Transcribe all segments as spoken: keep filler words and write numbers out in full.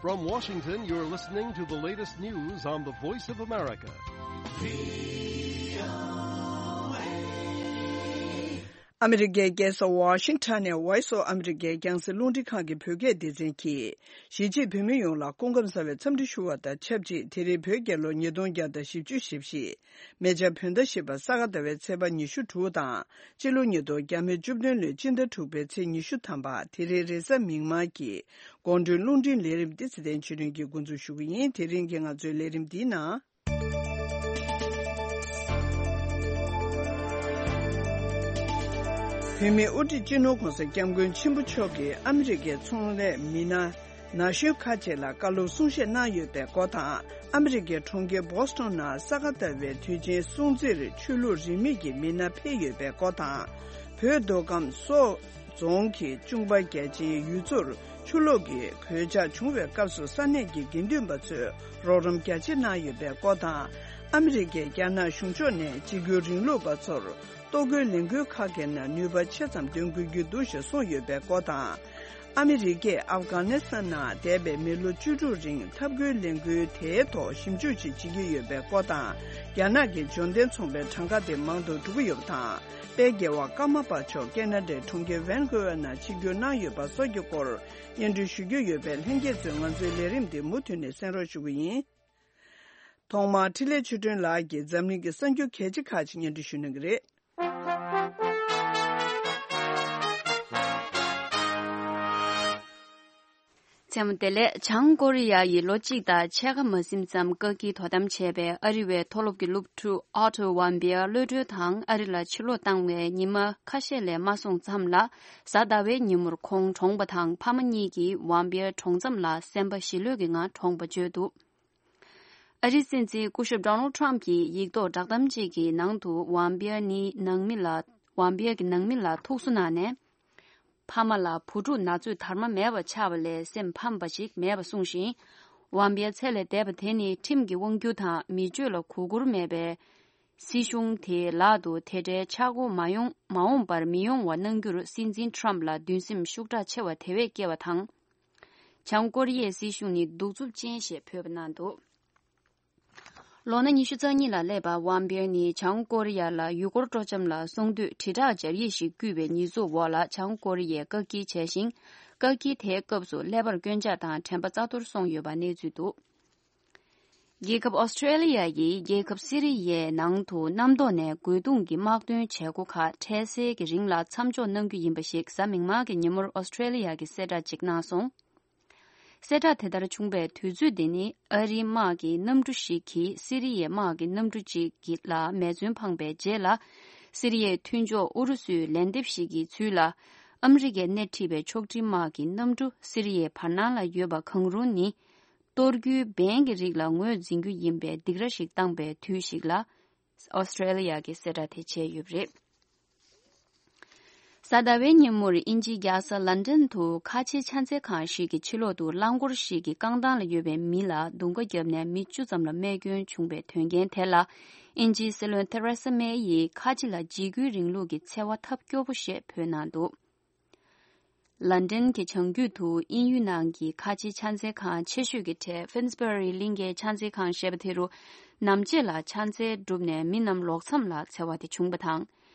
From Washington, you're listening to the latest news on the Voice of America. ཨ་མི་རི་ཀའི་རྒྱལ་ས་ཝ་ཤིང་ཊོན་ནས་Voice of America་རྒྱང་སྲིང་རླུང་འཕྲིན་ཁང་གི་བོད་སྐད་སྡེ་ཚན་གྱིས། གཞིས་བྱེས་བོད་མི་ཡོངས་ལ་སྐུ་ཁམས་བཟང་བའི་འཚམས་འདྲི་ཞུ་བ་དང་ཆབས་ཅིག་དེ་རིང་བོད་རྒྱལ་ལོ་ཉིས་སྟོང་བརྒྱ་དང་བཞི་བཅུ་ཞེ་བཞི། མེ་བྱ་བོད་ཟླ་བཞི་པ་ས་ག་ཟླ་བའི་ཚེས་པ་ཉི་ཤུ་དྲུག་དང་། སྤྱི་ལོ་ཉིས་སྟོང་བརྒྱ་མེད་བཅུ་བདུན་ལོའི་སྤྱི་ཟླ་དྲུག་པའི་ཚེས་ཉི་ཤུ་ཐམ་པ། དེ་རིང་རེས་གཟའ་མིག་དམར་གྱི་དགོང་དྲོའི་རླུང་འཕྲིན་ལས་རིམ་འདི་ཚེ་བརྟན་ཆོས་སྒྲོན་གྱིས་འགོ་འཛུགས་ཞུ་གི་ཡིན། དེ་རིང་གི་ང་ཚོའི་ལས་རིམ་འདིའི་ནང་། བོད་མིའི་དབུ་ཁྲིད་སྤྱི་ནོར་༸གོང་ས་༸སྐྱབས་མགོན་ཆེན་པོ་མཆོག་གིས་ཨ་མི་རི་ཀའི་ཚོང་ལས་མི་སྣ་ན་གཞོན་ཁག་ཅིག་ལ་བཀའ་སློབ་གསུང་བཤད་གནང་ཡོད་པའི་སྐོར་དང་། ཨ་མི་རི་ཀའི་གྲོང་ཁྱེར་བོ་སི་ཊོན་ནང་ས་ག་ཟླ་བའི་དུས་ཆེན་སྲུང་བརྩིར་ཆོས་ལུགས་རིས་མེད་ཀྱི་མི་སྣ་ཕེབས་ཡོད་པའི་སྐོར་དང་། བོད་མདོ་ཁམས་སོག་རྫོང་གི་ཅུང་པ་རྒྱལ་ཆེན་ཡུལ་ཚོར་ཆུ་ལོག་གི་གོད་ཆག་བྱུང་བའི་སྐབས་སུ་ས་གནས་ཀྱི་དགེ་འདུན་པ་ཚོས་རོགས་རམ་རྒྱ་ཆེ་གནང་ཡོད་པའི་སྐོར་དང་། ཨ་མི་རི་ཀས་རྒྱ་ནག་གཞུང་ཕྱོགས་ནས་གཅིག་གྱུར་རིང་ལུགས་པ་ཚོར་གཏོར་རྒོལ་ལས་འགུལ་ཁག་གི་ནང་ནུས་པ་ཆེ་ཙམ་འདོན་དགོས་ཀྱི་འདུག་ཞེས་གསུངས་ཡོད་པའི་སྐོར་དང་། ཨ་མི་རི་ཀས་ཨབ་གྷ་ནི་སི་ཐན་ནང་འདས་པའི་མི་ལོ་བཅུ་དྲུག་རིང་འཐབ་རྒོལ་ལས་འགུལ་དེའི་ཐོག་ཞིབ་འཇུག་ཅིག་བྱེད་ཀྱི་ཡོད་པའི་སྐོར་དང་། རྒྱ་ནག་གི་འབྱོར་ལྡན་ཚོང་པའི་གྲངས་ཀ་དེ་མང་དུ་འགྲོ་གི་ཡོད་པ་དང་། དཔལ་རྒྱལ་བ་ཀརྨ་པ་མཆོག་ཁེ་ན་ཌའི་གྲོང་ཁྱེར་ཝན་ཀུ་ཝར་ནང་ཆིབས་བསྒྱུར་གནང་ཡོད་པ་སོགས་ཀྱི་སྐོར་སྙན་སྒྲོན་ཞུ་རྒྱུ་ཡོད་པས། ལྷན་རྒྱས་ཚོས་ང་ཚོའི་ལས་རིམ་འདི་མུ་མཐུད་ནས་གསན་རོགས་ཞུ་གི་ཡིན། ཐོག་མར་འཕྲིན་ལས་ཆོས་སྒྲོན་ལགས་ཀྱིས་འཛམ་གླིང་གི་གསར་འགྱུར་གལ་ཆེ་ཁག་ཅིག་སྙན་སྒྲོན་ཞུ་གནང་གི་རེད། མཚན་མོ་བདེ་ལེགས། བྱང་ཀོ་རི་ཡ་ཡིས་ལོ་གཅིག་དང་ཕྱེད་ཀ་མ་ཟིན་ཙམ་བཀག་སྐྱིལ་དོ་དམ་བྱས་པའི་ཨ་རི་བའི་མཐོ་སློབ་ཀྱི་སློབ་ཕྲུག་ཨོ་ཊོ་ཝམ་པིར་གློད་གྲོལ་དང་ཨ་རི་ལ་ཕྱིར་ལོག་བཏང་བའི་ཉི་མ་ཁ་ཤས་ལས་མ་སོང་ཙམ་ལ། གཟའ་ཟླ་བའི་ཉིན་མོར་ཁོང་གྲོངས་པ་དང་། ཕ་མ་གཉིས་ཀྱིས་ཝམ་པིར་གྲོངས་མཚམས་ལ་སེམས་པ་ཞི་ལྷོད་ཀྱི་ངང་གྲོངས་པ་བརྗོད་འདུག་ཨ་རིའི་སྲིད་འཛིན་སྐུ་ཞབས་ཌོ་ནལ་ཊམ་གྱིས་ཡིག་ཐོག་བསྒྲགས་གཏམ་གཅིག་གི་ནང་དུ་ཝམ་པིར་ནི་ནང་མི་ལ། ཝམ་པིར་གྱི་ནང་མི་ལ་ཐུགས་གསོ་གནང་ནས། ཕ་མ་ལ་བུ་ཕྲུག་ན་ཚོད་དར་མ་མེད་པ་ཆགས་པ་ལས་སེམས་ཕམ་པ་ཞིག་མེད་པ་གསུངས་ཤིང་། ཝམ་པིར་ཚེ་ལས་འདས་པ་དེ་ནི་ཁྲིམས་ཀྱི་དབང་སྒྱུར་དང་མི་སྤྱོད་ལ་གུས་བཀུར་མེད་པའི་སྲིད་གཞུང་དེའི་ལག་ཏུ་དེ་འདྲའི་ཆག་སྒོ་མ་ཡོང་མ་འོངས་པར་མི་ཡོང་བ་གནང་རྒྱུར་སྲིད་འཛིན་ཊམ་ལ་འདུན་སེམས་ཤུགས་དྲག་ཆེ་བ་དེ་བས་སྐྱེ་བ་དང་། བྱང་ཀོ་རི་ཡའི་སྲིད་གཞུང་ནི་གདུག་རྩུབ་ཅན་ཞེས་འབོད་པ་གནང་འདུག་ལོ་ན་ཉི་ཤུ་རྩ་གཉིས་ལ་སླེབས་པ་ཝམ་པིར་ནི་བྱང་ཀོ་རི་ཡ་ལ་ཡུལ་སྐོར་སྤྲོ་འཆམ་ལ་སོང་དུས་དྲིལ་བསྒྲགས་སྦྱར་ཡིག་ཞིག་བརྐུས་པའི་ཉེས་འཛུགས་འོག་ལ་བྱང་ཀོ་རི་ཡས་བཀག་སྐྱིལ་བྱས་ཤིང་། བཀག་སྐྱིལ་དེའི་སྐབས་སུ་ཀླད་པར་སྐྱོན་ཆག་དང་དྲན་པ་རྩ་གཏོར་སོང་ཡོད་པ་གནས་ཚུལ་འདུག་རྒྱལ་ཁབ་ཨོ་སི་ཀྲེ་ལི་ཡ་ཡིས་རྒྱལ་ཁབ་སི་རི་ཡའི་ནང་དུ་གནམ་ཐོག་ནས་རྒོལ་རྡུང་གི་དམག་དོན་བྱེད་སྒོ་ཁག་འཕྲལ་སེལ་གྱི་རིང་ལ་མཚམས་འཇོག་གནང་རྒྱུ་ཡིན་པ་ཞིག་གཟའ་མིག་དམར་གྱི་ཉིན་མོར་ཨོ་སི་ཀྲེ་ལི་ཡ་གིས་གསལ་བསྒྲགས་ཤིག་གནང་སོང་། གསལ་བསྒྲགས་དེ་ལྟར་བྱུང་བའི་དུས་ཚོད་དེ་ནི་ཨ་རིའི་དམག་གི་གནམ་གྲུ་ཞིག་གིས་སི་རི་ཡའི་དམག་གི་གནམ་གྲུ་གཅིག་གི་ལ་མེ་མཚོན་འཕངས་པའི་རྗེས་ལ། སི་རི་ཡའི་མཐུན་ཕྱོགས་ཨུ་རུ་སུའི་ལན་འདེབས་ཤིག་གི་ཚུལ་ལ། ཨ་མི་རི་ཀས་སྣེ་ཁྲིད་པའི་ཕྱོགས་སྒྲིག་དམག་གི་གནམ་གྲུ་སི་རི་ཡའི་བར་སྣང་ལ་ཡོད་པ་གང་རུང་ནི། གཏོར་རྒྱུའི་འབེན་གྱི་རིགས་ལ་ངོས་འཛིན་རྒྱུ་ཡིན་པའི་སྡིགས་ར་ཞིག་བཏང་པའི་དུས་ཤིག་ལ། ཨོ་སི་ཀྲེ་ལི་ཡ་གིས་གསལ་བསྒྲགས་དེ་བྱས་ཡོད་པ་རེད། གཟའ་ཟླ་བའི་ཉིན་མོར་དབྱིན་ཇིའི་རྒྱལ་ས་ལན་ཀྲན་དུ་ཁ་ཆེའི་ཕྱག་འཚལ་ཁང་ཞིག་གི་ཕྱི་ལོགས་དུ་རླངས་འཁོར་ཞིག་གི་རྐང་ཐང་ལ་ཡོད་པའི་མི་ལ་རྡུང་ཁ་བརྒྱབ་ནས་མི་བཅུ་ཙམ་ལ་རྨས་སྐྱོན་བྱུང་བའི་དོན་རྐྱེན་དེ་ལ། དབྱིན་ཇིའི་སྲིད་བློན་ཐེ་རེ་ས་མེ་ཡིས་ཁ་ཆེ་ལ་འཇིགས་སྐུལ་རིང་ལུགས་ཀྱི་འཚེ་བ་ཐབས་སྐྱོ་པོ་ཞེས་འབོད་གནང་འདུག་ལན་ཀྲན་གྱི་བྱང་རྒྱུད་དུ་དབྱིན་ཡུལ་ནང་གི་ཁ་ཆེའི་ཕྱག་འཚལ་ཁང་ཆེ་ཤོས་ཀྱི་གྲས་ཕིན་སི་བྷ་རི་གླིང་གའི་ཕྱག་འཚལ་ཁང་ཞེས་པ་དེ་རུ། ནམ་ཕྱེད་ལ་ཕྱག་འཚལ་གྲུབ་ནས་མི་རྣམས་ལོག་མཚམས་ལ་འཚེ་བ་དེ་བྱུང་བ་དང་།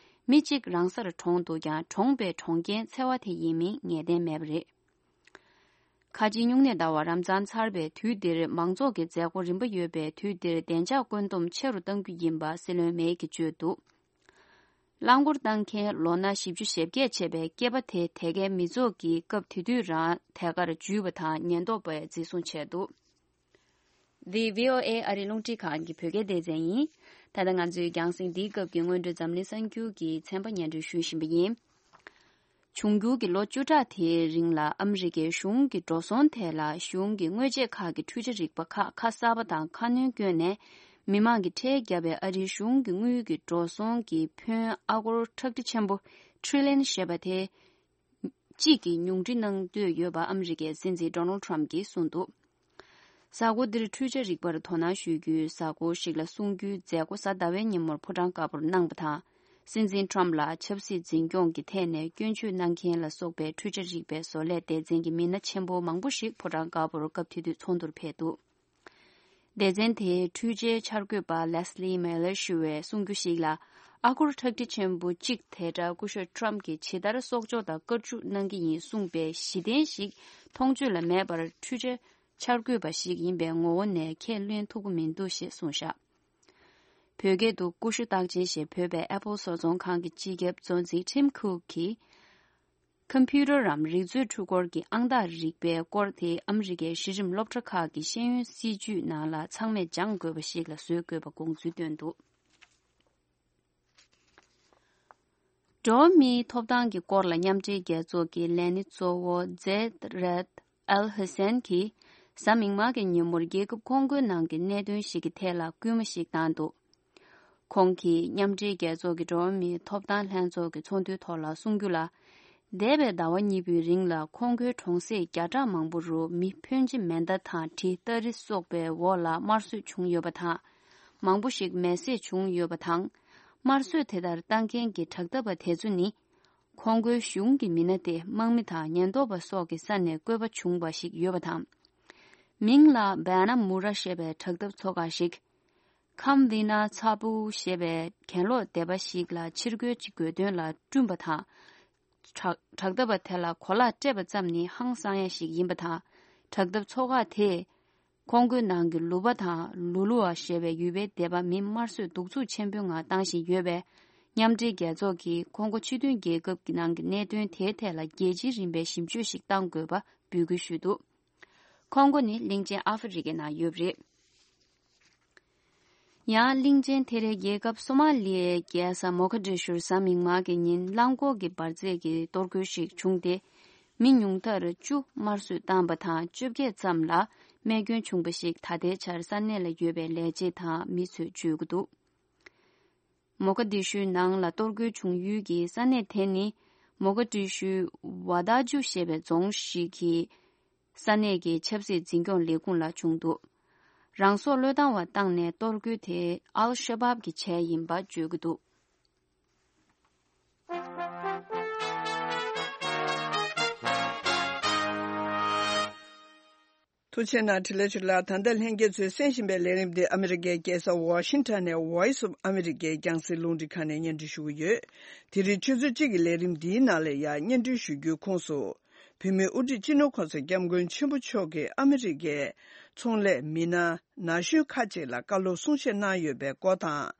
མི་གཅིག་རང་སར་གྲོངས་འདུག་ཀྱང་། གྲོངས་པའི་གྲོངས་རྐྱེན་འཚེ་བ་དེ་ཡིན་མིན་ངེས་གཏན་མེད་པ་རེད། ཁ་ཆེའི་སྨྱུང་གནས་ཟླ་བ་རབ་བྱུང་ཚར་བའི་དུས་འདིར་མང་ཚོགས་ཀྱི་མཛད་སྒོ་རིམ་པ་ཡོད་པའི་དུས་འདིར་བདེ་འཇགས་བཀོད་འདོམས་ཆེ་རུ་གཏང་རྒྱུ་ཡིན་པ་སྲིད་བློན་མེ་གིས་བརྗོད་འདུག་རླངས་འཁོར་བཏང་མཁན་ལོ་ན་བཞི་བཅུ་ཞེ་བརྒྱད་བྱས་པའི་སྐྱེས་པ་དེ་དེ་གའི་མི་ཚོགས་ཀྱིས་སྐབས་དེ་དུས་རང་དེ་གར་འཇུས་པ་དང་ཉེན་རྟོག་པས་འཛིན་བཟུང་བྱས་འདུག་འདི་བྷི་ཨོ་ཨེ་ཨ་རིའི་རླུང་འཕྲིན་ཁང་གི་བོད་སྐད་སྡེ་ཚན་ཡིན། ད་ལྟ་ང་ཚོའི་རྒྱང་སྲིང་འདིའི་སྐབས་ཀྱི་སྔོན་འགྲོའི་འཛམ་གླིང་གསར་འགྱུར་གྱི་ཚན་པ་སྙན་སྒྲོན་ཞུ་བཞིན་པ་ཡིན། འབྱུང་འགྱུར་གྱི་ལོ་བཅུ་ཕྲག་དེའི་རིང་ལ་ཨ་མི་རི་ཀའི་གཞུང་གི་འགྲོ་སོང་ཐད་ལ་གཞུང་གི་དངོས་ཆས་ཁག་གི་འཕྲུལ་ཆ་རིག་པ་ཁག་ཁ་གསར་པ་དང་ཁ་སྣོན་བསྐྱོན་ནས། མི་མང་གིས་ཁྲལ་བརྒྱབ་པའི་ཨ་རིའི་གཞུང་གི་དངུལ་གྱི་འགྲོ་སོང་གི་ཕོན་ཨ་སྒོར་ཁྲག་ཁྲིག་ཆེན་པོ་ཊི་རི་ལི་ཡན་ཞེས་པ་དེ་གཅིག་གིས་ཉུང་འཕྲི་གནང་འདོད་ཡོད་པ་ཨ་མི་རི་ཀའི་སྲིད་འཛིན་ཌོ་ནལ་ཊམ་གྱིས་གསུངས་འདུག་གཟའ་འཁོར་འདིར་འཕྲུལ་ཆ་རིག་པར་དོ་སྣང་ཞུ་རྒྱུའི་གཟའ་འཁོར་ཞིག་ལ་གསུང་རྒྱུའི་མཛད་སྒོ་གཟའ་ཟླ་བའི་ཉིན་མོར་ཕོ་བྲང་དཀར་པོར་གནང་བ་དང་། སྲིད་འཛིན་ཊམ་ལ་ཆབ་སྲིད་འཛིན་སྐྱོང་གི་ཐད་ནས་སྐྱོན་བརྗོད་གནང་མཁན་ལ་སོགས་པའི་འཕྲུལ་ཆ་རིག་པའི་བཟོ་ལས་སྡེ་ཚན་གྱི་མི་སྣ་ཆེན་པོ་མང་པོ་ཞིག་ཕོ་བྲང་དཀར་པོར་སྐབས་དེ་དུས་ཚོགས་འདུར་ཕེབས་འདུག་སྡེ་ཚན་དེའི་འཕྲུལ་ཆའི་འཆར་འགོད་པ་ལེས་ལི་མེ་ལར་ཞུ་བས་གསུང་རྒྱུ་ཞིག་ལ། ཨ་སྒོར་ཁྲག་ཁྲིག་ཆེན་པོ་གཅིག་དེ་འདྲ་སྐུ་ཞབས་ཊམ་གྱིས་ཇི་ལྟར་གསོག་འཇོག་དང་བཀར་སྤྱོད་གནང་གི་ཡིན་གསུངས་པའི་གཞི་རྟེན་ཞིག་མཐོང་ཆོས་ལ་མེད་པར་འཕྲུལ་ཆའི་འཆར་འགོད་པ་ཞིག་ཡིན་པའི་ངོ་བོ་ནས་ཁས་ལེན་ཐུབ་ཀྱི་མི་འདུག་ཞེས་གསུངས་བཞག་བོད་སྐད་དུ་ཀུ་ཤུ་རྟགས་ཅན་ཞེས་བོད་པའི་ཨེ་པོལ་བཟོ་ཚོང་ཁང་གི་སྤྱི་ཁྱབ་བཙོན་འཛིན་ཊིམ་ཁུག་གིས། ཁམ་པུ་ཊར་རམ་རིག་མཛོད་འཕྲུལ་འཁོར་གྱི་ཨང་རྟགས་རིག་པའི་སྐོར་དེ་ཨ་མི་རི་ཀའི་གཞི་རིམ་སློབ་གྲྭ་ཁག་གི་ཤེས་ཡོན་སྲིད་བྱུས་ནང་ལ་ཚང་མས་སྦྱང་དགོས་པ་ཞིག་ལ་བཟོ་དགོས་པ་དགོངས་ཚུལ་བཏོན་འདུག་འགྲོ་བ་མིའི་ཐོབ་ཐང་གི་སྐོར་ལ་མཉམ་འབྲེལ་རྒྱལ་ཚོགས་ཀྱི་ལས་སྣེ་གཙོ་བོ་ཛེད་རད་ཨལ་ཧུ་སན་གྱིས་གཟའ་མིག་དམར་གྱི་ཉིན་མོར་རྒྱལ་ཁབ་ཁོང་ཀོའི་ནང་གི་གནད་དོན་ཞིག་གི་ཐད་ལ་སྐུལ་མ་ཞིག་བཏང་འདུག་ཁོང་གིས་མཉམ་འབྲེལ་རྒྱལ་ཚོགས་ཀྱི་འགྲོ་བ་མིའི་ཐོབ་ཐང་ལྷན་ཚོགས་ཀྱི་ཚོགས་འདུའི་ཐོག་ལ་གསུང་རྒྱུ་ལ། འདས་པའི་ཟླ་བ་གཉིས་པོའི་རིང་ལ་ཁོང་ཀོའི་གྲོང་གསེབ་བརྒྱ་ཕྲག་མང་པོ་རུ་མི་ཕོན་ཆེ་མེ་མདའ་དང་གྲི་སྟ་རེ་སོགས་པའི་འོག་ལ་དམར་གསོད་བྱུང་ཡོད་པ་དང་། མང་པོ་ཞིག་མེ་བསྲེགས་བྱུང་ཡོད་པ་དང་། དམར་གསོད་དེ་ལྟར་བཏང་མཁན་གྱི་དྲག་འཐབ་པ་དེ་ཚོ་ནི། ཁོང་ཀོའི་གཞུང་གི་མི་སྣ་སྟེ་དམག་མི་དང་ཉེན་རྟོག་པ་སོགས་ཀྱི་ས་ནས་བཀོད་པ་བྱུང་བ་ཞིག་ཡོད་པ་དང་། མིང་ལ་བེ་ན་མུ་ར་ཞེས་པའི་དྲག་འཐབ་ཚོགས་ཁག་ཞིག་ཁམ་བི་ན་ཚ་པུ་ཞེས་པའི་གྱེན་ལོག་སྡེ་པ་ཞིག་ལ་ཕྱིར་རྒོལ་གྱི་དགོས་དོན་ལ་བསྐྲུན་པ་དང་། དྲག་དྲག་འཐབ་པ་དེ་ལ་གོ་ལག་སྤྲད་པ་ཙམ་ནི་ཧང་སང་ཡ་ཞིག་ཡིན་པ་དང་། དྲག་འཐབ་ཚོགས་ཁག་དེས་ཁོང་ཀོའི་ནང་གི་ལུ་པ་དང་ལུ་ལུ་ཨ་ཞེས་པའི་ཡུལ་པའི་སྡེ་པ་མི་དམར་གསོད་གདུག་རྩུབ་ཆེན་པོའི་ངང་བཏང་བཞིན་ཡོད་པས། མཉམ་འབྲེལ་རྒྱལ་ཚོགས་ཀྱིས་ཁོང་ཀོ་སྤྱི་མཐུན་རྒྱལ་ཁབ་ཀྱི་ནང་གི་གནད་དོན་དེའི་ཐད་ལ་རྒྱལ་སྤྱིའི་རིམ་པའི་ཞིབ་དཔྱོད་ཞིག་གཏང་དགོས་པ་འབོད་སྐུལ་ཞུས་འདུག་ཁོང་ཀོ་ནི་གླིང་ཆེན་ཨ་ཧྥེ་རི་ཀའི་ནང་ཡོད་པ་རེད། ཡང་གླིང་ཆེན་དེ་རའི་རྒྱལ་ཁབ་སོ་མ་ལི་ཡའི་རྒྱལ་ས་མོ་ཁ་ཌི་ཤུར་གཟའ་མིག་དམར་གྱི་ཉིན་རླངས་འཁོར་གྱི་འབར་རྫས་ཀྱི་གཏོར་རྒོལ་ཞིག་བྱུང་སྟེ། མི་ཉུང་མཐར་བཅུ་དམར་གསོད་བཏང་པ་དང་བཅོ་བརྒྱད་ཙམ་ལ་རྨས་སྐྱོན་བྱུང་བ་ཞིག་ད་ལྟའི་ཆར་ས་གནས་ལ་ཡོད་པའི་ལས་བྱེད་དང་མི་ཚོས་བརྗོད་ཀྱི་འདུག་མོ་ཁ་ཌི་ཤུའི་ནང་ལ་གཏོར་རྒོལ་བྱུང་ཡུལ་གྱི་ས་གནས་དེ་ནི་མོ་ཁ་ཌི་ཤུའི་ཝ་ད་ཇུ་ཞེས་པའི་རྫོང་ཞིག་གི་ས་གནས་ཀྱི་ཆབ་སྲིད་འཛིན་སྐྱོང་ལས་ཁུངས་ལ་བྱུང་འདུག་རང་སྲོག་བློས་བཏང་བ་བཏང་ནས་གཏོར་རྒོལ་དེ་ཨལ་ཤ་བབ་ཀྱིས་བྱས་ཡིན་པ་བརྗོད་ཀྱི་འདུག་ཐུགས་རྗེ་གནང་། བཀྲ་ཤིས་བདེ་ལེགས། ད་ལྟ་ལྷན་རྒྱས་ཚོས་གསན་བཞིན་པའི་ལས་རིམ་འདི་ཨ་མི་རི་ཀའི་རྒྱལ་ས་ཝ་ཤིང་ཊོན་ནས་Voice of America་རྒྱང་སྲིང་རླུང་འཕྲིན་ཁང་ནས་སྙན་སྒྲོན་ཞུ་གི་ཡོད། དེ་རིང་ཆུ་ཚོད་གཅིག་གི་ལས་རིམ་འདིའི་ནང་ལ་ཡང་སྙན་སྒྲོན་ཞུ་རྒྱུའི་ཁོངས་སུ། བོད་མིའི་དབུ་ཁྲིད་སྤྱི་ནོར་གོང་ས་སྐྱབས་མགོན་ཆེན་པོ་མཆོག་གིས་ཨ་མི་རི་ཀའི་ཚོང་ལས་མི་སྣ་ན་གཞོན་ཁག་ཅིག་ལ་བཀའ་སློབ་གསུང་བཤད་གནང་ཡོད་པའི་སྐོར་དང་།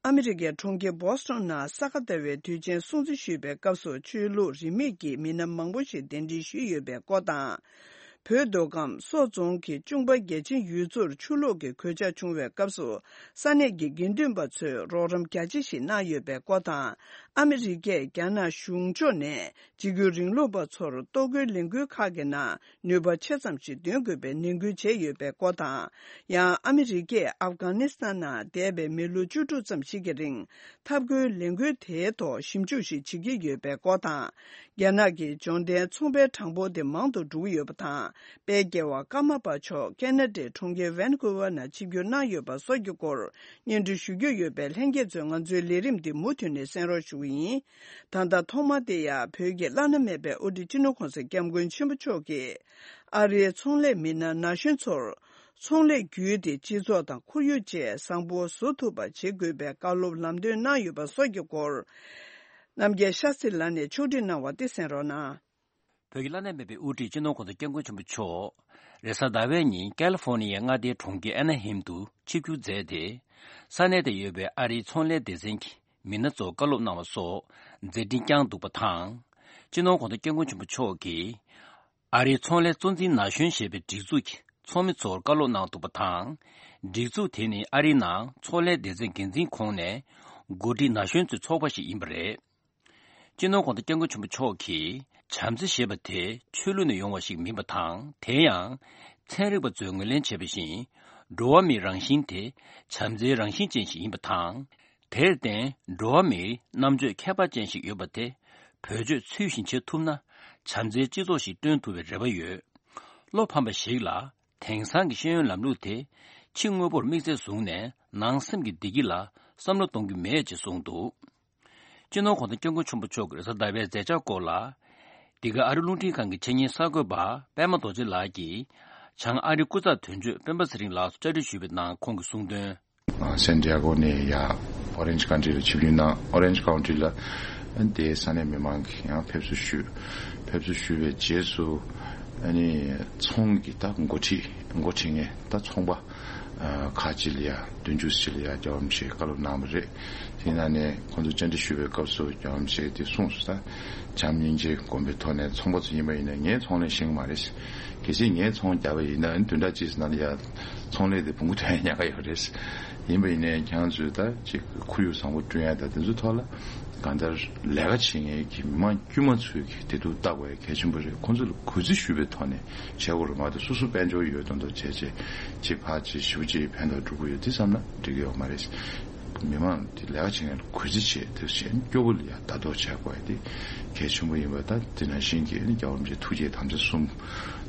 ཨ་མི་རི་ཀའི་གྲོང་ཁྱེར་བོ་སི་ཊོན་ནང་ས་ག་ཟླ་བའི་དུས་ཆེན་སྲུང་བརྩི་ཞུས་པའི་སྐབས་སུ་ཆོས་ལུགས་རིས་མེད་ཀྱི་མི་སྣ་མང་པོ་ཞིག་གདན་འདྲེན་ཞུས་ཡོད་པའི་སྐོར་དང་། བོད་མདོ་ཁམས་སོག་རྫོང་གི་ཅུང་པ་རྒྱལ་ཆེན་ཡུལ་ཚོར་ཆུ་ལོག་གི་གོད་ཆག་བྱུང་བའི་སྐབས་སུ་ས་གནས་ཀྱི་དགེ་འདུན་པ་ཚོས་རོགས་རམ་རྒྱ་ཆེ་ཞིག་གནང་ཡོད་པའི་སྐོར་དང་། ཨ་མི་རི་ཀས་རྒྱ་ནག་གཞུང་ཕྱོགས་ནས་འཇིགས་སྐུལ་རིང་ལུགས་པ་ཚོར་གཏོར་རྒོལ་ལས་འགུལ་ཁག་གི་ནང་ནུས་པ་ཆེ་ཙམ་ཞིག་འདོན་དགོས་པའི་ནན་སྐུལ་བྱས་ཡོད་པའི་སྐོར་དང་། ཡང་ཨ་མི་རི་ཀས་ཨབ་གྷ་ནི་སི་ཐན་ནང་འདས་པའི་མི་ལོ་བཅུ་དྲུག་ཙམ་ཞིག་གི་རིང་འཐབ་རྒོལ་ལས་འགུལ་དེའི་ཐོག་ཞིབ་འཇུག་ཞིག་བྱེད་ཀྱི་ཡོད་པའི་སྐོར་དང་། རྒྱ་ནག་གི་འབྱོར་ལྡན་ཚོང་པའི་གྲངས་འབོར་དེ་མང་དུ་འགྲོ་གི་ཡོད་པ་དང་། དཔལ་རྒྱལ་བ་ཀརྨ་པ་མཆོག་ཁེ་ན་ཌའི་གྲོང་ཁྱེར་ཝན་ཀུ་ཝར་ནང་ཆིབས་བསྒྱུར་གནང་ཡོད་པ་སོགས་ཀྱི་སྐོར་སྙན་སྒྲོན་ཞུ་རྒྱུ་ཡོད་པས། ལྷན་རྒྱས་ཚོས་ང་ཚོའི་ལས་རིམ་འདི་མུ་མཐུད་ནས་གསན་རོགས་ཞུ་གི་ཡིན། ད་ལྟ་ཐོག་མ་དེ་ཡང་བོད་ཀྱི་བླ་ན་མེད་པའི་དབུ་ཁྲིད་སྤྱི་ནོར་གོང་ས་སྐྱབས་མགོན་ཆེན་པོ་མཆོག་གིས་ཨ་རིའི་ཚོང་ལས་མི་སྣ་ན་གཞོན་ཚོར་ཚོང་ལས་བརྒྱུད་དེ་སྤྱི་ཚོགས་དང་ཁོར་ཡུག་བཅས་བཟང་པོ་བཟོ་ཐུབ་པ་བྱེད་དགོས་པའི་བཀའ་སློབ་ལམ་སྟོན་གནང་ཡོད་པ་སོགས་ཀྱི་སྐོར། རྣམ་རྒྱལ་ཤཱ་སྟྲི་ལགས་ནས་ཕྱོགས་སྒྲིག་གནང་བ་འདི་གསན་རོགས་གནང་། བོད་ཀྱི་བླ་ན་མེད་པའི་དབུ་ཁྲིད་སྤྱི་ནོར་གོང་ས་སྐྱབས་མགོན་ཆེན་པོ་མཆོག་རེས་གཟའ་ཟླ་བའི་ཉིན་ཀལ་ཧྥོར་ནི་ཡའི་མངའ་སྡེའི་གྲོང་ཁྱེར་ཨེ་ན་ཧིམ་དུ་ཆིབས་བསྒྱུར་མཛད་དེ། ས་གནས་དེར་ཡོད་པའི་ཨ་རིའི་ཚོང་ལས་སྡེ་ཚན་གྱི་མི་སྣ་ཚོར་བཀའ་སློབ་གནང་བ་སོགས་མཛད་འཕྲིན་བསྐྱངས་འདུག་པ་དང་། སྤྱི་ནོར་གོང་ས་སྐྱབས་མགོན་ཆེན་པོ་མཆོག་གིས། ཨ་རིའི་ཚོང་ལས་གཙོ་འཛིན་ན་གཞོན་ཞེས་པའི་སྒྲིག་འཛུགས་ཀྱི་ཚོགས་མི་ཚོར་བཀའ་སློབ་གནང་འདུག་པ་དང་། སྒྲིག་འཛུགས་དེ་ནི་ཨ་རིའི་ནང་ཚོང་ལས་སྡེ་ཚན་འགན་འཛིན་ཁོངས་ནས་འགོ་ཁྲིད་ན་གཞོན་ཚོའི་ཚོགས་པ་ཞིག་ཡིན་པ་རེད། སྤྱི་ནོར་གོང་ས་སྐྱབས་མགོན་ཆེན་པོ་མཆོག་གིས་བྱམས་བརྩེ་ཞེས་པ་དེ་ཆོས་ལུགས་ནས་ཡོང་བ་ཞིག་མིན་པ་དང་། དེ་ཡང་ཚན་རིག་པ་ཚོས་ངོས་ལེན་བྱས་པ་བཞིན་འགྲོ་བ་མིའི་རང་བཞིན་དེ་བྱམས་བརྩེའི་རང་བཞིན་ཅན་ཞིག་ཡིན་པ་དང་། དེར་བརྟེན་འགྲོ་བ་མིའི་རྣམ་དཔྱོད་ཁྱད་པར་ཅན་ཞིག་ཡོད་པ་དེ་བེད་སྤྱོད་ཚུལ་བཞིན་བྱེད་ཐུབ་ན་བྱམས་བརྩེའི་སྤྱི་ཚོགས་ཤིག་བསྐྲུན་ཐུབ་པའི་རེ་བ་ཡོད། བློ་ཕམ་པ་ཞིག་ལ་དེང་སང་གི་ཤེས་ཡོན་ལམ་ལུགས་དེ་ཕྱི་དངོས་པོར་དམིགས་བསལ་བཟུང་ནས་ནང་སེམས་ཀྱི་བདེ་སྐྱིད་ལ་བསམ་བློ་གཏོང་རྒྱུ་མེད་ཅེས་གསུངས་འདུག་སྤྱི་ནོར་གོང་ས་སྐྱབས་མགོན་ཆེན་པོ་མཆོག་གི་རེས་གཟའ་ཟླ་བའི་མཛད་འཆར་སྐོར་ལ། འདི་ག་ཨ་རི་རླུང་འཕྲིན་ཁང་གི་ཆེད་གཉེར་གསར་འགོད་པ་པད་མ་རྡོ་རྗེ་ལགས་ཀྱིས་བྱང་ཨ་རིའི་སྐུ་ཚབ་དོན་གཅོད་སྤེན་པ་ཚེ་རིང་ལགས་སུ་བཅར་འདྲི་ཞུས་པའི་ནང་ཁོང་གིས་གསུངས་དོན། ཨ། སན་ཏི་ཡ་གོ་ནས་ཡ་ཨོ་རེན་ཇི་ཀན་ཊི་ལ་ཆིབས་བསྒྱུར་གནང་། ཨོ་རེན་ཇི་ཀའུན་ཊི་ལ་དེའི་ས་གནས་མི་མང་གིས་ཡང་ཕེབས་བསུ་ཞུས། ཕེབས་བསུ་ཞུས་པའི་རྗེས་སུ་ཨ་ནི་ཚོང་གི་ད་འགོ་ཁྲིད་འགོ་ཁྲིད་མཁན་ད་ཚོང་པ་ཨ་ཁག་ཅིག་ལ་ཡ་བདུན་ཅུ་ཅིག་ལ་ཡ་རྒྱལ་བ་རིན་པོ་ཆེས་བཀའ་སློབ་གནང་བ་རེད། དེའི་ནང་ནས་ཁོང་ཚོ་བཅར་འདྲི་ཞུ་བའི་སྐབས་སུ་རྒྱལ་བ་རིན་པོ་ཆེས་དེ་གསུངས་སོང་། ད་བྱམས་སྙིང་རྗེ་སྒོམ་པའི་ཐོག་ནས་ཚོང་པ་ཚོ་ཡིན་པ་ཡིན་ན་ངས་ཚོང་ལས་ཤེས་ཀྱི་མ་རེད། གལ་སྲིད་ངས་ཚོང་བརྒྱབ་པ་ཡིན་ན་བདུན་ཕྲག་གཅིག་ཙམ་ནང་ལ་ཡ་ཚོང་ལས་དེ་བོང་གུ་ཐོན་ཡག་ག་ཡོད་རེད། ཡིན་པ་ཡིན་ནའི་ཁྱེད་རང་ཚོས་ད་ཅིག་ཁོར་ཡུག་བཟང་པོ་བསྐྲུན་ཡ་ད་དེ་ཚོའི་ཐོག་ལ་གང་ལྟར་ལས་ཀ་བྱེད་མཁན་གྱི་མི་མང་དཀྱུས་མ་ཚོས་ཀྱི་བདེ་སྡུག་བལྟ་དགོས་ཡ་གལ་ཆེན་པོ་རེད། ཁོང་ཚོ་ལ་གུས་བརྩི་ཞུ་བའི་ཐོག་ནས་བྱེད་དགོས་རེད། མ་གཏོགས་སོ་སོ་དཔལ་འབྱོར་ཡོད་མདོག་མདོག་བྱས་བྱས་ཅིག་ཕར་ཅིག་ཞེ་པོ་ཅིག་ཕན་ཐོགས་འགྲོ་གི་ཡོད་དེ་བསམ་ན་འགྲིག་གི་ཡོད་མ་རེད། མི་མང་དེ་ལས་ཀ་བྱེད་མཁན་ལ་གུས་བརྩི་བྱེད་དེ་བྱས་སྐྱོ་པོ་ལ་ཡ་ལྟ་རྟོག་བྱེད་དགོས་ཡ་དེ་གལ་ཆེན་པོ་ཡིན་པ། ད་དེ་ནང་བཞིན་གྱི་ཨ་ནི་རྒྱལ་བ་རིན་པོ་ཆེ་ཐུགས་བསྐྱེད་དམ་བཅའ་གསུམ་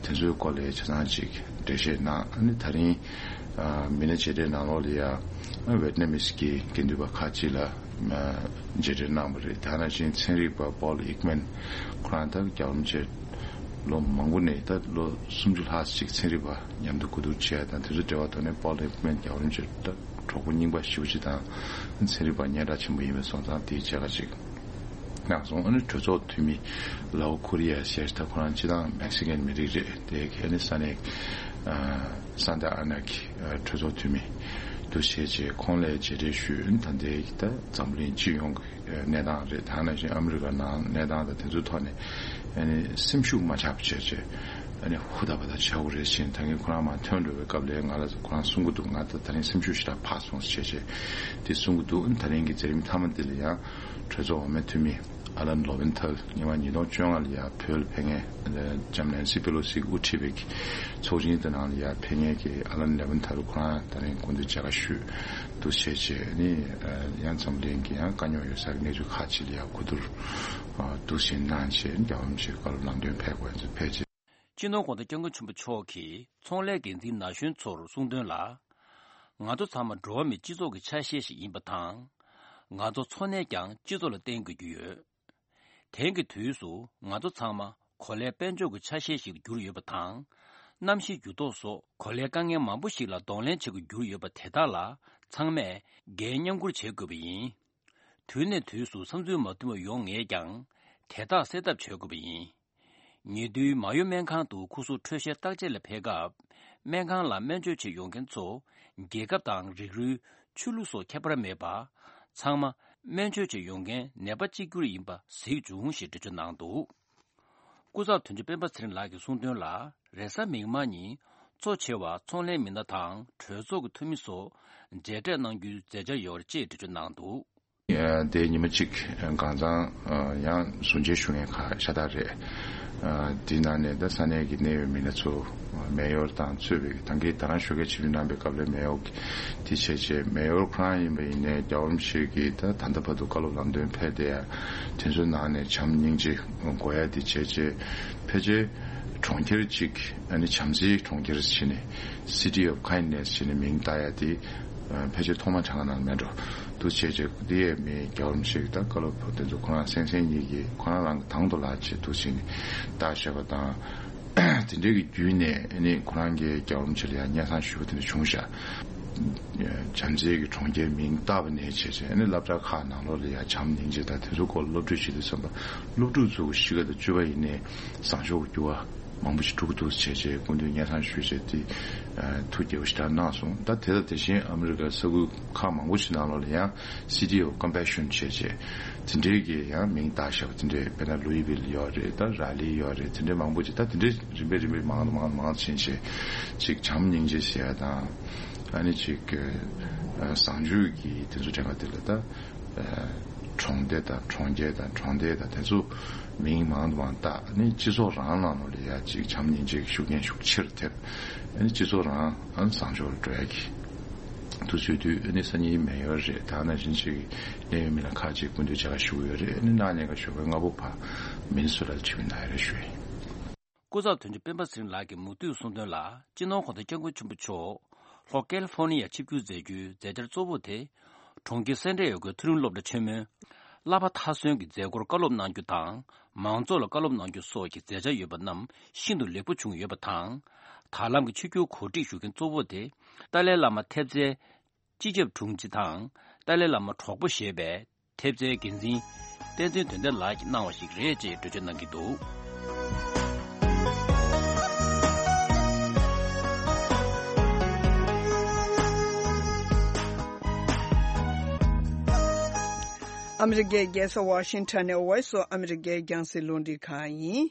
དེ་ཚོའི་སྐོར་ལ་ཆ་ཚང་ཅིག་འགྲེལ་བཤད་གནང་། ཨ་ནི་ད་རིང་ཨ་མི་སྣ་མཇལ་འཕྲད་ནང་ལོགས་ལ་ཡ་ཝེ་ཏི་ནམ་མིས་ཀྱི་དགེ་འདུན་པ་ཁག་ཅིག་ལ་མཇལ་འཕྲད་གནང་བ་རེད། དེ་ནང་བཞིན་ཚན་རིག་པ་པོལ་ཨིག་མན་ཁོ་རང་ད་རྒྱལ་བ་རིན་པོ་ཆེ་ལོ་མང་པོ་ནས་ད་ལོ་སུམ་ཅུ་ལྷག་ཅིག་ཚན་རིག་པ་མཉམ་དུ་གོ་བསྡུར་བྱས་དང་དེ་ཚོ་འབྲེལ་བ་ཐོག་ནས་པོལ་ཨིག་མན་རྒྱལ་བ་རིན་པོ་ཆེ་ད་གྲོགས་པོ་རྙིང་པ་ཞེ་པོ་ཅིག་དང་ཚན་རིག་པ་སྙན་གྲགས་ཆེན་པོ་ཡིན་པའི་སོང་ཙང་དེའི་མཇལ་ཁ་ཅིག་གནང་སོང་། ཨ་ནི་གྲོས་ཚོགས་འཐུས་མི་ལའོ་ཁོ་རི་ཡ་ཟེར་ད་ཁོ་རང་སྤྱི་བཏང་མེག་སི་ཀན་མི་རིགས་རེད། དེ་ག་ནི་ས་གནས་ཨ་སན་ཏ་ཨ་ན་གི་ཨ་གྲོས་ཚོགས་འཐུས་མི་འདུ་བྱས་རྗེས་ཁོང་ལ་མཇལ་འཕྲད་ཞུས། ཨ་ནི་ད་ལྟའི་ད་འཛམ་བུ་གླིང་སྤྱི་ཡོངས་ཀྱི་གནས་སྟངས་རེད། ད་ནང་བཞིན་ཨ་མི་རི་ཀ་ནང་གནས་སྟངས་དང་དེ་ཚོའི་ཐོག་ནས་ཨ་ནི་སེམས་ཤུགས་མ་ཆག་པ་བྱས་བྱས་ཨ་ནི་ཧུར་ཐག་པ་ཐག་བྱ་དགོས་རེད་ཟེར། ད་གིན་ཁོ་རང་མར་ཐོན་འགྲོ་བའི་སྐབས་ལ་ང་ལ་ཁོ་རང་གསུང་གི་འདུག་ང་ད་ད་རིང་སེམས་ཤུགས་ཞེ་དྲག་འཕར་སོང་ཟེར་བྱས་བྱས་དེ་གསུང་གི་འདུག་ཨ་ནི་ད་རིང་གི་མཛད་རིམ་མཐའ་མ་འདི་ལ་ཡང་གྲོས་ཚོགས་འོག་མའི་འཐུས་མི་ཨ་ལན་ལོ་ཝེན་ཐལ་ཉིས་སྟོང་བཅོ་ལྔ་ལ་ཡང་བོད་ལ་ཕེབས་མཁན་ལྕམ་ནན་སི་པེ་ལོ་སི་དབུ་ཁྲིད་པའི་ཚོགས་ཆེན་དེ་ནང་ལ་ཡང་ཕེབས་མཁན་གྱི་ཨ་ལན་ལོ་ཝེན་ཐལ་ཁོ་རང་ད་རིང་སྐུ་མདུན་མཇལ་ཁ་ཞུས་འདུག་བྱས་བྱས་ནི་ཡང་འཛམ་གླིང་གི་ཡང་དཀའ་རྙོག་ཡོད་སར་གནས་ཚུལ་ཁག་ཅིག་ལ་ཡང་གོ་བསྡུར་འདུག་བྱས་གནང་བྱས་རྒྱལ་བ་རིན་པོ་ཆེ་བཀའ་སློབ་ལམ་སྟོན་ཕེབས་དགོས་ཚུལ་ཕེབས་རྗེས། སྤྱི་ནོར་གོང་ས་སྐྱབས་མགོན་ཆེན་པོ་མཆོག་གིས་ཚོང་ལས་འགན་འཛིན་ན་གཞོན་ཚོར་གསུངས་དོན་ལ། ང་ཚོ་ཚང་མ་འགྲོ་བ་མིའི་སྤྱི་ཚོགས་ཀྱི་ཆ་ཤས་ཤིག་ཡིན་པ་དང་། ང་ཚོ་འཚོ་གནས་ཀྱང་སྤྱི་ཚོགས་ལ་བརྟེན་དགོས་ཀྱི་ཡོད། དེང་གི་དུས་སུ་ང་ཚོ་ཚང་མ་གོ་ལའི་དཔལ་འབྱོར་གྱི་ཆ་ཤས་ཤིག་ཏུ་གྱུར་ཡོད་པ་དང་། གནམ་གཤིས་འགྱུར་ལྡོག་སོགས་གོ་ལའི་དཀའ་ངལ་མང་པོ་ཞིག་ལ་གདོང་ལེན་བྱེད་དགོས་ཀྱི་ཡོད་པ་དེ་དག་ལ་ཚང་མས་འགན་མཉམ་འཁུར་བྱེད་དགོས་པ་ཡིན། དུས་ནས་དུས་སུ་བསམ་ཚུལ་མ་མཐུན་པ་ཡོང་ངེས་ཀྱང་། དེ་དག་སེལ་ཐབས་བྱེད་དགོས་པ་ཡིན། ཉེ་དུས་མ་ཡོ་སྨན་ཁང་དུ་སྐུ་གཟུགས་འཕྲོད་བཞེས་བརྟག་དཔྱད་ལ་ཕེབས་སྐབས། སྨན་ཁང་ལ་སྨན་བཅོས་བྱེད་ཡོང་མཁན་ཚོ་རྒྱལ་ཁབ་དང་རིགས་རུས། ཆོས་ལུགས་སོགས་ཁྱད་པར་མེད་པར། ཚང་མ་སྨན་བཅོས་བྱེད་ཡོང་མཁན་ནད་པ་གཅིག་གྱུར་ཡིན་པ་གཟིགས་བྱུང་ཞེས་འགྲེལ་བརྗོད་གནང་འདུག་སྐུ་ཚབ་དོན་གཅོད་སྤེན་པ་ཚེ་རིང་ལགས་ཀྱིས་གསུངས་དོན་ལ། རེས་གཟའ་མིག་དམར་ཉིན་གཙོ་ཆེ་བ་ཚོང་ལས་མི་སྣ་དང་གྲོས་ཚོགས་ཀྱི་འཐུས་མི་སོགས་མཇལ་འཕྲད་གནང་རྒྱུའི་མཛད་འཆར་ཡོད་རེད་ཅེས་འགྲེལ་བརྗོད་གནང་འདུག་དེའི་ཉི་མ་གཅིག་གང་ཚང་ཡང་གཟུར་མཇལ་ཞུ་མཁན་ཁག་ཤ་སྟག་རེད། དེའི་ནང་ནས་ད་ས་གནས་ཀྱི་གནད་ཡོད་མི་སྣ་ཚོ་མེ་ཡོར་དང་གཙོས་པའི་ད་གིན་ད་རང་ཞོགས་ཀས་ཆིབས་བསྒྱུར་གནང་པའི་སྐབས་ལ་མེ་ཡོར་དེ་བྱས་རྗེས་མེ་ཡོར་ཁོ་རང་ཡིན་པ་ཡིན་ནའི་རྒྱལ་བ་རིན་པོ་ཆེ་གིས་ད་ད་ལྟ་བར་དུ་བཀའ་སློབ་ལམ་སྟོན་ཕེབས་བསྡད་ཡ་དེ་ཚོའི་ནང་ནས་བྱམས་སྙིང་རྗེ་དགོས་ཡ་དེ་བྱས་རྗེས་ཕལ་ཆེར་གྲོང་ཁྱེར་གཅིག་ཨ་ནི་བྱམས་བརྩེའི་གྲོང་ཁྱེར་ཟེར་ནས་City of Kindness་ཟེར་ནས་མིང་བཏགས་ཡ་དེ་ཕལ་ཆེར་ཐོག་མ་དེ་སྔ་ནང་མེད་འགྲོ། འདུག་བྱས་རྗེས་འདི་ཡས་མི་རྒྱལ་བ་རིན་པོ་ཆེ་གི་ད་བཀའ་སློབ་དེ་ཚོ་ཁོ་རང་སེང་སེང་གཉིས་ཀྱིས་ཁོ་རང་རང་གི་དང་དུ་ལག་བྱེད་འདུག་བྱས་ནས་བརྟག་བཞག་པ་དང་། དེ་འདྲའི་གི་བརྒྱུད་ནས་ཨ་ནི་ཁོ་རང་གིས་རྒྱལ་བ་རིན་པོ་ཆེ་ལ་ཡང་སྙན་སེང་ཞུ་བ་དེ་འདྲ་བྱུང་ཤག་བྱམས་བརྩེ་གི་གྲོང་ཁྱེར་མིང་བཏགས་པ་ནས་བྱས་བྱས་ཨ་ནི་སློབ་གྲྭ་ཁག་ནང་ལོགས་ལ་ཡང་བྱམས་སྙིང་རྗེ་དང་དེ་ཚོ་སྐོར་སློབ་ཁྲིད་བྱེད་དུས་ཙམ་པ་སློབ་ཕྲུག་ཚོ་གི་གཤིས་ཀ་དང་སྤྱོད་པ་ཡིན་ནའི་བཟང་ཕྱོགས་ཀྱི་འགྱུར་བ་མང་པོ་ཞིག་འགྲོ་གི་འདུག་བྱས་བྱས་སྐུ་མདུན་སྙན་སེང་ཞུས་བྱས་དེ་ཐུགས་དགྱེས་པ་ཞེ་དྲག་གནང་སོང་། ད་དེ་དང་དེ་བཞིན་ཨ་མི་རི་ཀའི་ས་ཁུལ་ཁག་མང་པོ་ཞིག་ནང་ལོགས་ལ་ཡང་City of Compassion་བྱས་བྱས་དེ་འདྲའི་གི་ཡང་མིང་བཏགས་བཞག་པ་དེ་འདྲའི་དཔེར་ན་Louisville་ཡོད་རེད། ད་Raleigh་ཡོད་རེད། དེ་འདྲའི་མང་པོ་ཅིག་ད་དེ་འདྲའི་རིམ་པས་རིམ་པས་མང་དུ་མང་དུ་མང་དུ་ཕྱིན་བྱས་ཅིག་བྱམས་སྙིང་རྗེ་ཟེར་ཡ་དང་ཨ་ནི་ཅིག་བཟང་སྤྱོད་ཀྱི་དེ་ཚོ་དྲན་པ་དེ་ལ་ད་གྲོང་སྡེ་དང་གྲོང་ཁྱེར་དང་གྲོང་སྡེ་དང་དེ་ཚོ་མིང་མང་དུ་མང་བཏགས་ཨ་ནི་སྤྱི་ཚོགས་རང་ནང་ལོགས་ལ་ཡ་ཅིག་བྱམས་སྙིང་རྗེ་གི་ཤུགས་རྐྱེན་ཤུགས་ཆེར་ཐེབས། ཨ་ནི་སྤྱི་ཚོགས་རང་ཨ་ནི་བཟང་ཕྱོགས་ལ་འགྲོ་ཡ་གི་དུས་ཚོད་དུས་ཨ་ནི་སང་ཉིན་མེ་ཡོར་རེད། ད་ནང་བཞིན་ཅིག་གནད་ཡོད་མི་སྣ་ཁག་ཅིག་སྐུ་མདུན་མཇལ་ཁ་ཞུ་གི་ཡོད་རེད། ཨ་ནི་གནངས་ཉིན་ཀ་ཞོགས་པའི་སྔ་པོ་ཕར་མི་ནི་སོ་ཊ་ལ་ཆིབས་བསྒྱུར་གནང་ཡ་རེད་ཞུ་ཡིན། སྐུ་ཚབ་དོན་གཅོད་སྤེན་པ་ཚེ་རིང་ལགས་ཀྱིས་མུ་མཐུད་གསུངས་དོན་ལ། སྤྱི་ནོར་གོང་ས་སྐྱབས་མགོན་ཆེན་པོ་མཆོག་ལྷོ་ཀལ་ཧྥོར་ནི་ཡར་ཆིབས་བསྒྱུར་མཛད་རྒྱུའི་མཛད་འཆར་གཙོ་བོ་དེ། གྲོང་ཁྱེར་སན་ཏི་ཡ་གོའི་མཐོ་རིམ་སློབ་གྲྭ་ཆེན་མོའི་ བསླབ་པ་མཐའ་སོན་གྱི་མཛད་སྒོར་བཀའ་སློབ་གནང་རྒྱུ་དང་། མང་ཚོགས་ལ་བཀའ་སློབ་གནང་རྒྱུ་སོགས་ཀྱི་མཛད་འཆར་ཡོད་པ་རྣམས་ཤིན་ཏུ་ལེགས་པོ་བྱུང་ཡོད་པ་དང་། ད་ལམ་གྱི་ཆིབས་བསྒྱུར་གོ་སྒྲིག་ཞུ་མཁན་གཙོ་བོ་དེ་ཏཱ་ལའི་བླ་མ་ཐེབས་རྩའི་སྤྱི་ཁྱབ་དྲུང་ཆེ་དང་། ཏཱ་ལའི་བླ་མ་གྲོགས་པོ་ཞེས་པའི་ཐེབས་རྩའི་འགན་འཛིན་བསྟན་འཛིན་དོན་ལྡན་ལགས་ཀྱིས་གནང་བ་ཞིག་རེད་ཅེས་འགྲེལ་བརྗོད་གནང་གི་འདུག་ཨ་མི་རི་ཀའི་རྒྱལ་ས་ཝ་ཤིང་ཊོན་ནས་Voice of America རྒྱང་སྲིང་རླུང་འཕྲིན་ཁང་ཡིན།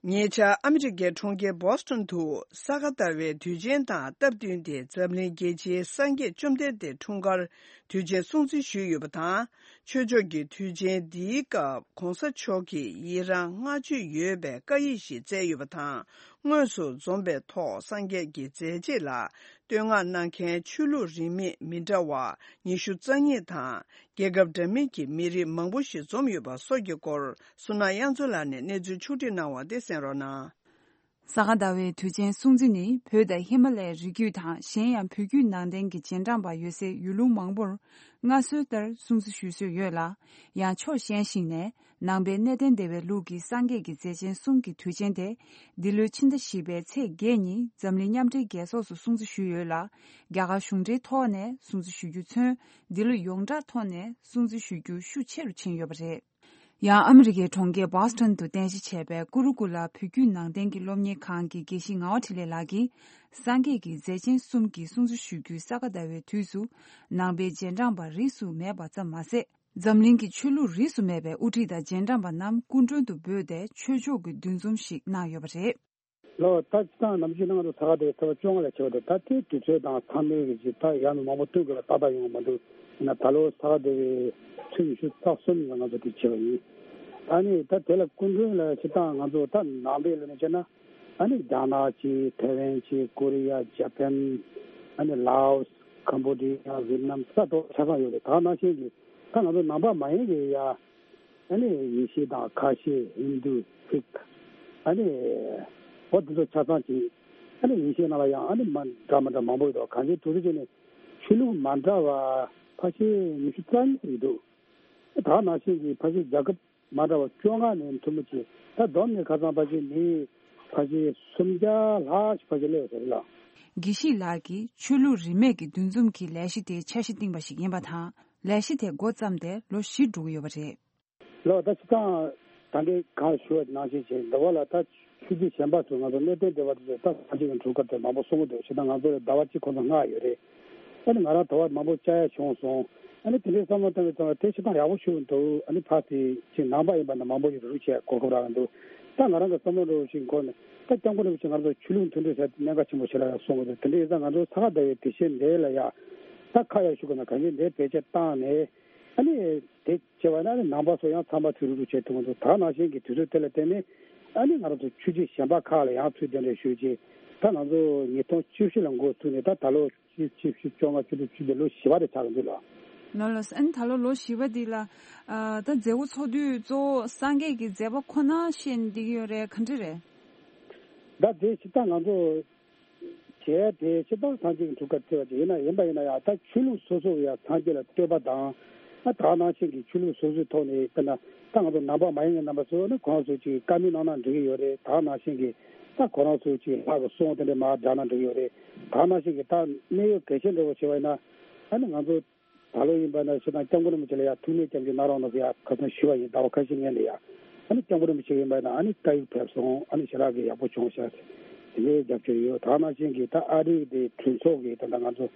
ཉེ་ཆར་ཨ་མི་རི་ཀའི་གྲོང་ཁྱེར་Boston དུ་ས་ག་ཟླ་བའི་དུས་ཆེན་དང་སྟབས་བསྟུན་ཏེ་འཛམ་གླིང་རྒྱལ་སྤྱིའི་སངས་རྒྱས་བཅོམ་ལྡན་འདས་འཁྲུངས་སྐར་དུས་ཆེན་སྲུང་བརྩི་ཞུས་ཡོད་པ་དང་། ཆོས་ཕྱོགས་ཀྱི་དུས་ཆེན་འདིའི་སྐབས་གོང་ས་མཆོག་གིས་ཡི་རང་བསྔགས་བརྗོད་ཡོད་པའི་བཀའ་ཡིག་ཞིག་བསྩལ་ཡོད་པ་དང་། དངོས་སུ་འཛོམས་པའི་ཐོག་སངས་རྒྱས་ཀྱི་མཛད་རྗེས་ལ་བསྟོད་བསྔགས་གནང་མཁན་ཆོས་ལུགས་རིས་མེད་མི་འདྲ་བ་ཉི་ཤུ་རྩ་གཉིས་དང་། རྒྱལ་ཁབ་འདྲ་མིན་གྱི་མི་རིགས་མང་པོ་ཞིག་འཛོམས་ཡོད་པ་སོགས་ཀྱི་སྐོར། སུ་ན་དབྱངས་མཚོ་ལགས་ནས་གནས་ཚུལ་ཕྱོགས་བསྒྲིགས་གནང་བ་དེ་གསན་རོགས་གནང་། ས་ག་ཟླ་བའི་དུས་ཆེན་སྲུང་བརྩི་ནི་བོད་དང་ཧི་མ་ལ་ཡའི་རི་རྒྱུད་དང་གཞན་ཡང་བོད་བརྒྱུད་ནང་བསྟན་གྱི་རྗེས་འབྲང་པ་ཡོད་སའི་ཡུལ་ལུང་མང་པོར་སྔར་སྲོལ་ལྟར་སྲུང་བརྩི་ཞུ་སྲོལ་ཡོད་ལ། ཡང་ཕྱོགས་གཞན་ཞིག་ནས་ནང་པའི་གནས་བརྟན་སྡེ་བའི་ལུགས་ཀྱི་སངས་རྒྱས་ཀྱི་མཛད་ཆེན་གསུམ་གྱི་དུས་ཆེན་དེ་འདི་ལོའི་ཕྱི་ཟླ་བཞི་པའི་ཚེས་བརྒྱད་ཉིན་འཛམ་གླིང་མཉམ་འབྲེལ་རྒྱལ་ཚོགས་སུ་སྲུང་བརྩི་ཞུས་ཡོད་ལ། རྒྱ་གར་གཞུང་འབྲེལ་ཐོག་ནས་སྲུང་བརྩི་ཞུ་རྒྱུ་མཚོན། འདི་ལོ་ཡོངས་གྲགས་ཐོག་ནས་སྲུང་བརྩི་ཞུ་རྒྱུ་ཤུགས་ཆེ་རུ་ཕྱིན་ཡོད་པ་རེད། ཡང་ཨ་མི་རི་ཀའི་གྲོང་ཁྱེར་Boston དུ་རྟེན་གཞི་བྱས་པའི་ཀུ་རུ་ཀུ་ལ་བོད་བརྒྱུད་ནང་བསྟན་གྱི་སློབ་གཉེར་ཁང་གི་དགེ་བཤེས་ངག་དབང་འཕྲིན་ལས་ལགས་ཀྱིས། སངས་རྒྱས་ཀྱི་མཛད་ཆེན་གསུམ་གྱི་སྲུང་བརྩི་ཞུ་རྒྱུའི་ས་ག་ཟླ་བའི་དུས་སུ། ནང་པའི་རྗེས་འབྲང་པ་རིས་སུ་མེད་པ་ཙམ་མ་ཟད། འཛམ་གླིང་གི་ཆོས་ལུགས་རིས་སུ་མེད་པའི་དབུ་ཁྲིད་དང་རྗེས་འབྲང་པ་རྣམས་སྐུ་མགྲོན་དུ་འབོད་དེ་ཆོས་ཕྱོགས་ཀྱི་འདུ་འཛོམས་ཤིག་གནང་ཡོད་པ་རེད། ལོ་ད་སྤྱི་བཏང་ནམ་རྒྱུན་ནང་དུ་ས་ག་ཟླ་བའི་ཚེས་པ་བཅོ་ལྔ་ལ་བྱེད་པ་དེ། ད་དེའི་དུས་ཚོད་དང་མཚམས་རེ་གི་ཅིག་ད་ཡང་མང་པོ་སྟོན་དགོས་ལ་ཏག་ཏག་ཡོང་གི་མ་འདུག་ཡིན་ན་ད་ལོ་ས་ག་ཟླ་བའི་ཚེས་ཉི་ཤུ་རྩ་གསུམ་ལ་ང་ཚོ་དེ་བྱེད་པ་ཡིན། ཨ་ནི་ད་དེ་ལ་སྐུ་མགྲོན་ལ་སྤྱི་བཏང་ང་ཚོ་ད་ནང་པའི་ལོ་ནས་བྱས་ན། ཨ་ནི་རྒྱ་ནག་ཅིག་ཐའེ་ཝན་ཅིག་ཀོ་རི་ཡ། ཇ་པན། ཨ་ནི་ལའོ་སི། ཀམ་བོ་ཌི་ཡ། ཝེད་ནམ། ས་ཐོག་ཆ་ཚང་ཡོད་རེད། ད་ནང་བཞིན་གྱི་ད་ང་ཚོ་ནང་པ་མ་ཡིན་གྱི་ཡ། ཨ་ནི་ཡེ་ཤུ་དང་ཁ་ཤས། ཧིན་དུ། སིག་ཨ་ནི་འོ་དེ་ཚོ་ཆ་ཚང་ཅིག་ཨ་ནི་ཡེ་ཤུ་ནང་ལ་ཡང་ཨ་ནི་མ་འདྲ་མ་འདྲ་མང་པོ་ཡོད་དོ། གང་ཅིའི་དུས་ཚོད་ཅིག་ནས་ཆོས་ལུགས་མ་འདྲ་བ་ཕལ་ཆེར་ཉི་ཤུ་རྩ་གཉིས་ཡོད་འདུག་ད་ནང་བཞིན་གྱི་ཕལ་ཆེར་རྒྱལ་ཁབ་མ་འདྲ་བ་བཅོ་ལྔ་ནས་མཐུན་པོ་ཅིག་ད་བསྡོམས་ནས་ཁ་སང་ཕལ་ཆེར་མི་ཕལ་ཆེར་སུམ་བརྒྱ་ལྷག་ཞིག་ཕལ་ཆེར་སླེབས་ཡོད་ས་རེད་ལ། དགེ་བཤེས་ལགས་ཀྱིས་ཆོས་ལུགས་རིས་མེད་ཀྱི་འདུ་འཛོམས་ཀྱི་ལས་གཞི་དེ་འཆར་གཞི་བཏིང་པ་ཞིག་ཡིན་པ་དང་། ལས་གཞི་དེ་འགོ་བརྩམས་ཏེ་ལོ་བཞི་འགྲོ་གི་ཡོད་པ་རེད། ལོ་ད་སྤྱི་བཏང་ད་གིན་གང་ཞུ་བ་ནང་བཞིན་བྱས། འདི་བ་ལ་ད་ཆོས་བརྒྱུད་གཞན་པ་ཚོ་ང་ཚོ་གནས་བརྟན་སྡེ་བ་དེ་ཚོས་ད་སངས་རྒྱས་ཀྱི་འཁྲུངས་སྐར་དེ་མང་པོ་གསུང་གི་འདུག་སྤྱིར་བཏང་ང་ཚོ་ལ་ཟླ་བ་གཅིག་ཁོ་ཚོ་མངགས་ཡོད་རེད། ཨ་ནི་ང་རང་ད་བར་མང་པོ་བཅར་ཡ་བྱུང་སོང་། ཨ་ནི་དེ་འདྲའི་བསམ་བློ་བཏང་བའི་ཙང་དེ་སྤྱིར་བཏང་ཡག་པོ་ཞུ་གི་འདུག་ཨ་ནི་ཕར་དེ་ཅིག་ནང་པ་ཡིན་པ་ན་མང་པོ་ཞིག་རུ་བྱས་གོ་སྐབས་རག་གི་འདུག་ད་ང་རང་གི་བསམ་བློ་འདྲ་བོ་ཞིག་འཁོར་ནས། ད་སྐྱབས་མགོན་རིན་པོ་ཆེ་ང་ཚོ་ཆོས་ལུགས་མཐུན་སྒྲིལ་ཟེར་གནད་འགག་ཆེན་པོ་ཞིག་ལ་ཡང་གསུང་གི་འདུག་དེ་འདྲ་ཡིན་ཙང་ང་ཚོ་ས་ག་ཟླ་བའི་དུས་ཆེན་འདི་ལ་ཡ་ད་ཁ་ཡར་ཞུ་དགོས་ན་གང་ཡིན་འདི་བེད་སྤྱོད་བཏང་ནས། ཨ་ནི་དེ་བྱས་པ་ན་ཨ་ནི་ནང་པ་ཚོ་ཡང་ཚང་མ་ཚུར་རུབ་རུབ་བྱེད་ཐུབ་ཀྱི་འདུག་ད་ནང་བཞིན་གྱི་དུས་ཚོད་དེ་ལ་བརྟེན་ནས་ཨ་ནི་ང་རང་ཚོ་ཆོས་བརྒྱུད་གཞན་པ་ཁག་ལ་ཡང་ཚུར་གདན་འདྲེན་ཞུས་རྗེས། ད་ང་ཚོ་ཉིས་སྟོང་བཅུ་བཞི་ལ་འགོ་བཙུགས་ནས་ད་ད་ལོ་བཅུ་བཅུ་བཅོ་ལྔ་བཅུ་དྲུག་བཅུ་བརྒྱད་ལོ་བཞི་པ་དེ་ཆགས་ཀྱི་འདུག་ལ། ལོ་ལོ་ཨ་ནི་ད་ལོ་ལོ་བཞི་པ་འདི་ལ་ཨ་ད་མཛད་སྒོ་ཚོགས་དུས་གཙོ་བོ་སངས་རྒྱས་ཀྱི་མཛད་པ་ཁོ་ན་བཤད་བསྡད་ཀྱི་ཡོད་རེད། ག་འདྲ་རེད། ད་དེ་སྤྱིར་བཏང་ང་ཚོ་བྱས་དེ་སྤྱིར་བཏང་སངས་རྒྱས་ཀྱི་འཁྲུངས་སྐར་བརྩི་བ་ཅིག་ཡིན་ན་ཡིན་པ་ཡིན་ན་ཡང་། ད་ཆོས་ལུགས་སོ་སོ་ཡང་སངས་རྒྱས་ལ་བསྟོད་པ་དང་། ཨ་ད་ནང་བཞིན་གྱི་ཆོས་ལུགས་སོ་སོའི་ཐོག་ནས་དཔེར་ན་ད་ང་ཚོ་ནང་པ་མ་ཡིན་པའི་རྣམ་པ་ཚོ་ནི་ཁོང་ཚོ་ཅིག་བཀའ་མོལ་གནང་ན་འགྲིག་གི་ཡོད་རེད། ད་ནང་བཞིན་གྱི་ད་ཁོ་རང་ཚོ་ཅིག་ལྷག་གི་གསུང་དེ་འདྲ་མར་བསྒྲགས་ན་འགྲིག་གི་ཡོད་རེད། ད་ནང་བཞིན་གྱི་ད་གནད་ཡོད་གལ་ཆེན་འདྲ་བོ་བྱས་པ་ཡིན་ན། ཨ་ནི་ང་ཚོ་ད་ལོ་ཡིན་པ་ན་སྤྱིར་བཏང་སྐྱབས་མགོན་རིན་པོ་ཆེ་ལ་ཡང་ཐུགས་སྨོན་སྐྱབས་འཇུག་གནང་རོགས་གནང་ཟེར་ཡ་ཁ་སང་ཞུས་པ་ཡིན། ཟླ་བ་ཁ་ཤས་སྔོན་ལ་ཡ། ཨ་ནི་སྐྱབས་མགོན་རིན་པོ་ཆེ་ཡིན་པ་ན་ཨ་ནི་བཀའ་ཡིག་ཕེབས་སོང་། ཨ་ནི་ཞེ་དྲག་གི་ཡག་པོ་བྱུང་ཤག་དེ་འདྲའི་རྒྱབ་སྐྱོར་ཡོད། ད་ནང་བཞིན་གྱི་ད་ཨ་རིའི་དེ་གྲོས་ཚོགས་ཀྱི་ད་ལྟ་ང་ཚོ་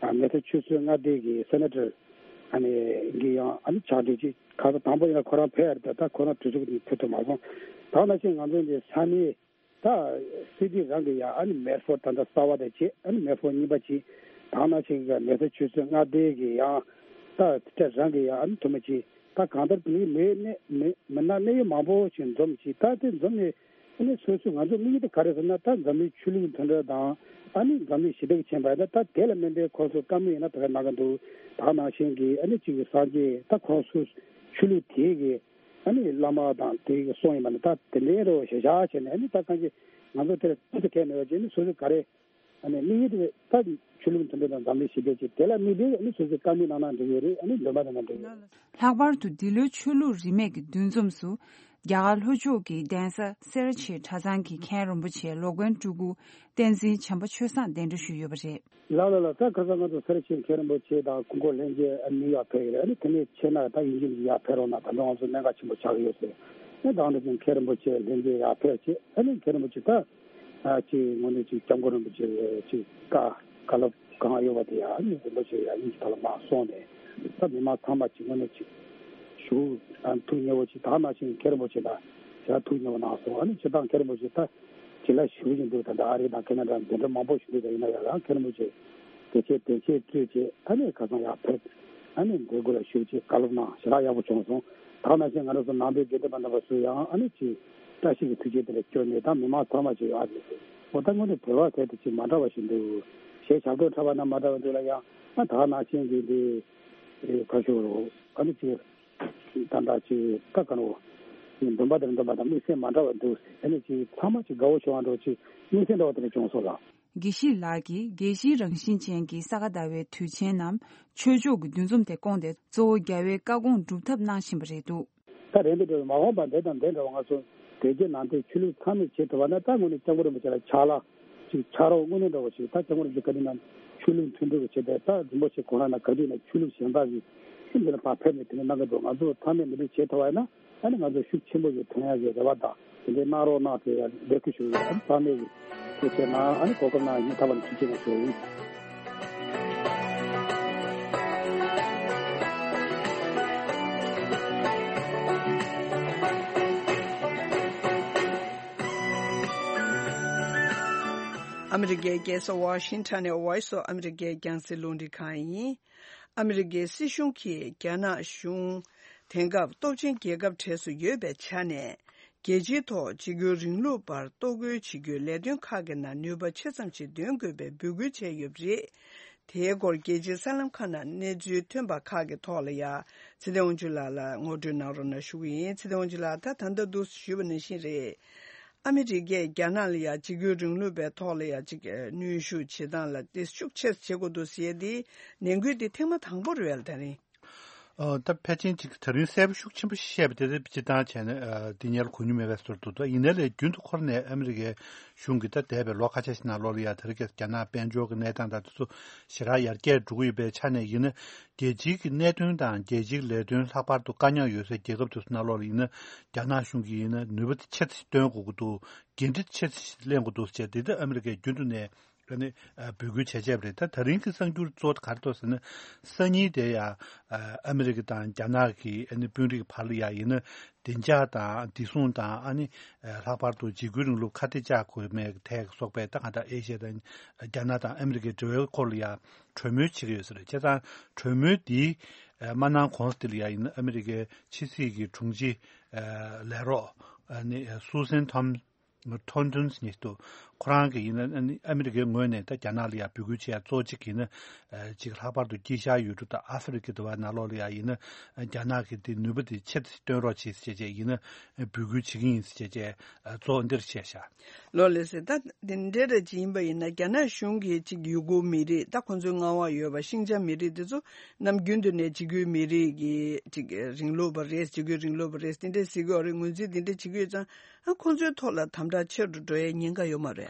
ཨ་མེ་ཐོ་ཆོས་སྲིད་མངའ་སྡེ་གི་སེ་ནེ་ཊར་ཨ་ནི་གི་ཡང་ཨ་ནི་ཕྱག་སྦྲེལ་ཅིག་ཁ་སང་དང་པོ་ཡིན་ན་ཁོ་རང་ཕེབས་ཡ་རེད། ད་ཁོ་རང་གྲོས་ཚོགས་ཀྱི་ཕེབས་ཐུབ་མ་སོང་། ད་ནང་བཞིན་ང་ཚོ་འདི་ས་གནས་ད་སི་ཊི་རང་གི་ཡང་ཨ་ནི་མེ་ཌི་ཕོཌ་ད་ལྟ་གསར་པ་དང་བཅས་ཨ་ནི་མེ་ཌི་ཕོཌ་རྙིང་པ་ཅིག་ད་ནང་བཞིན་གྱི་མེ་ཐོ་ཆོས་སྲིད་མངའ་སྡེ་གི་ཡང་ད་སི་ཊེཊ་རང་གི་ཡང་ཨ་ནི་ཐུ་མི་ཅིག་ད་གང་ལྟར་དེ་མི་གནས་མི་མི་སྣ་གནད་ཡོད་མང་པོ་ཞིག་འཛོམས་ཅིག་ད་དེ་འཛོམས་ནས་ཨ་ནི་སོ་སོ་ང་ཚོ་དམིགས་ཡུལ་དེ་ག་རེ་ཟེར་ན། ད་འཛམ་གླིང་ཆོས་ལུགས་མཐུན་སྒྲིལ་དང་ཨ་ནི་འཛམ་གླིང་ཞི་བདེ་ཅན་པ་ད་ད་དེ་ལ་དམིགས་ཏེ་ཁོང་ཚོ་བཀའ་མོལ་ཡིན་ན་དེ་ག་གནང་གི་འདུག་ད་ནང་བཞིན་གྱི་ཨ་ནི་གཅིག་གི་སངས་རྒྱས་ད་ཁོང་ཚོ་ཆོས་ལུགས་དེ་གི་ཨ་ནི་བླ་མ་དང་དེ་གི་གསུང་ཡིན་པ་ནི་ད་དེ་འདྲའི་རོ་ཞེ་ཞག་བྱས་ནས། ཨ་ནི་ད་གང་གི་ང་ཚོ་དེར་ཏོག་ཙམ་གལ་མེད་པ་བྱས་ནས་སོ་སོ་ག་རེ་ ཨ་ནི་དམིགས་ཡུལ་དེ་ད་ཆོས་ལུགས་མཐུན་སྒྲིལ་དང་འཛམ་གླིང་ཞི་བདེ་ཆེད་དེ་ལ་དམིགས་ཏེ་ཨ་ནི་སོ་སོའི་བཀའ་མོལ་གནང་ན་འགྲིག་གི་རེད། ཨ་ནི་འདོན་པ་གནང་ན་འགྲིག་གི་རེད། ལྷག་པར་དུ་འདི་ལོའི་ཆོས་ལུགས་རིས་མེད་ཀྱི་འདུ་འཛོམས་སུ། རྒྱ་གར་ལྷོ་ཕྱོགས་ཀྱི་གདན་ས་སེ་ར་བྱེས་གྲྭ་ཚང་གི་མཁན་རིན་པོ་ཆེ་ལོ་མགོན་སྤྲུལ་སྐུ་བསྟན་འཛིན་བྱམས་པ་ཆོས་བཟང་གདན་འདྲེན་ཞུས་ཡོད་པ་རེད། ལགས་ལགས་ལགས། ད་ཁ་སང་ང་ཚོ་སེ་ར་བྱེས་མཁན་རིན་པོ་ཆེ་དང་སྐུ་འཁོར་ལྷན་རྒྱས་ཨ་ནི་ཡར་ཕེབས་ཡོད་རེད། ཨ་ནི་དེ་ནས་ཕྱིན་ན་ད་ཡིན་གཅིག་མིན་གཅིག་ཡར་ཕེབས་རོགས་གནང་། ད་དུང་ང་ཚོ་གནད་འགག་ཆེན་པོ་ཆགས་ཀྱི་ཡོད་ཟེར། ཨ་ནི་ད་ང་ཚོ་མཁན་རིན་པོ་ཆེ་ལྷན་རྒྱས་ཡར་ཕེབས་བྱས། ཨ་ནི་མཁན་རིན་པོ་ཆེ་ད་ཨ་ཅིག་དངོས་གནས་ཅིག་སྐྱབས་མགོན་རིན་པོ་ཆེ་ཅིག་བཀའ་བཀའ་སློབ་གང་ཡོད་པ་དེ་ཡང་ཨ་ནི་རིན་པོ་ཆེ་ཡང་དབྱིན་ཇི་ཐོག་ལ་མར་གསུངས་ནས། ད་མི་མང་ཚང་མ་ཅིག་དངོས་གནས་ཅིག་ཞུ་ཨ་ཐུགས་མཉེས་པོ་ཅིག། ད་ནང་བཞིན་མཁན་རིན་པོ་ཆེ་ལ་ཡང་ཐུགས་མཉེས་པོ་གནང་སོང་། ཨ་ནི་སྤྱིར་བཏང་མཁན་རིན་པོ་ཆེ་ད་ཅིག་ལ་ཞུ་བཞིན་འདུག། ད་ལྟ་ཨ་རི་དང་ཁེ་ན་ཌ་འདི་འདྲ་མང་པོ་ཞུ་འདུག། ད་ཡིན་ན་ཡང་རང་མཁན་རིན་པོ་ཆེ་དེ་ཆེད་དེ་ཆེད་སྤྲོས་བྱས། ཨ་ནི་ཁ་སང་ཡར་ཕེབས། ཨ་ནི་འདི་སྐོར་ལ་ཞུ་ཅིག་བཀའ་སློབ་གནང་། ཞེ་དྲག་ཡག་པོ་བྱུང་སོང་། ད་ནང་བཞིན་ང་རང་ཚོ་ནང་པའི་དགེ་འདུན་པ་རྣམ་པ་ཚོ་ཡང་ཨ་ནི་ཅིག་བཀྲ་ཤིས་ཀྱི་ཐུགས་རྗེ་དེ་འདྲ་སྐྱོར་ནས། ད་མི་མང་ཚང་མ་ཅིག་ཨ་ནི་འོ་ད་དངོས་གནས་བོད་པ་གལ་ཏེ་ཅིག་མ་འདྲ་བ་ཞིག་འདུག། གཞས་ཞབས་བྲོ་འཁྲབ་པ་ན་མ་འདྲ་བ་འདུག་ལ། ཡང་ཨ་ད་ནང་བཞིན་གྱི་འདི་ཁ་ཤོར་རོ། ཨ་ནི་ཅིག་ད་ལྟ་ཅིག་ད་ག་ནོ་འདོན་པ་དང་འདོན་པ་དང་དམིགས་བསལ་མ་འདྲ་བ་འདུག། ཨ་ནི་ཅིག་ཚང་མ་ཅིག་དགའ་བོ་བྱུང་བ་འདྲ་ཅིག་དམིགས་བསལ་འདྲ་བ་དེ་འདྲ་བྱུང་སོང་ལགས། དགེ་བཤེས་ལགས་ཀྱིས་རྒྱལ་སྤྱིའི་རང་བཞིན་ཅན་གྱི་ས་ག་ཟླ་བའི་དུས་ཆེན་ནམ་ཆོས་ཕྱོགས་ཀྱི་འདུ་འཛོམས་དེ་བསྐོངས་ཏེ་གཙོ་བོ་རྒྱལ་བའི་བཀའ་དགོངས་སྒྲུབ་ཐབས་གནང་བཞིན་པ་རེད་འདུག། ད་རེད་འདུག་འདྲ་བའི་མ་འོངས་པ་འདི་དང་འདི་འདྲ་བ་ང་ཚོ་དེ་རྗེས་ནང་བསྟན་ཆོས་ལུགས་ཚང་མས་བྱེད་ཐུབ་པ་ན། ད་དངོས་གནས་སྐྱབས་མགོན་རིན་པོ་ཆེ་ལ་ཕྱག་ལ་ཅིག་ཕྱག་རོགས་དངོས་གནས་འདྲ་བ་ཞིག། ད་སྐྱབས་མགོན་རིན་པོ་ཆེ་བཀའ་དྲིན་ནམ་ཆོས་ལུགས་མཐུན་སྒྲིལ་གྱི་ཆེད་དུ་ད་རིན་པོ་ཆེ་ཁོ་རང་ན་ག་དུས་ན་ཆོས་ལུགས་གཞན་དག་གི་ཁྲིམས་འདི་ལ་ཕར་ཕེབས་ནས་དེ་ནས་གནང་གི་འདུག། ང་ཚོ་ཚང་མས་འདི་འདྲ་བྱེད་ཐུབ་པ་ཡིན་ན། ཨ་ནི་ང་ཚོ་ཤུགས་ཆེན་པོ་ཞིག་ཐོན་ཡག་གི་རེ་བ་དང་དེ་འདྲའི་གནང་རོགས་གནང་ཟེར་ཡ་འབོད་སྐུལ་ཞུ་ཡོད། ཨ་ནི་ཚང་མས་ཐུགས་རྗེ་གནང་། ཨ་ནི་གོ་སྐབས་གནང་ཡིན་ཐབས་ལ་ཐུགས་རྗེ་གནང་ཞུ་ཡིན། ཨ་མི་རི་ཀའི་རྒྱལ་ས་ཝ་ཤིང་ཊོན་ནས་Voice of America རྒྱང་སྲིང་རླུང་འཕྲིན་ཁང་ཡིན། ཨ་མི་རི་ཀའི་སྲིད་གཞུང་གིས་རྒྱ་ནག་གཞུང་དེང་སྐབས་སྟོབས་ཆེན་རྒྱལ་ཁབ་གྲས་སུ་ཡོད་པའི་ཆ་ནས། རྒྱལ་སྤྱིའི་ཐོག་འཇིགས་སྐུལ་རིང་ལུགས་པར་གཏོར་རྒོལ་བྱེད་རྒྱུའི་ལས་དོན་ཁག་གི་ནང་ནུས་པ་ཆེ་ཙམ་ཞིག་འདོན་དགོས་པའི་འབོད་སྐུལ་བྱས་ཡོད་པ་རེད། དེའི་སྐོར་རྒྱལ་སྤྱིའི་གསར་ལམ་ཁག་ནང་གནས་ཚུལ་ཐོན་པ་ཁག་གི་ཐོག་ལ་ཡ། ཚེ་བརྟན་དབང་ཕྱུག་ལགས་ལ་ངོ་སྤྲོད་གནང་རོགས་གནང་ཞུ་གི་ཡིན། ཚེ་བརྟན་དབང་ཕྱུག་ལགས། ད་ད་ལྟ་འདུག་ཞུས་པ་ནང་བཞིན་རེད། ཨ་མི་རི་ཀས་རྒྱ་ནག་ལ་ཡ་འཇིགས་སྐུལ་རིང་ལུགས་པའི་ཐོག་ལ་ཡ་ཅིག་གནོན་ཤུགས་བྱེད་སྟངས་ལ་དེ་ཤུགས་ཆེ་ཙམ་བྱེད་དགོས་འདུག་ཟེར་ཡ་དེ་ནན་སྐུལ་དེ་ཐེངས་མ་དང་པོ་རེད་པས་ལ། ད་རིང་། ཨ་ད་ཕལ་ཆེར་ཅིག་ད་རིང་གསལ་པོ་ཤུགས་ཆེན་པོ་བཤད་པ་དེ་ཚོ་སྤྱིར་བཏང་བྱས་ན་ཨ་དེ་ཉལ་གོ་མྱོང་མེད་པའི་བཟོ་འདུག། ད་ཡིན་ནའི་ལས་རྒྱུན་དུ་འཁོར་ནས་ཨ་མི་རི་ཀའི་གཞུང་གིས་ད་འདས་པའི་ལོ་ཁ་ཤས་ཤིག་ནང་ལོགས་ལ་ཡ་དེ་རིང་ཁ་སང་རྒྱ་ནག་དཔལ་འབྱོར་གྱི་གནས་སྟངས་དང་དེ་ཚོ་ཞེ་དྲག་ཡར་རྒྱས་འགྲོ་གི་ཡོད་པའི་ཆ་ནས་ཡིན་ན། རྒྱལ་སྤྱིའི་གི་གནད་དོན་དང་རྒྱལ་སྤྱིའི་ལས་དོན་ལྷག་པར་དུ་དཀའ་རྙོག་ཡོད་སའི་རྒྱལ་ཁབ་དེ་ཚོ་ནང་ལོགས་ལ་ཡིན་ན། རྒྱ་ནག་གཞུང་གིས་ཡིན་ན་ནུས་པ་ཆེ་ཙམ་ཞིག་བཏོན་དགོས་ཀྱི་འདུག། འགན་འཁྲི་ཆེ་ཙམ་ཞིག་ལེན་དགོས་འདུག་ཟེར་དེ་ད་ཨ་མི་རི་ཀས་རྒྱུན་དུ་ནས་ཨ་ནི་ཨ་འབོད་སྐུལ་བྱས་བྱས་པ་རེད། ད་ད་རིང་གི་གསར་འགྱུར་གཙོ་བོ་ག་རེ་འདུག་ཟེར་ན། སང་ཉིན་དེ་ཡ་ཨ་ཨ་མི་རི་ཀ་དང་རྒྱ་ནག་གི་ཨ་ནི་དཔོན་རིགས་བར་ལ་ཡ་ཡིན་ན་བདེ་འཇགས་དང་བདེ་སྲུང་དང་། ཨ་ནི་ཨ་ལྷག་པར་དུ་འཇིགས་སྐུལ་རིང་ལུགས་ཁ་གཏད་གཅོག་དགོས་མེད་ཐད་སོགས་པའི་ད་གང་ལྟར་ཨེ་ཤ་ཡ་དང་རྒྱ་ནག་དང་ཨ་མི་རི་ཀའི་འབྲེལ་བའི་སྐོར་ལ་ཡ་གྲོས་མོལ་བྱེད་ཀྱི་ཡོད་ས་རེད། བྱས་ཙང་གྲོས་མོལ་འདི་ཨ་མ་གནང་གོང་དེ་ལ་ཡ་ཡིན་ན་ཨ་མི་རི་ཀའི་ཕྱི་སྲིད་ཀྱི་དྲུང་ཆེ་ཨ་ལས་རོགས་ཨ་ནི་སུ་སན་ཐོམ། ཐོན་ཐོན་ཉིད་དུ་ཁོ་རང་གིས་ཡིན་ན་ཨ་ནི་ཨ་མི་རི་ཀའི་ངོས་ནས་ད་རྒྱ་ནག་ལ་ཡང་འབོད་སྐུལ་བྱེད་ཡ་གཙོ་གཅིག་ཡིན་ན། ཨ་ཅིག་ལྷག་པར་དུ་དཀྱིལ་ཤར་ཡུལ་གྲུ་དང་ཨ་ཧྥེ་རི་ཁ་དེ་བ་ནང་ལོགས་ལ་ཡང་ཡིན་ན་རྒྱ་ནག་གིས་དེ་ནུས་པ་དེ་ཆེ་ཙམ་བཏོན་རོགས་བྱེད་ཟེར་བྱས་ཡིན་ན་འབོད་སྐུལ་བྱེད་ཀྱི་ཡིན་ཟེར་བྱས་བྱས་གཙོ་འདིར་བཤད་བཞག། ལོ་ལེགས་སེ། ད་དེ་འདྲ་རེ་ཅིག་ཡིན་པ་ཡིན་ན་རྒྱ་ནག་གཞུང་གིས་ཅིག་ཡུ་གུར་མི་རིགས། ད་ཁོང་ཚོའི་མངའ་འོག་ཡོད་པ་ཤིང་ཅང་མི་རིགས་དེ་ཚོ་ནམ་རྒྱུན་དུ་ནས་འཇིགས་སྐུལ་མི་རིགས་ཀྱི་ཅིག་རིང་ལུགས་པ་རེད། འཇིགས་སྐུལ་རིང་ལུགས་པ་རེད། དེ་འདྲ་ཟེར་གྱི་ཡོད་རེད། ངོས་འཛིན་དེ་འདྲ་བྱེད་ཀྱི་ཡོད་ཙང་། ཨ་ཁོང་ཚོའི་ཐོག་ལ་དམ་དྲག་ཆེ་རུ་འགྲོ་ཡའི་ཉེན་ཁ་ཡོད་མ་རེད།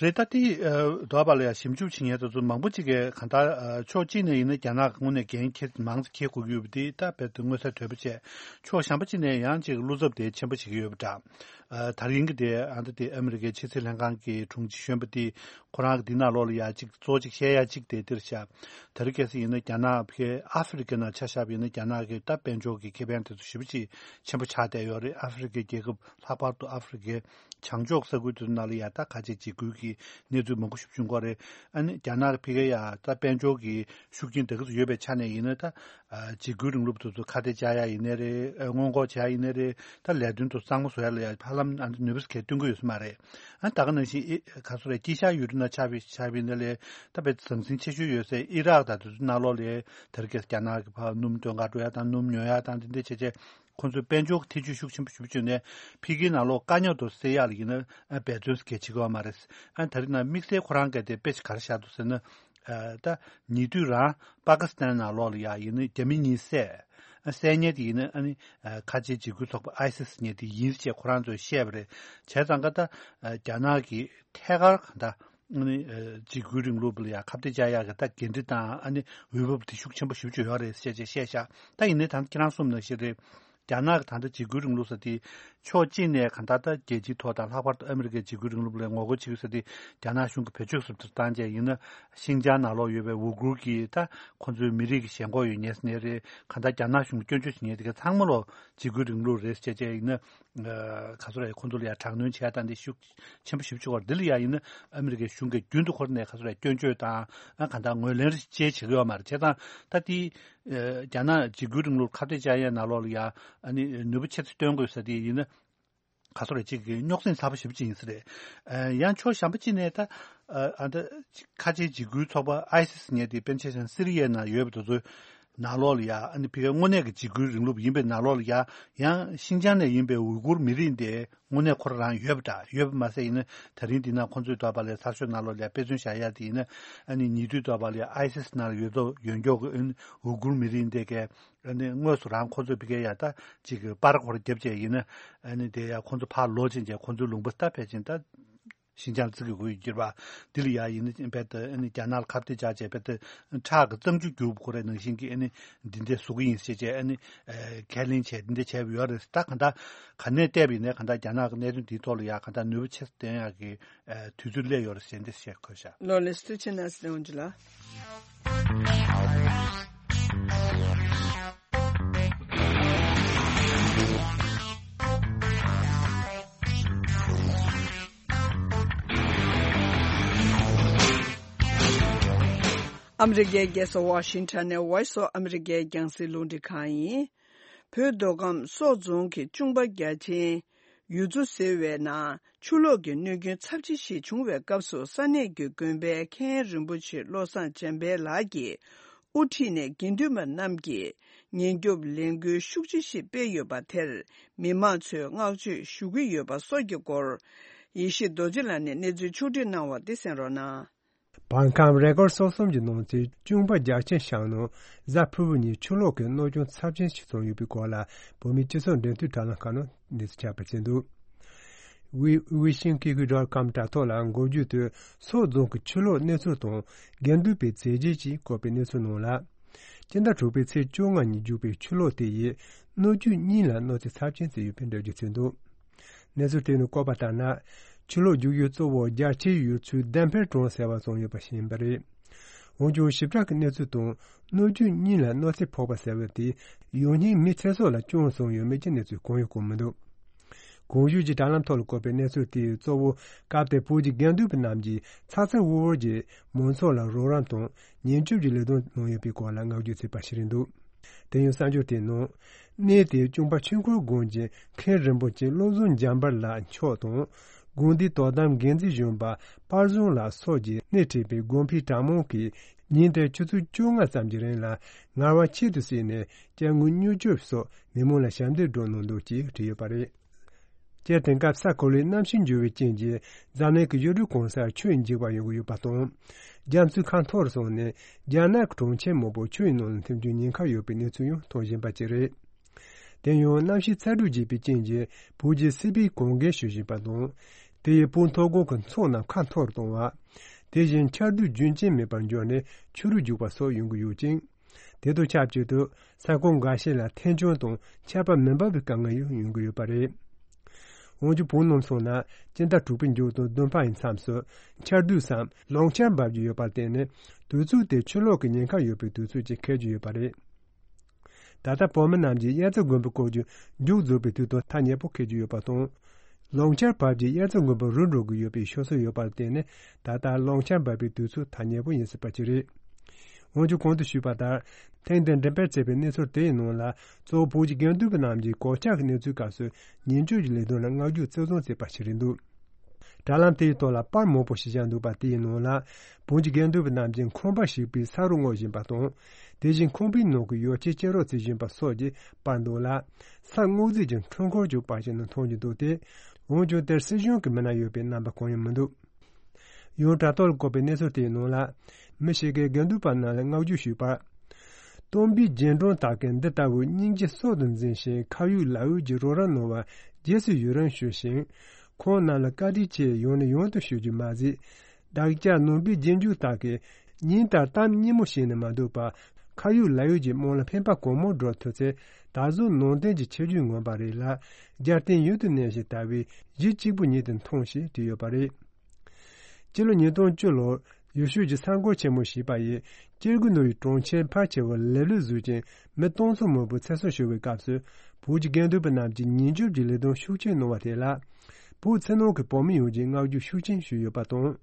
རེད། ད་དེ་ཨ་འདོད་པ་ལ་ཡང་ཞིབ་འཇུག་བྱེད་མཁན་དེ་ཚོ་མང་པོ་ཅིག་གིས་གང་ལྟར་ཨ་ཕྱོགས་གཅིག་ནས་ཡིན་ན་རྒྱ་ནག་དངོས་གནས་འགན་འཁྱེར་མང་ཙམ་འཁྱེར་དགོས་ཀྱི་ཡོད་པ་དེ་ད་རྦད་དེ་མངོན་གསལ་དོད་པོ་བྱས། ཕྱོགས་གཞན་པ་ཅིག་ནས་ཡང་ཅིག་བློ་འཚབ་དེ་ཆེན་པོ་བྱེད་ཀྱི་ཡོད་པ་འདྲ། ཨ་ད་རིང་གི་དེ་ཨ་ད་དེ་ཨ་མི་རི་ཀའི་ཕྱི་སྲིད་ལྷན་ཁང་གི་དྲུང་ཆེ་གཞོན་པ་དེ་ཁོ་རང་གི་འདི་ནང་ལོགས་ལ་ཡ་ཅིག་གཙོ་ཅིག་བཤད་ཡ་ཅིག་དེ་འདིར་བཞག། ད་རེས་གལ་སྲིད་ཡིན་ན་རྒྱ་ནག་ཕ་གིའི་ཨ་ཧྥེ་རི་ཁ་ནང་ཆ་བཞག་པ་ཡིན་ན་རྒྱ་ནག་གི་ད་དཔལ་འབྱོར་གྱི་ཁེ་ཕན་དེ་ཚོ་ཞེ་པོ་ཅིག་ཆེན་པོ་ཆགས་བསྡད་ཡོད་རེད། ཨ་ཧྥེ་རི་ཁའི་རྒྱལ་ཁབ་ལྷག་པར་དུ་ཨ་ཧྥེ་རི་ཁའི་བྱང་ཕྱོགས་ས་ཁུལ་དེ་ཚོ་ནང་ལ་ཡ་ད་ཁ་ཆེ་འཇིགས་སྐུལ་གྱི་གནས་ཚུལ་མང་པོ་ཞིག་བྱུང་གི་རེད། ཨ་ནི་རྒྱ་ནག་གི་ཕ་གིར་ཡ་ད་དཔལ་འབྱོར་གྱི་ཤུགས་རྐྱེན་དེ་ག་ཚོད་ཡོད་པའི་ཆ་ནས་ཡིན་ན། ད་ཨ་འཇིགས་སྐུལ་རིང་ལུགས་དེ་ཚོ་ཁ་གཏད་བཅག་ཡ་ཡིན་ནའི་རེད། ཨ་སྔོན་འགོག་བྱེད་ཡ་ཡིན་ནའི་རེད། ད་ལས་དོན་དེ་གཙང་མ་བཟོ་ཡ་ལ་ཡ་ཧ་ལམ་ཨ་ནི་ནུས་པ་གས་བཏོན་གི་ཡོད་ས་མ་རེད། ཨ་ད་ག་ནང་བཞིན་ཨི་ག་ཚོད་རེད། དཀྱིལ་ཤར་ཡུལ་གྲུ་ནང་ཆགས་པའི་ཆགས་པའི་ནང་ལས་ད་དཔེ་ཟང་ཟིང་ཆེ་ཤོས་ཡོད་སའི་ཨི་རག་དང་དེ་ཚོའི་ནང་ལོགས་ལ་དེ་རིང་ཁ་སང་རྒྱ་ནག་གིས་ཕར་སྣུམ་སྟོན་ག་འགྲོ་ཡ་དང་སྣུམ་ཉོ་ཡ་དང་དེ་འདྲ་བྱས་བྱས་ ཁོང་ཚོའི་དཔལ་འབྱོར་གྱི་ཐེ་བྱུས་ཤུགས་ཆེན་པོ་ཞེ་པོ་བྱུང་ནས་ཕ་གིའི་ནང་ལོགས་དཀའ་རྙོག་དེ་སེལ་ཡག་ལ་ཡིན་ན་འབད་བརྩོན་གལ་ཆེ་གི་ཡོད་མ་རེད། ཨ་ད་རེས་ནང་དམིགས་བསལ་ཁོ་རང་གིས་དེ་དཔེ་ཆ་ག་རེ་བཞག་འདུག་ཟེར་ན། ཨ་ད་ཉེ་དུས་རང་པ་ཀི་སི་ཐན་ནང་ལོགས་ལ་ཡ་ཡིན་ན་རྒྱ་མི་གཉིས་བསད། ཨ་བསད་མཁན་དེ་ཡིན་ན་ཨ་ནི་ཨ་ཁ་ཆེའི་འཇིགས་སྐུལ་ཚོགས་པ་ཨའི་སི་ཟེར་མཁན་དེ་ཡིན་ཞེས་ཁོ་རང་ཚོས་བཤད་པ་རེད། བྱས་ཙང་ཀ་ད་ཨ་རྒྱ་ནག་གིས་ཐད་ཀར་གང་ལྟར་ཨ་ནི་ཨ་འཇིགས་སྐུལ་རིང་ལུགས་ལ་ཡ་ཁ་གཏད་བཅག་ཡག་གི་ད་འགན་འཁྲི་དང་ཨ་ནི་འོས་བབ་དེ་ཤུགས་ཆེན་པོ་ཞེ་པོ་ཅིག་ཡོད་རེད་ཟེར་བྱས་བཤད་ཤག་ད་ཡིན་ནའི་ད་ཁྱེད་རང་གསུངས་ནང་བཞིན་རེད། རྒྱ་ནག་གི་ད་ལྟ་འཇིགས་སྐུལ་རིང་ལུགས་ཟེར་དེ་ཕྱོགས་གཅིག་ནས་གང་ལྟར་ད་རྒྱལ་སྤྱིའི་ཐོག་དང་ལྷག་པར་དུ་ཨ་མི་རི་ཀའི་འཇིགས་སྐུལ་རིང་ལུགས་ལ་ངོ་རྒོལ་བྱེད་ཀྱི་ཟེར་དེ་རྒྱ་ནག་གཞུང་གིས་བེད་སྤྱོད་ཟབ་ཏུ་བཏང་བྱས་ཡིན་ན། ཤིན་ཅང་ནང་ལོགས་ཡོད་པའི་ཝུ་གུར་གྱི་ད་ཁོང་ཚོའི་མི་རིགས་ཀྱི་ཞེན་ཁོག་ཡོད་མཁན་ཟེར་མཁན་རེད། གང་ལྟར་རྒྱ་ནག་གཞུང་གིས་སྐྱོན་བརྗོད་བྱེད་མཁན་དེ་ག་ཚང་མ་ལོ་འཇིགས་སྐུལ་རིང་ལུགས་རེད་ཟེར་བྱས་བྱས་ཡིན་ན། ཨ་ག་ཚོད་རེད། ཁོང་ཚོ་ལ་ཡང་དྲག་གནོན་བྱས་དང་དེ་ཤུགས་ཆེན་པོ་ཞེ་པོ་ཅིག་ཡོད་རེད། འདི་ལ་ཡང་ཡིན་ན་ཨ་མི་རི་ཀའི་གཞུང་གིས་རྒྱུན་དུ་ཁོ་རང་ནས་ག་ཚོད་རེད། སྐྱོན་བརྗོད་དང་ཨ་གང་ལྟར་ངོས་ལེན་རེ་བྱེད་ཀྱི་ཡོད་མ་རེད། བྱས་ཙང་ད་དེ་ཨ་རྒྱ་ནག་འཇིགས་སྐུལ་རིང་ལུགས་ཁ་གཏད་བཅག་ཡས་ནང་ལོགས་ལ་ཡང་ཨ་ནི་ནུས་པ་ཆེ་ཙམ་བཏོན་དགོས་ཟེར་དེ་ཡིན་ན། ག་ཚོད་རེད། ཅིག་གི་རྙོག་ཟིང་ཚ་པོ་ཞེ་པོ་ཅིག་ཡིན་ས་རེད། ཨ་ཡང་ཕྱོགས་གཞན་པ་ཅིག་ནས་ད་ཨ་ཨ་ད་ཁ་ཆེའི་འཇིགས་སྐུལ་ཚོགས་པ་ཨའི་སི་ཟེར་མཁན་དེ་དཔེར་ན་ཆ་བཞག་ན་སི་རི་ཡའི་ནང་ཡོད་པ་དེ་ཚོའི་ནང་ལོགས་ལ་ཡ་ཨ་ནི་ཕ་གིའི་དངོས་གནས་ཀྱི་འཇིགས་སྐུལ་རིང་ལུགས་ཡིན་པའི་ནང་ལོགས་ལ་ཡ་ཡང་ཤིན་ཅང་ནས་ཡིན་པའི་ཝུ་གུར་མི་རིགས་དེ་དངོས་གནས་ཁོ་རང་ཡོད་པ་འདྲ། ཡོད་པ་མ་ཟད་ཡིན་ན་ད་རིང་འདི་ན་ཁོང་ཚོས་འདོད་པ་ལས་ཚར་ཤོག་ནང་ལོགས་ལ་ཡ་དཔེ་མཚོན་བཞག་ཡ་དེ་ཡིན་ན་ཨ་ནི་ཉེ་དུས་འདོད་པ་ལས་ཨའི་སི་ནང་ལ་ཡོད་དོ་ཡོད་མགྱོགས་ཀྱི་ཨ་ནི་ཝུ་གུར་མི་རིགས་འདི་གས། ཨ་ནི་དངོས་སུ་རང་ཁོ་ཚོས་ཕ་གིའི་ཡ་ད་ཅིག་གི་པར་ཁོ་ར་རྒྱབ་བྱས་ཡིན་ན། ཨ་ནི་དེ་ཡ་ཁོ་ཚོ་ཕར་ལོག་ཕྱིན་བྱས་ཁོ་ཚོའི་ལུང་པ་ད་ཕལ་ཆེར་ད་ཤིན་ཅང་བརྩི་གི་དགོས་ཡོད་གྱུར་པ། འདི་ལ་ཡ་ཡིན་ན་རྦད་དེ་ཨ་ནི་རྒྱ་ནག་ལ་ཁ་གཏད་བཅག་བྱས་རྦད་དེ་ཁྲག་གི་གཙང་ཆུ་རྒྱུག་པ་ཁོ་རའི་ནང་བཞིན་གྱི་ཨ་ནི་འདི་འདྲ་བཟོ་གི་ཡིན་ཞེས་བྱས་ཨ་ནི་ཨ་ཁས་ལེན་བྱས་འདི་འདྲ་བྱས་པ་ཡོད་རེད། ད་གང་ལྟར་ག་ནས་བལྟས་པ་ཡིན་ནའི་གང་ལྟར་རྒྱ་ནག་གི་གནད་དོན་འདིའི་ཐོག་ལ་ཡ་གང་ལྟར་ནུས་པ་ཆེ་ཙམ་བཏོན་ཡག་གི་ཨ་དུས་ཚོད་སླེབས་ཡོད་རེད་ཟེར་འདི་བཤད་དགོས་ཤག་ལོ་ལེགས་ཐུགས་རྗེ་གནང་ཟེར་འོང་ཅི་ལ། ཨ་མི་རི་ཀའི་རྒྱལ་ས་ཝ་ཤིང་ཊོན་ནས་Voice of America་རྒྱང་སྲིང་རླུང་འཕྲིན་ཁང་ཡིན། བོད་མདོ་ཁམས་སོག་རྫོང་གི་ཅུང་པ་རྒྱ་ཆེན། ཡུ་ཙུ་ཟེར་བའི་ནང་ཆུ་ལོག་གི་གནོད་སྐྱོན་ཚབས་ཆེ་ཞིག་བྱུང་བའི་སྐབས་སུ་ས་གནས་ཀྱི་དགོན་པའི་མཁན་རིན་པོ་ཆེ་བློ་བཟང་འཇམ་དཔལ་ལགས་ཀྱིས་དབུ་ཁྲིད་ནས་དགེ་འདུན་པ་རྣམས་ཀྱིས་ཉེན་སྐྱོབ་ལས་འགུལ་ཤུགས་ཆེ་ཞིག་སྤེལ་ཡོད་པ་དེར་མི་མང་ཚོས་བསྔགས་བརྗོད་ཞུ་གི་ཡོད་པ་སོགས་ཀྱི་སྐོར་ཡེ་ཤེས་རྡོ་རྗེ་ལགས་ནས་གནས་ཚུལ་ཕྱོགས་བསྒྲིགས་གནང་བ་འདི་གསན་རོགས་གནང་། བར་ཁམས་རེ་སྐོར་སོ་གསུམ་གྱི་ནང་ཚན་ཅུང་པ་རྒྱ་ཆེན་ཤང་ནང་གཟའ་ཕུར་བུ་ཉིན་ཆུ་ལོག་གི་གནོད་སྐྱོན་ཚབས་ཆེན་ཞིག་བྱུང་ཡོད་པའི་སྐོར་ལ་བོད་མིའི་སྤྱི་ཚོགས་འབྲེལ་མཐུད་དྲ་ལམ་ཁག་ནང་གནས་ཚུལ་ཁྱབ་པར་བྱས་འདུག་ཝི་ཝི་ཤིང་ཀི་ཀི་ཌོཊ་ཀོམ་དྲ་ཐོག་ལ་འགོ་བརྒྱུད་དུ་སོག་རྫོང་གི་ཆུ་ལོག་གནས་ཚུལ་དང་དགེ་འདུན་པའི་མཛད་རྗེས་ཀྱིས་བཀོད་པའི་གནས་ཚུལ་ནང་ལ། སྤྱི་ཟླ་དྲུག་པའི་ཚེས་བཅོ་ལྔ་ཉིན་རྒྱུག་པའི་ཆུ་ལོག་དེ་ཡིས་སྣོད་བཅུད་གཉིས་ལ་གནོད་འཚེ་ཚབས་ཆེན་བྱས་ཡོད་པའི་འགྲེལ་བརྗོད་བྱས་འདུག་གནས་ཚུལ་དེ་ནི་བཀོད་པ་ལྟར་ན། ཆུ་ལོག་རྒྱུག་ཡུལ་གཙོ་བོ་རྒྱ་ཆེའི་ཡུལ་ཚོའི་ལྡན་ཕེར་གྲོང་ཟེར་བ་ཙམ་ཡོད་པ་ཞིག་ཡིན་པ་རེད། འོན་ཀྱང་ཞིབ་ཕྲ་གི་གནས་ཚུལ་དང་སྣོད་བཅུད་གཉིས་ལ་གནོད་འཚེ་ཕོག་པ་ཟེར་བ་དེ་ཡང་སྙིང་མི་ཚེ་སྲོག་ལ་སྐྱོན་བྱུང་ཡོད་མེད་ཀྱི་གནས་ཚུལ་གང་ཡང་བཀོད་མི་འདུག་གོང་ཞུས་ཀྱི་དྲ་ལམ་ཐོག་ལ་བཀོད་པའི་གནས་ཚུལ་དེས་གཙོ་བོ་སྐབས་དེར་བོད་ཀྱི་དགེ་འདུན་པ་རྣམས་ཀྱིས་ཚ་ཚ་འུར་འུར་གྱིས་མང་ཚོགས་ལ་རོགས་རམ་དང་ཉེན་སྐྱོབ་ཀྱི་ལས་དོན་གནང་ཡོད་པའི་སྐོར་ལ་བསྔགས་བརྗོད་བྱས་པ་ཞིག་རེད་འདུག་དེ་ཡང་གསར་འགྱུར་དེའི་ནང་། གནས་དེའི་ཅུང་པ་ཆོས་འཁོར་དགོན་གྱི་མཁན་རིན་པོ་ཆེ་བློ་བཟང་འཇམ་དཔལ་ལགས་མཆོག་དང་། དགོན་སྡེའི་དོ་དམ་འགན་འཛིན་གཞོན་པ་པར་བཟང་ལགས་སོགས་ཀྱིས་སྣེ་ཁྲིད་པའི་དགོན་ཕའི་གྲྭ་མང་གིས་ཉིན་དེར་ཆུ་ཚོད་བཅོ་ལྔ་ཙམ་གྱི་རིང་ལ་ངལ་བ་ཁྱད་དུ་བསད་ནས་སྐྱབས་མགོན་གཉོས་སྐྱོབ་སོགས་མི་མང་ལ་ཞབས་འདེགས་སྒྲུབ་གནང་འདུག་ཅེས་བྲིས་ཡོད་པ་རེད། སྤྱིར་དེང་སྐབས་ས་གོ་ལའི་གནམ་གཤིས་འགྱུར་བའི་རྐྱེན་གྱིས་འཛམ་གླིང་གི་ཡུལ་གྲུ་གང་སར་ཆུ་ཡི་འཇིགས་པ་ཡོང་གི་ཡོད་པ་དང་། རྒྱ་མཚོའི་ཁ་འཐོར་སོང་ནས་རྒྱ་ནག་གི་གྲོང་ཁྱེར་མང་པོ་ཆུ་ཡི་ནང་ལ་འཐིམ་རྒྱུའི་ཉེན་ཁ་ཡོད་པའི་གནས་ཚུལ་ཡང་མཐོང་བཞིན་པ་ཅིག་རེད། དེ་ཡང་གནམ་གཤིས་ཚ་དྲོད་རྒྱས་པའི་རྐྱེན་གྱིས་བོད་ཀྱི་སྲིད་པའི་གོང་འགལ་ཞུ་བཞིན་པ་དང་། དེ་ཡིས་བོད་མཐོ་སྒང་གི་མཚོ་རྣམས་ཁ་འཐོར་གཏོང་བ། དེ་བཞིན་ཆར་དུས་རྒྱུན་ཅན་མེད་པར་འགྱུར་ནས་ཆུ་རུད་རྒྱུག་པ་སོགས་ཡོང་གི་ཡོད་ཅིང་། དེ་དང་ཆབས་ཅིག་ཏུ་ས་ཁོངས་འགའ་ཤས་ལ་ཐན་སྐྱོན་དང་ཆར་པ་མི་འབབ་པའི་དཀའ་ངལ་ཡང་ཡོང་གི་ཡོད་པ་རེད། འོན་ཀྱང་བོད་ནང་སོང་ན་སྤྱི་ཟླ་དྲུག་པའི་མཇུག་དང་བདུན་པའི་མཚམས་སུ་ཆར་དུས་སམ་ལོང་ཆར་འབབ་ཀྱི་ཡོད་པར་བརྟེན་ནས་དུས་ཚོད་དེ་ཆུ་ལོག་གི་ཉེན་ཁ་ཡོད་པའི་དུས་ཚོད་ཅིག་འཁེལ་གྱི་ཡོད་པ་རེད། ད་ལྟ་བོད་མི་རྣམས་ཀྱིས་དབྱར་རྩྭ་དགུན་འབུ་བརྐོ་རྒྱུ་མཇུག་རྫོགས་པའི་དུས་དང་ཐག་ཉེ་པོ་འཁེལ་གྱི་ཡོད་པ་དང་། ལོང་ཆར་བབས་རྗེས་དབྱར་རྩྭ་དགུན་འབུ་རུལ་འགྲོ་གི་ཡོད་པའི་ཤོད་སྲོལ་ཡོད་པར་བརྟེན་ནས་ད་ལྟ་ལོང་ཆར་འབབ་པའི་དུས་ཚོད་ཐག་ཉེ་པོ་ཡིན་སྲིད་པ་ཅིག་རེད། འོན་ཀྱང་གོང་དུ་ཞུས་པ་ལྟར་ཐེངས་འདིར་འགྲེམས་སྤེལ་བྱས་པའི་གནས་ཚུལ་དེའི་ནང་ལ་གཙོ་བོ་བོད་ཀྱི་དགེ་འདུན་པ་རྣམས་ཀྱིས་གོད་ཆག་གི་གནས་ཚུལ་སྐབས་སུ་ཉེན་བཅོལ་གྱི་ལས་དོན་ལ་བསྔགས་བརྗོད་གཙོ་བཟུང་བྱས་པ་ཞིག་རེད་འདུག་དྲ་ལམ་དེའི་ཐོག་ལ་པར་མང་པོ་ཞིག་བཞག་འདུག་པ་དེའི་ནང་ལ་བོད་ཀྱི་དགེ་འདུན་པ་རྣམས་ཀྱིས་ཁང་པ་ཞིག་པའི་ས་རུ་སྔོག་བཞིན་པ་དང་། དེ་བཞིན་ཁང་པའི་ནང་གི་ཡོ་བྱད་ཅི་རོ་བརྩི་བཞིན་པ་སོགས་ཀྱིས་སྤར་འདུག་ལ། ས་སྔོག་རྩིས་ཀྱི་འཕྲུལ་འཁོར་ཀྱང་སྤར་བཞིན་མཐོང་རྒྱུ་འདུག་སྟེ། འོན་ཀྱང་དེར་སྲིད་གཞུང་གི་མི་སྣ་ཡོད་པའི་རྣམ་པ་གང་ཡང་མི་འདུག་ཡང་དྲ་ཐོག་ལ་བཀོད་པའི་གནས་ཚུལ་དེའི་ནང་ལ། མི་ཞིག་གིས་དགེ་འདུན་པ་རྣམས་ལ་བསྔགས་བརྗོད་ཞུས་པར། སྟོན་པའི་རྗེས་འབྲང་དག་གིས་འདི་ལྟ་བུའི་སྙིང་རྗེ་གསར་དུ་འཛིན་ཞིང་ཁ་ཡོད་ལག་ཡོད་ཀྱི་རོགས་རམ་གནང་བར་རྗེས་སུ་ཡི་རང་ཞུ་ཞིང་། ཁོང་རྣམས་ལ་བཀའ་དྲིན་ཆེ་ཡང་ནས་ཡང་དུ་ཞུ་རྒྱུ་མ་ཟད། བདག་ཅག་ནང་པའི་རྗེས་འཇུག་དག་གིས་ཉིན་ལྟར་གཏམ་སྙན་མོ་བཤད་ནས་མ་འདུག་པར། ཁ་ཡོད་ལག་ཡོད་ཀྱི་དམངས་ལ་ཕན་པ་གང་མང་བསྒྲུབ་ཐུབ་ཚེ། ད་གཟོད་ནང་བསྟན་གྱི་ཁྱད་ཆོས་ངོམ་པ་རེད་ལ། རྒྱལ་བསྟན་ཡུན་དུ་གནས་ཤིང་དར་བའི་གཞི་གཅིག་པུ་ཉིད་དུ་མཐོང་ཞེས་བྲིས་ཡོད་པ་རེད། སྤྱི་ལོ་ཉིས་སྟོང་བཅུ་ལོར་ཡེ་ཤུ་གྱི་གསར་འགོད་ཆེན་མོ་ཞེས་པ་ཡིས་སྐྱེ་དགུའི་ནོར་བུའི་གྲོང་ཁྱེར་ཕལ་ཆེ་བར་ལེབ་ལེབ་བཟོས་ཀྱིན་མི་སྟོང་ཚོ་མང་པོའི་ཚེ་སྲོག་ཤོར་བའི་སྐབས་སུ། བོད་ཀྱི་དགེ་འདུན་པ་རྣམས་ཀྱིས་ཉིན་རྒྱུན་གྱི་ལས་དོན་ཤུགས་ཆེན་གནང་བ་དེ་ལ། བོད་ཕྱི་ནང་གི་བོད་མི་ཡོངས་ཀྱིས་བསྔགས་བརྗོད་ཤུགས་ཆེན་ཞུས་ཡོད་པ་དང་།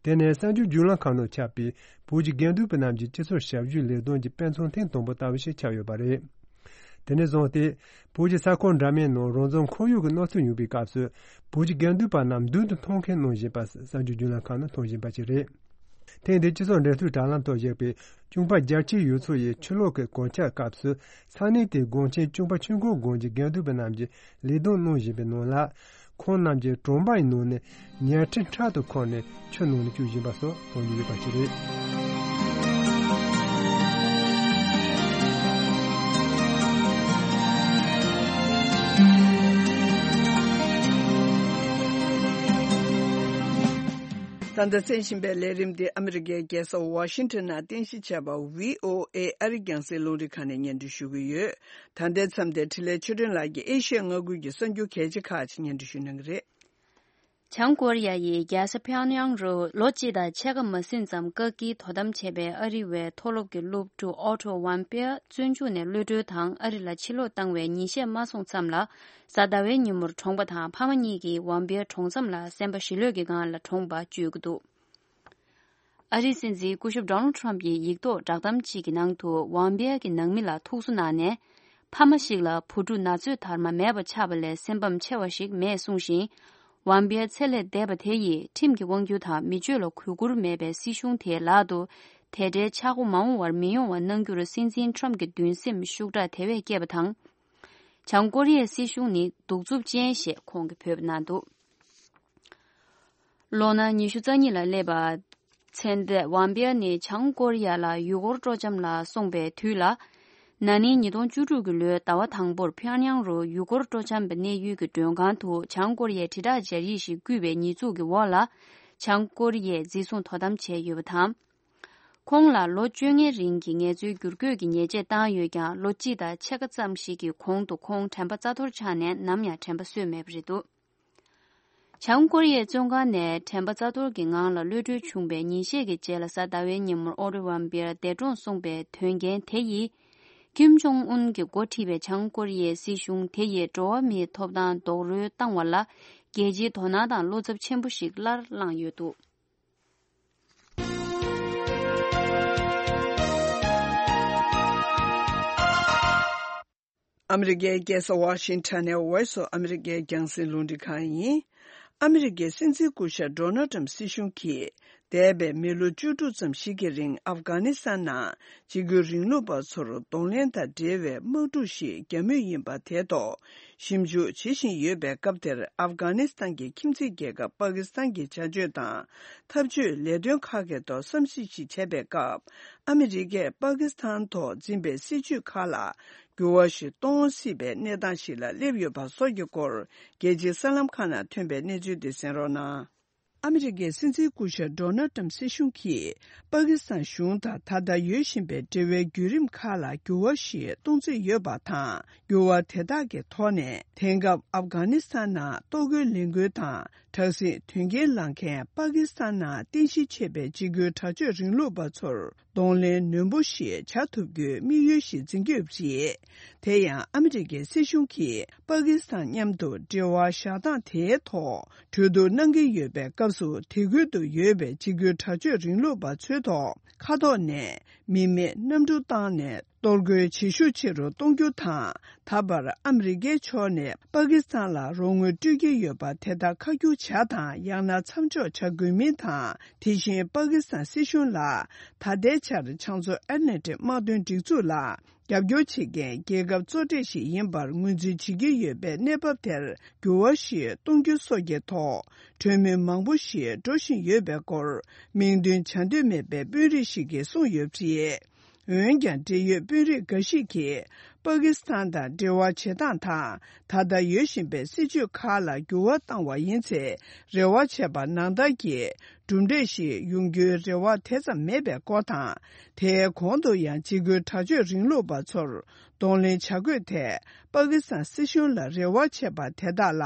དེ་ནས་གསར་འགྱུར་བརྒྱུད་ལམ་ཁག་ནང་ཁྱབ་པའི་བོད་ཀྱི་དགེ་འདུན་པ་རྣམས་ཀྱི་སྤྱི་ཚོགས་ཞབས་ཞུའི་ལས་དོན་གྱི་དཔེ་མཚོན་ཐེངས་དང་པོ་ལྟ་བུ་ཞིག་ཆགས་ཡོད་པ་རེད། དེ་ནས་བཟུང་སྟེ། བོད་ཀྱི་ས་ཁུལ་འདྲ་མིན་ནང་རང་བཙན་ཁོར་ཡུག་གི་གནོད་འཚེ་ཡོང་བའི་སྐབས་སུ། བོད་ཀྱི་དགེ་འདུན་པ་རྣམས་མདུན་དུ་མཐོང་མཁན་གནང་བཞིན་པ་གསར་འགྱུར་བརྒྱུད་ལམ་ཁག་ནང་མཐོང་བཞིན་པ་ཞིག་རེད། ཐེངས་འདིའི་སྤྱི་ཚོགས་འབྲེལ་མཐུད་དྲ་ལམ་ཐོག་བཞག་པའི་ཅུང་པ་རྒྱལ་ཆེན་ཡུལ་ཚོ་ཡི་ཆུ་ལོག་གི་གངས་འཁྱག་སྐབས་སུ་ས་གནས་དེའི་དགོན་ཆེན་ཅུང་པ་ཆོས་འཁོར་དགོན་གྱི་དགེ་འདུན་པ་རྣམས་ཀྱིས་ལས་དོན་གནང་བཞིན་པའི་ནང་ལ། ཁོང་རྣམས་ཀྱིས་གྲོང་པའི་ནང་ནས་ཉལ་ཁྲི་ཕྲག་ཏུ་འཁུར་ནས་ཆུ་ནང་ལ་བསྐྱུར་བཞིན་པ་སོགས་མཐོང་རྒྱུ་ཡོད་པ་ཞིག་རེད། ད་ལྟ་གསན་བཞིན་པའི་ལས་རིམ་འདི་ཨ་མི་རི་ཀའི་རྒྱལ་ས་ཝ་ཤིང་ཊོན་ནང་རྟེན་གཞི་བྱས་པ་བྷི་ཨོ་ཨེ་ཨ་རིའི་རྒྱང་སྲིང་རླུང་འཕྲིན་ཁང་ནས་སྙན་སྒྲོན་ཞུ་གི་ཡོད། ད་ལྟའི་མཚམས་དེར་འཕྲིན་ལས་ཆོས་སྒྲོན་ལགས་ཀྱིས་ཨེ་ཤི་ཡ་མངའ་ཁུལ་གྱི་གསར་འགྱུར་གལ་ཆེ་ཁག་ཅིག་སྙན་སྒྲོན་ཞུ་གནང་གི་རེད། བྱང་ཀོ་རི་ཡ་ཡི་རྒྱལ་ས་ཕིའོ་ཡང་རུ་ལོ་གཅིག་དང་ཕྱེད་ཀ་མ་ཟིན་ཙམ་བཀག་སྐྱིལ་དོ་དམ་བྱས་པའི་ཨ་རི་བའི་མཐོ་སློབ་ཀྱི་སློབ་ཕྲུག་ཨོ་ཊོ་ཝམ་པེར་བཙོན་འཇུག་ནས་གློད་གྲོལ་དང་ཨ་རི་ལ་ཕྱིར་ལོག་བཏང་བའི་ཉིན་ཤས་མ་སོང་ཙམ་ལ། གཟའ་ཟླ་བའི་ཉིན་མོར་གྲོངས་པ་དང་ཕ་མ་གཉིས་ཀྱིས་ཝམ་པེར་གྲོངས་མཚམས་ལ་སེམས་པ་ཞི་ལྷོད་ཀྱི་སྒང་ལ་གྲོངས་པ་བརྗོད་ཀྱི་འདུག་ཨ་རིའི་སྲིད་འཛིན་སྐུ་ཞབས་ཌོ་ནལ་ཊམ་ཕི་ཡིས་ཡིག་ཐོག་བསྒྲགས་གཏམ་གཅིག་གི་ནང་དུ་ཝང་པེ་ཡ་གི་ནང་མི་ལ་ཐུགས་གསོ་གནང་ནས། ཕ་མ་ཞིག་ལ་བུ་ཕྲུག་ན་ཚོད་དར་མ་མེད་པ་ཆགས་པ་ལས་སེམས་ཕམ་ཆེ་བ་ཞིག་མེད་གསུངས་ཤིང་། ཝང་པེ་ཡ་ཚེ་ལས་འདས་པ་དེ་ཡིས་ཁྲིམས་ཀྱི་དབང་སྒྱུར་དང་མི་སྤྱོད་ལ་གུས་བཀུར་མེད་པའི་སྲིད་གཞུང་དེའི་ལག་ཏུ་དེ་འདྲའི་ཆག་སྒོ་མ་འོངས་པར་མི་ཡོང་བ་གནང་རྒྱུར་སྲིད་འཛིན་ཊམ་ཕི་གྱི་འདུན་སེམས་ཤུགས་དྲག་དེ་བས་བསྐྱེད་པ་དང་། བྱང་ཀོ་རི་ཡའི་སྲིད་གཞུང་ནི་གདུག་རྩུབ་ཅན་ཞེས་ཁོང་གིས་འབོད་པ་གནང་འདུག་ལོ་ན་ཉི་ཤུ་རྩ་གཉིས་ལ་སླེབས་པ། ཚེ་འདས་ཝང་པེ་ཡ་ནི་བྱང་ཀོ་རི་ཡ་ལ་ཡུལ་སྐོར་སྤྲོ་འཆམ་ལ་སོང་པའི་དུས་ལ། ན་ནིང་ཉིས་སྟོང་བཅུ་དྲུག་གི་ལོའི་ཟླ་བ་དང་པོར་ཕིའོ་ཡང་རུ་ཡུལ་སྐོར་སྤྲོ་འཆམ་པའི་གནས་ཡུལ་གྱི་མགྲོན་ཁང་དུ་བྱང་ཀོ་རི་ཡའི་དྲིལ་བསྒྲགས་སྦྱར་ཡིག་ཞིག་བརྐུས་པའི་ཉེས་འཛུགས་ཀྱི་འོག་ལ། བྱང་ཀོ་རི་ཡས་འཛིན་བཟུང་དོ་དམ་བྱས་ཡོད་པ་དང་། ཁོང་ལ་ལོ་བཅོ་ལྔའི་རིང་གི་ངལ་རྩོལ་བསྒྱུར་བཀོད་ཀྱི་ཉེས་ཆད་བཏང་ཡོད་ཀྱང་ལོ་གཅིག་དང་ཕྱེད་ཀ་ཙམ་ཞིག་གི་གོང་དུ་ཁོང་དྲན་པ་རྩ་གཏོར་ཆགས་ནས་ནམ་ཡང་དྲན་པ་གསོས་མེད་པ་རེད་འདུག་བྱང་ཀོ་རི་ཡའི་བཙོན་ཁང་ནས་དྲན་པ་རྩ་གཏོར་གྱི་ངང་ལ་གློད་གྲོལ་བྱུང་བའི་ཉིན་ཤས་ཀྱི་རྗེས་ལ་གཟའ་ཟླ་བའི་ཉིན་མོར་ཨོ་ཊོ་ཝམ་པེར་འདས་གྲོངས་སོང་པའི་དོན་རྐྱེན་དེ་ཡིས། ཀིམ་ཇོང་ཨུན་གྱིས་འགོ་ཁྲིད་པའི་བྱང་ཀོ་རི་ཡའི་སྲིད་གཞུང་དེ་ཡིས་འགྲོ་བ་མིའི་ཐོབ་ཐང་རྡོག་རོལ་བཏང་བ་ལ་རྒྱལ་སྤྱིའི་དོ་སྣང་དང་བློ་འཚབ་ཆེན་པོ་ཞིག་སླར་བསླངས་ཡོད་འདུག་ཨ་མི་རི་ཀའི་རྒྱལ་ས་ཝ་ཤིང་ཊོན་ནས་Voice of America རྒྱང་སྲིང་རླུང་འཕྲིན་ཁང་ཡིན། ཨ་མི་རི་ཀའི་སྲིད་འཛིན་སྐུ་ཞབས་ཌོ་ནལ་ཊམ་སྲིད་གཞུང་གིས་འདས་པའི་མི་ལོ་བཅུ་དྲུག་ཙམ་ཞིག་གི་རིང་ཨབ་གྷ་ནི་སི་ཐན་ནང་འཇིགས་སྐུལ་རིང་ལུགས་པ་ཚོར་གདོང་ལེན་དང་འབྲེལ་བའི་དམག་འཁྲུག་ཞིག་བརྒྱབ་མུས་ཡིན་པ་དེ་ཐོག་ཞིབ་འཇུག་བྱེད་བཞིན་ཡོད་པའི་སྐབས་དེར་ཨབ་གྷ་ནི་སི་ཐན་གྱི་ཁྱིམ་མཚེས་རྒྱལ་ཁབ་པ་ཀི་སི་ཐན་གྱི་བྱ་སྤྱོད་དང་འཐབ་ཇུས་ལས་དོན་ཁག་གི་ཐོག་བསམ་གཞིག་ཞིག་བྱས་པའི་སྐབས། ཨ་མི་རི་ཀས་པ་ཀི་སི་ཐན་ཐོག་འཛིན་པའི་སྲིད་ཇུས་ཁག་ལ་འགྱུར་བ་ཞིག་གཏོང་སྲིད་པའི་གནས་སྟངས་ཤིག་ལ་སླེབས་ཡོད་པ་སོགས་ཀྱི་སྐོར། རྒྱལ་སྤྱིའི་གསར་ལམ་ཁག་ནང་ཐོན་པའི་གནས་ཚུལ་དེ་གསན་རོགས་གནང་། ཨ་མི་རི་ཀའི་སྲིད་འཛིན་སྐུ་ཞབས་ཌོ་ནལ་ཊམ་སྲིད་གཞུང་གིས་པ་ཀི་སི་ཐན་གཞུང་དང་ད་ལྟ་ཡོད་བཞིན་པའི་འབྲེལ་བའི་བརྒྱུད་རིམ་ཁག་ལ་འགྱུར་བ་ཞིག་གཏོང་རྩིས་ཡོད་པ་དང་། འགྱུར་བ་དེ་དག་གི་ཐོག་ནས་དེང་སྐབས་ཨབ་གྷ་ནི་སི་ཐན་ནང་ལྟོ་གོས་ལས་འགུལ་དང་དྲག་ཟིང་དོན་རྐྱེན་བསླངས་མཁན་པ་ཀི་སི་ཐན་ནང་རྟེན་གཞི་བྱས་པའི་འཇིགས་སྐུལ་དྲག་སྤྱོད་རིང་ལུགས་པ་ཚོར་གདོང་ལེན་ནན་པོ་ཞིག་བྱ་ཐུབ་རྒྱུའི་དམིགས་ཡུལ་ཞིག་འཛིན་གྱི་ཡོད་པ་རེད། དེ་ཡང་ཨ་མི་རི་ཀའི་སྲིད་གཞུང་གིས་པ་ཀི་སི་ཐན་མཉམ་དུ་འབྲེལ་བ་བཞག་སྟངས་དེའི་ཐོག་གྲོས་བསྡུར་གནང་གི་ཡོད་པའི་སྐབས་སུ། དེ་ཁུལ་དུ་ཡོད་པའི་འཇིགས་སྐུལ་དྲག་སྤྱོད་རིང་ལུགས་པ་ཚོའི་ཐོག་མཁའ་ཐོག་ནས་མི་མེད་གནམ་གྲུ་བཏང་ནས། གཏོར་རྒོལ་བྱེད་ཤུགས་ཆེ་རུ་གཏོང་རྒྱུ་དང་། ད་བར་ཨ་མི་རི་ཀའི་ཕྱོགས་ནས་པ་ཀི་སི་ཐན་ལ་རོགས་དངུལ་སྤྲོད་ཀྱི་ཡོད་པ་དེ་དག་ཁ་བསྒྱུར་བྱ་དང་། ཡང་ན་མཚམས་འཇོག་བྱ་དགོས་མིན་དང་། དེ་བཞིན་པ་ཀི་སི་ཐན་སྲིད་གཞུང་ལ་ད་ལྟའི་ཆར་བྱང་མཚོ་ཨེཊ་ལན་ཊིག་དམག་དོན་སྒྲིག་འཛུགས་ལ་རྒྱབ་སྐྱོར་བྱེད་མཁན་རྒྱལ་ཁབ་གཙོ་གྲས་ཤིག་ཡིན་པར་ངོས་འཛིན་བྱེད་ཀྱི་ཡོད་པའི་གནས་བབ་དེར་འགྱུར་བ་ཞིག་གཏོང་རྒྱུ་སོགས་ཀྱི་ཐོག་གྲོས་མོལ་མང་པོ་ཞིག་འགྲོ་བཞིན་ཡོད་པའི་སྐོར་མིང་འདོན་བྱ་འདོད་མེད་པའི་དཔོན་རིགས་ཤིག་གིས་གསུངས་ཡོད་པ་རེད། འོན་ཀྱང་འབྲེལ་ཡོད་དཔོན་རིགས་འགའ་ཞིག་གིས་པ་ཀི་སི་ཐན་དང་འབྲེལ་བ་བྱེད་སྟངས་དང་། ད་ལྟ་ཡོད་བཞིན་པའི་སྲིད་བྱུས་ཁག་ལ་འགྱུར་བ་བཏང་བ་ཡིན་ཚེ། རེ་བ་བྱས་པ་ནང་ལྟར་གྱི་གྲུབ་འབྲས་ཤིག་ཡོང་རྒྱུའི་རེ་བ་དེ་ཙམ་མེད་པའི་སྐོར་དང་། དེའི་གོང་དུ་ཡང་འཇིགས་སྐུལ་དྲག་སྤྱོད་རིང་ལུགས་པ་ཚོར་གདོང་ལེན་བྱ་དགོས་ཐད། པ་ཀི་སི་ཐན་སྲིད་གཞུང་ལ་རེ་བ་བྱས་པ་དེ་དག་ལ་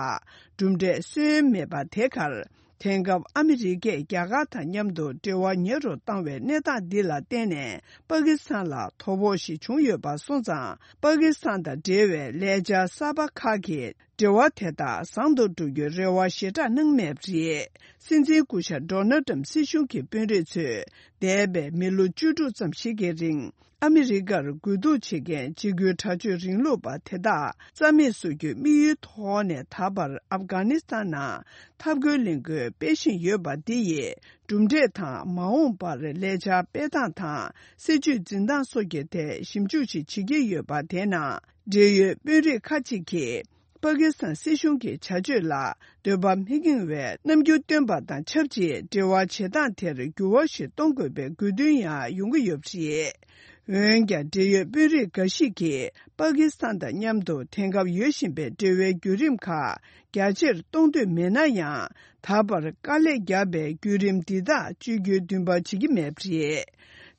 གྲུབ་འབྲས་སོན་མེད་པ་དེ་གར། དེང་སྐབས་ཨ་མི་རི་ཀས་རྒྱ་གར་དང་མཉམ་དུ་འབྲེལ་བ་ཉེ་རུ་བཏང་བའི་གནས་སྟངས་འདི་ལ་བརྟེན་ནས། པ་ཀི་སི་ཐན་ལ་དོ་ཕོག་ཞིག་བྱུང་ཡོད་པ་སོང་ཙང་། པ་ཀི་སི་ཐན་དང་འབྲེལ་བའི་ལས་འཆར་གསར་པ་ཁག་གིས་འབྲེལ་བ་དེ་དག་བཟང་དུ་འགྲོ་རྒྱུའི་རེ་བ་ཞེ་དྲག་གནང་མེད་པ་རེད། སྲིད་འཛིན་སྐུ་ཞབས་ཌོ་ནལ་ཏྲམ་སྲིད་གཞུང་གི་དཔོན་རིགས་ཚོས་འདས་པའི་མི་ལོ་བཅུ་དྲུག་ཙམ་ཞིག་གི་རིང་། ཨ་མི་རི་ཀར་རྒོལ་རྡུང་བྱེད་མཁན་འཇིགས་སྐུལ་དྲག་སྤྱོད་རིང་ལུགས་པ་དེ་དག་རྩ་མེད་བཟོ་རྒྱུའི་དམིགས་ཡུལ་ཐོག་ནས། ད་བར་ཨབ་གྷ་ནི་སི་ཐན་ནང་འཐབ་རྒོལ་ལས་འགུལ་སྤེལ་བཞིན་ཡོད་པ་འདི་ཡི་གྲུབ་འབྲས་དང་། མ་འོངས་པར་ལས་འཆར་སྤེལ་སྟངས་དང་། སྲིད་བྱུས་འཛིན་སྟངས་སོགས་ཀྱི་ཐད་ཞིབ་འཇུག་ཞིག་བྱེད་ཀྱི་ཡོད་པ། དེ་ནང་འབྲེལ་ཡོད་དཔོན་རིགས་ཁག་ཅིག་གིས། པ་ཀི་སི་ཐན་སྲིད་གཞུང་གི་བྱ་སྤྱོད་ལ་འདོད་པ་མི་འགེངས་པའི་རྣམ་འགྱུར་སྟོན་པ་དང་ཆབས་ཅིག་འབྲེལ་བ་བྱེད་སྟངས་དེར་འགྱུར་བ་ཞིག་གཏོང་དགོས་པའི་དགོས་འདུན་ཡང་ཡོང་གི་ཡོད་པ་རེད། འོན་ཀྱང་། འབྲེལ་ཡོད་དཔོན་རིགས་འགའ་ཞིག་གིས། པ་ཀི་སི་ཐན་དང་མཉམ་དུ་དེང་སྐབས་ཡོད་བཞིན་པའི་འབྲེལ་བའི་བརྒྱུད་རིམ་ཁག་རྒྱ་ཆེར་གཏོང་འདོད་མེད་ན་ཡང་། ད་བར་དཀའ་ལས་བརྒྱབ་པའི་བརྒྱུད་རིམ་འདི་དག་བཅོས་བསྒྱུར་འདུན་པ་བྱེད་ཀྱི་མེད་པ་རེད།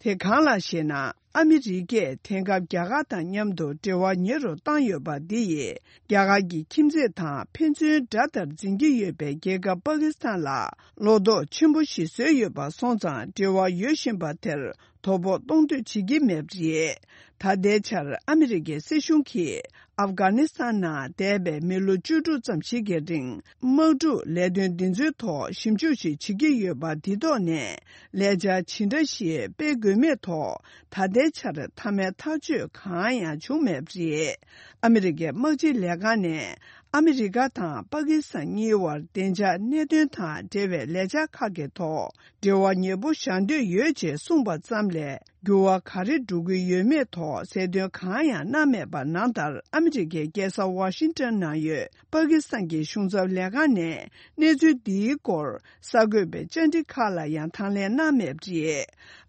དེ་གང་ལགས་ཤེ་ན། ཨ་མི་རི་ཀས་དེང་སྐབས་རྒྱ་གར་དང་མཉམ་དུ་འབྲེལ་བ་ཉེ་རུ་བཏང་ཡོད་པ་འདི་ཡིས། རྒྱ་གར་གྱི་ཁྱིམ་མཚེས་དང་ཕན་ཚུན་དགྲ་ལྟར་འཛིན་གྱི་ཡོད་པའི་རྒྱལ་ཁབ་པ་ཀི་སི་ཐན་ལ་བློ་དོགས་ཆེན་པོ་ཞིག་བཟོས་ཡོད་པ་སོང་ཙང་། འབྲེལ་བ་ཡོད་བཞིན་པ་དེར་དོ་ཕོག་གཏོང་འདོད་བྱེད་ཀྱི་མེད་པ་རེད། ད་ལྟའི་ཆར་ཨ་མི་རི་ཀའི་སྲིད་གཞུང་གིས། ཨབ་གྷ་ནི་སི་ཐན་ནང་འདས་པའི་མི་ལོ་བཅུ་དྲུག་ཙམ་ཞིག་གི་རིང་། དམག་འཁྲུག་ལས་དོན་འདི་ཚོའི་ཐོག་ཞིབ་འཇུག་ཞིག་བྱེད་ཀྱི་ཡོད་པ། འདི་ཐོག་ནས་ལས་འཆར་ཇི་འདྲ་ཞིག་སྤེལ་དགོས་མེད་ཐོག་ད་ལྟའི་ཆར་མཐའ་མའི་ཐག་གཅོད་གང་ཡང་བྱུང་མེད་པ་རེད། ཨ་མི་རི་ཀའི་དམག་སྤྱི་ལས་ཁང་ནས་ཨ་མི་རི་ཀ་དང་པ་ཀི་སི་ཐན་གཉིས་བར་བདེ་འཇགས་གནད་དོན་དང་འབྲེལ་བའི་ལས་འཆར་ཁག་གི་ཐོག་འབྲེལ་བ་ཉེ་པོ་བཞག་འདོད་ཡོད་ཅེས་གསུངས་པ་ཙམ་ལས། འགྱུར་བ་ག་རེ་འགྲོ་གི་ཡོད་མེད་ཐོག་གསལ་སྟོན་གང་ཡང་གནང་མེད་པ་ནང་ལྟར། ཨ་མི་རི་ཀའི་རྒྱལ་ས་ཝ་ཤིང་ཏོན་ནང་ཡོད་པ་ཀི་སི་ཐན་གྱི་གཞུང་ཚབ་ལས་ཁང་ནས་གནས་ཚུལ་འདིའི་སྐོར་གསར་འགོད་པའི་བཅར་འདྲི་ཁག་ལ་ཡང་དང་ལེན་གནང་མེད་པ་རེད།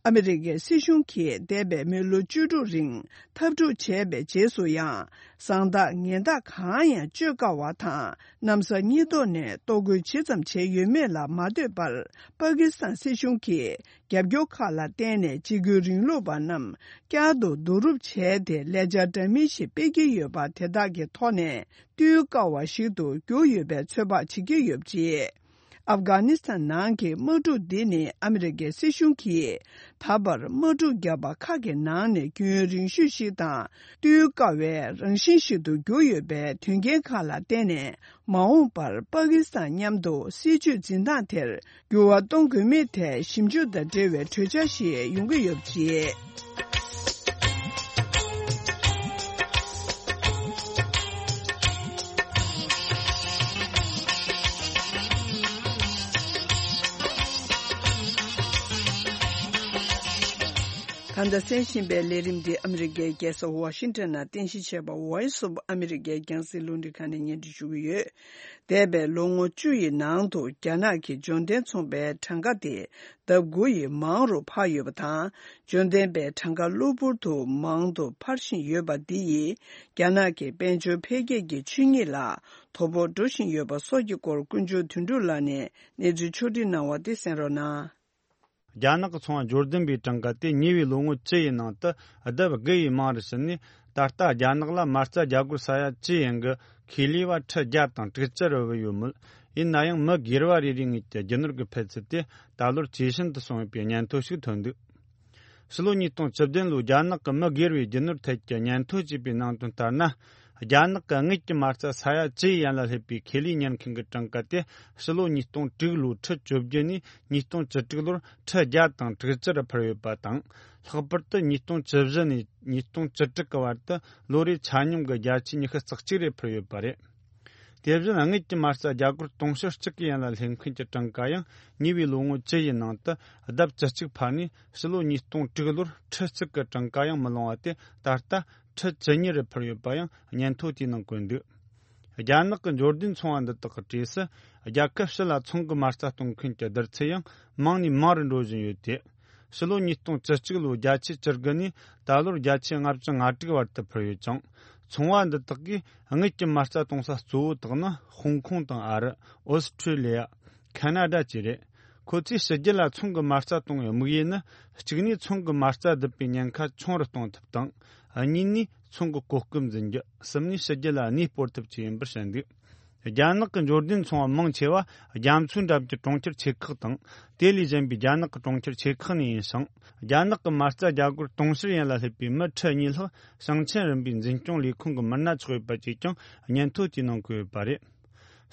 ཨ་མི་རི་ཀའི་སྲིད་གཞུང་གིས་འདས་པའི་མི་ལོ་བཅུ་དྲུག་རིང་འཐབ་འཁྲུག་བྱས་པའི་རྗེས་སུ་ཡང་། བཟང་རྟགས་ངན་རྟགས་གང་ཡང་བཅོས་དཀའ་བ་དང་། གནམ་ས་གཉིས་ཐོག་ནས་གཏོར་རྒོལ་ཇི་ཙམ་བྱས་ཡོད་མེད་ལ་མ་ལྟོས་པར། པ་ཀི་སི་ཐན་སྲིད་གཞུང་གིས། རྒྱབ་སྐྱོར་ཁག་ལ་བརྟེན་ནས་འཇིགས་སྐུལ་རིང་ལུགས་པ་རྣམས་བསྐྱར་དུ་བསྡུ་རུབ་བྱས་ཏེ། ལས་འཆར་འདྲ་མིན་ཞིག་སྤེལ་གྱི་ཡོད་པ་དེ་དག་གི་ཐོག་ནས་བཏུལ་དཀའ་བ་ཞིག་ཏུ་གྱུར་ཡོད་པའི་ཚོད་དཔག་བྱེད་ཀྱི་ཡོད་པ་རེད། ཨབ་གྷ་ནི་སི་ཐན་ནང་གི་དམག་འཁྲུག་འདི་ནི་ཨ་མི་རི་ཀའི་སྲིད་གཞུང་གིས་ད་བར་དམག་འཁྲུག་བརྒྱབ་པ་ཁག་གི་ནང་ནས་རྒྱུན་རིང་ཤོས་ཤིག་དང་། བཏུལ་དཀའ་བའི་རང་བཞིན་ཞིག་ཏུ་གྱུར་ཡོད་པའི་དོན་རྐྱེན་ཁག་ལ་བརྟེན་ནས། མ་འོངས་པར་པ་ཀི་སི་ཐན་མཉམ་དུ་སྲིད་བྱུས་འཛིན་སྟངས་དེར་འགྱུར་བ་གཏོང་དགོས་མིན་ཐད་ཞིབ་འཇུག་དང་འབྲེལ་བའི་གྲོས་འཆར་ཞིག་ཡོང་གི་ཡོད་པ་རེད། ད་ལྟ་གསན་བཞིན་པའི་ལས་རིམ་འདི་ཨ་མི་རི་ཀའི་རྒྱལ་ས་ཝ་ཤིང་ཏོན་ནང་རྟེན་གཞི་བྱས་པ་Voice of America རྒྱང་སྲིང་རླུང་འཕྲིན་ཁང་ནས་སྙན་སྒྲོན་ཞུ་གི་ཡོད། འདས་པའི་ལོ་ངོ་བཅུ་ཡི་ནང་དུ་རྒྱ་ནག་གིས་འབྱོར་ལྡན་ཚོང་པའི་གྲངས་ཀ་དེ་ལྡབ་དགུ་ཡིས་མང་རུ་འཕར་ཡོད་པ་དང་། འབྱོར་ལྡན་པའི་གྲངས་ཀ་གློ་བུར་དུ་མང་དུ་འཕར་བཞིན་ཡོད་པ་འདི་ཡིས། རྒྱ་ནག་གི་དཔལ་འབྱོར་འཕེལ་རྒྱས་ཀྱི་ཆོས་ཉིད་ལ་དོ་ཕོག་འགྲོ་བཞིན་ཡོད་པ་སོགས་ཀྱི་སྐོར་དཀོན་མཆོག་དོན་གྲུབ་ལགས་ནས་གནས་ཚུལ་ཕྱོགས་བསྒྲིགས་གནང་བ་དེ་གསན་རོགས་གནང་། རྒྱ་ནག་གི་ཚོང་པ་འབྱོར་ལྡན་པའི་གྲངས་ཀ་དེ་ཉེ་བའི་ལོ་ངོ་བཅུ་ཡི་ནང་དུ་ལྡབ་དགུ་ཡིས་མང་རུ་ཕྱིན་ནས། ད་ལྟ་རྒྱ་ནག་ལ་མ་རྩ་རྒྱ་སྒོར་ས་ཡ་བཅུ་ཡན་གྱི་ཁེ་ལས་པ་ཁྲི་བརྒྱ་དང་དྲུག་ཅུ་རེ་བ་ཡོད་མོད། ཡིན་ན་ཡང་མི་སྒེར་བ་རེ་རེའི་ངོས་ཀྱི་རྒྱུ་ནོར་གྱི་འཕེལ་ཚད་དེ་ད་ལོར་ཇེ་ཞན་དུ་སོང་ཡོད་པའི་སྙན་ཐོ་ཞིག་ཐོན་འདུག། ཕྱི་ལོ་ཉིས་སྟོང་བཅུ་བདུན་ལོའི་རྒྱ་ནག་གི་མི་སྒེར་བའི་རྒྱུ་ནོར་ཐད་ཀྱི་སྙན་ཐོ་བཅས་པའི་ནང་དོན་ལྟར་ན། རྒྱ་ནག་གི་དངུལ་གྱི་མ་རྩ་ས་ཡ་བཅུ་ཡི་ཡན་ལ་སླེབས་པའི་ཁེ་ལས་ཉར་མཁན་གྱི་གྲངས་ཀ་དེ་ཕྱི་ལོ་ཉིས་སྟོང་དྲུག་ལོའི་ཁྲི་བཅོ་བརྒྱད་ནས་ཉིས་སྟོང་བཅུ་དྲུག་ལོར་ཁྲི་བརྒྱ་དང་དྲུག་ཅུ་རུ་འཕར་ཡོད་པ་དང་། ལྷག་པར་དུ་ཉིས་སྟོང་བཅུ་བཞི་ནས་ཉིས་སྟོང་བཅུ་དྲུག་གི་བར་དུ་ལོ་རེའི་ཆ་སྙོམས་ཀྱི་བརྒྱ་ཆའི་ཉི་ཤུ་རྩ་གཅིག་རེ་འཕར་ཡོད་པ་རེད། དེ་བཞིན་དངུལ་གྱི་མ་རྩ་རྒྱ་སྒོར་དུང་ཕྱུར་གཅིག་གི་ཡན་ལ་སླེབས་མཁན་གྱི་གྲངས་ཀ་ཡང་ཉེ་བའི་ལོ་ངོ་བཅུ་ཡི་ནང་དུ་ལྡབ་བཅུ་གཅིག་འཕར་ནས་ཕྱི་ལོ་ཉིས་སྟོང་དྲུག་ལོར་ཁྲི་གཅིག་གི་གྲངས་ཀ་ཡང་མི་ལོངས་པ་དེ་ད་ལྟ་ཁྲི་བཅུ་གཉིས་རུ་འཕར་ཡོད་པ་ཡང་སྙན་ཐོ་དེའི་ནང་བཀོད་འདུག་རྒྱ་ནག་གི་འབྱོར་ལྡན་ཚོང་བ་འདི་དག་གི་གྲས་སུ་རྒྱལ་ཁབ་ཕྱི་ལ་ཚོང་གི་མ་རྩ་གཏོང་མཁན་གྱི་བསྡུར་ཚད་ཡང་མང་ནས་མང་རུ་འགྲོ་བཞིན་ཡོད་དེ། ཕྱི་ལོ་ཉིས་སྟོང་བཅུ་གཅིག་ལོའི་བརྒྱ་ཆའི་བཅུ་དགུ་ནས་ད་ལོར་བརྒྱ་ཆའི་ལྔ་བཅུ་ང་དྲུག་བར་དུ་འཕར་ཡོད་ཅིང་། ཚོང་བ་འདི་དག་གིས་དངུལ་གྱི་མ་རྩ་གཏོང་ས་གཙོ་བོ་དག་ནི་ཧོང་ཀོང་དང་ཨ་རི། ཨོ་སི་ཁྲུ་ལི་ཡ། ཁ་ན་ཌ་བཅས་རེད། ཁོ་ཚོས་ཕྱི་རྒྱལ་ལ་ཚོང་གི་མ་རྩ་གཏོང་བའི་དམིགས་ཡུལ་ནི། གཅིག་ནས་ཚོང་གི་མ་རྩ་བསྡུ་བའི་ཉེན་ཁ་ཆུང་རུ་གཏོང་ཐབས་དང་། གཉིས་ནས་ཚོང་གི་གོ་སྐབས་འཛིན་རྒྱུ། གསུམ་ནས་ཕྱི་རྒྱལ་ལ་གནས་སྤོར་ཐབས་བཅས་ཡིན་པར་བཤད་འདུག་རྒྱ་ནག་གི་འབྱོར་ལྡན་ཚོང་བ་མང་ཆེ་བ་རྒྱ་མཚོའི་འགྲམ་གྱི་གྲོང་ཁྱེར་ཆེ་ཁག་དང་། དེ་ལས་གཞན་པའི་རྒྱ་ནག་གི་གྲོང་ཁྱེར་ཆེ་ཁག་ནས་ཡིན་ཞིང་། རྒྱ་ནག་གི་མ་རྩ་རྒྱ་སྒོར་དུང་ཕྱུར་ཡན་ལ་སླེབས་པའི་མི་ཁྲི་གཉིས་ལྷག་ཞིང་ཆེན་རིམ་པའི་འཛིན་སྐྱོང་ལས་ཁུངས་ཀྱི་མི་སྣ་ཆགས་ཡོད་པ་བཅས་ཀྱང་སྙན་ཐོ་དེའི་ནང་བཀོད་ཡོད་པ་རེད།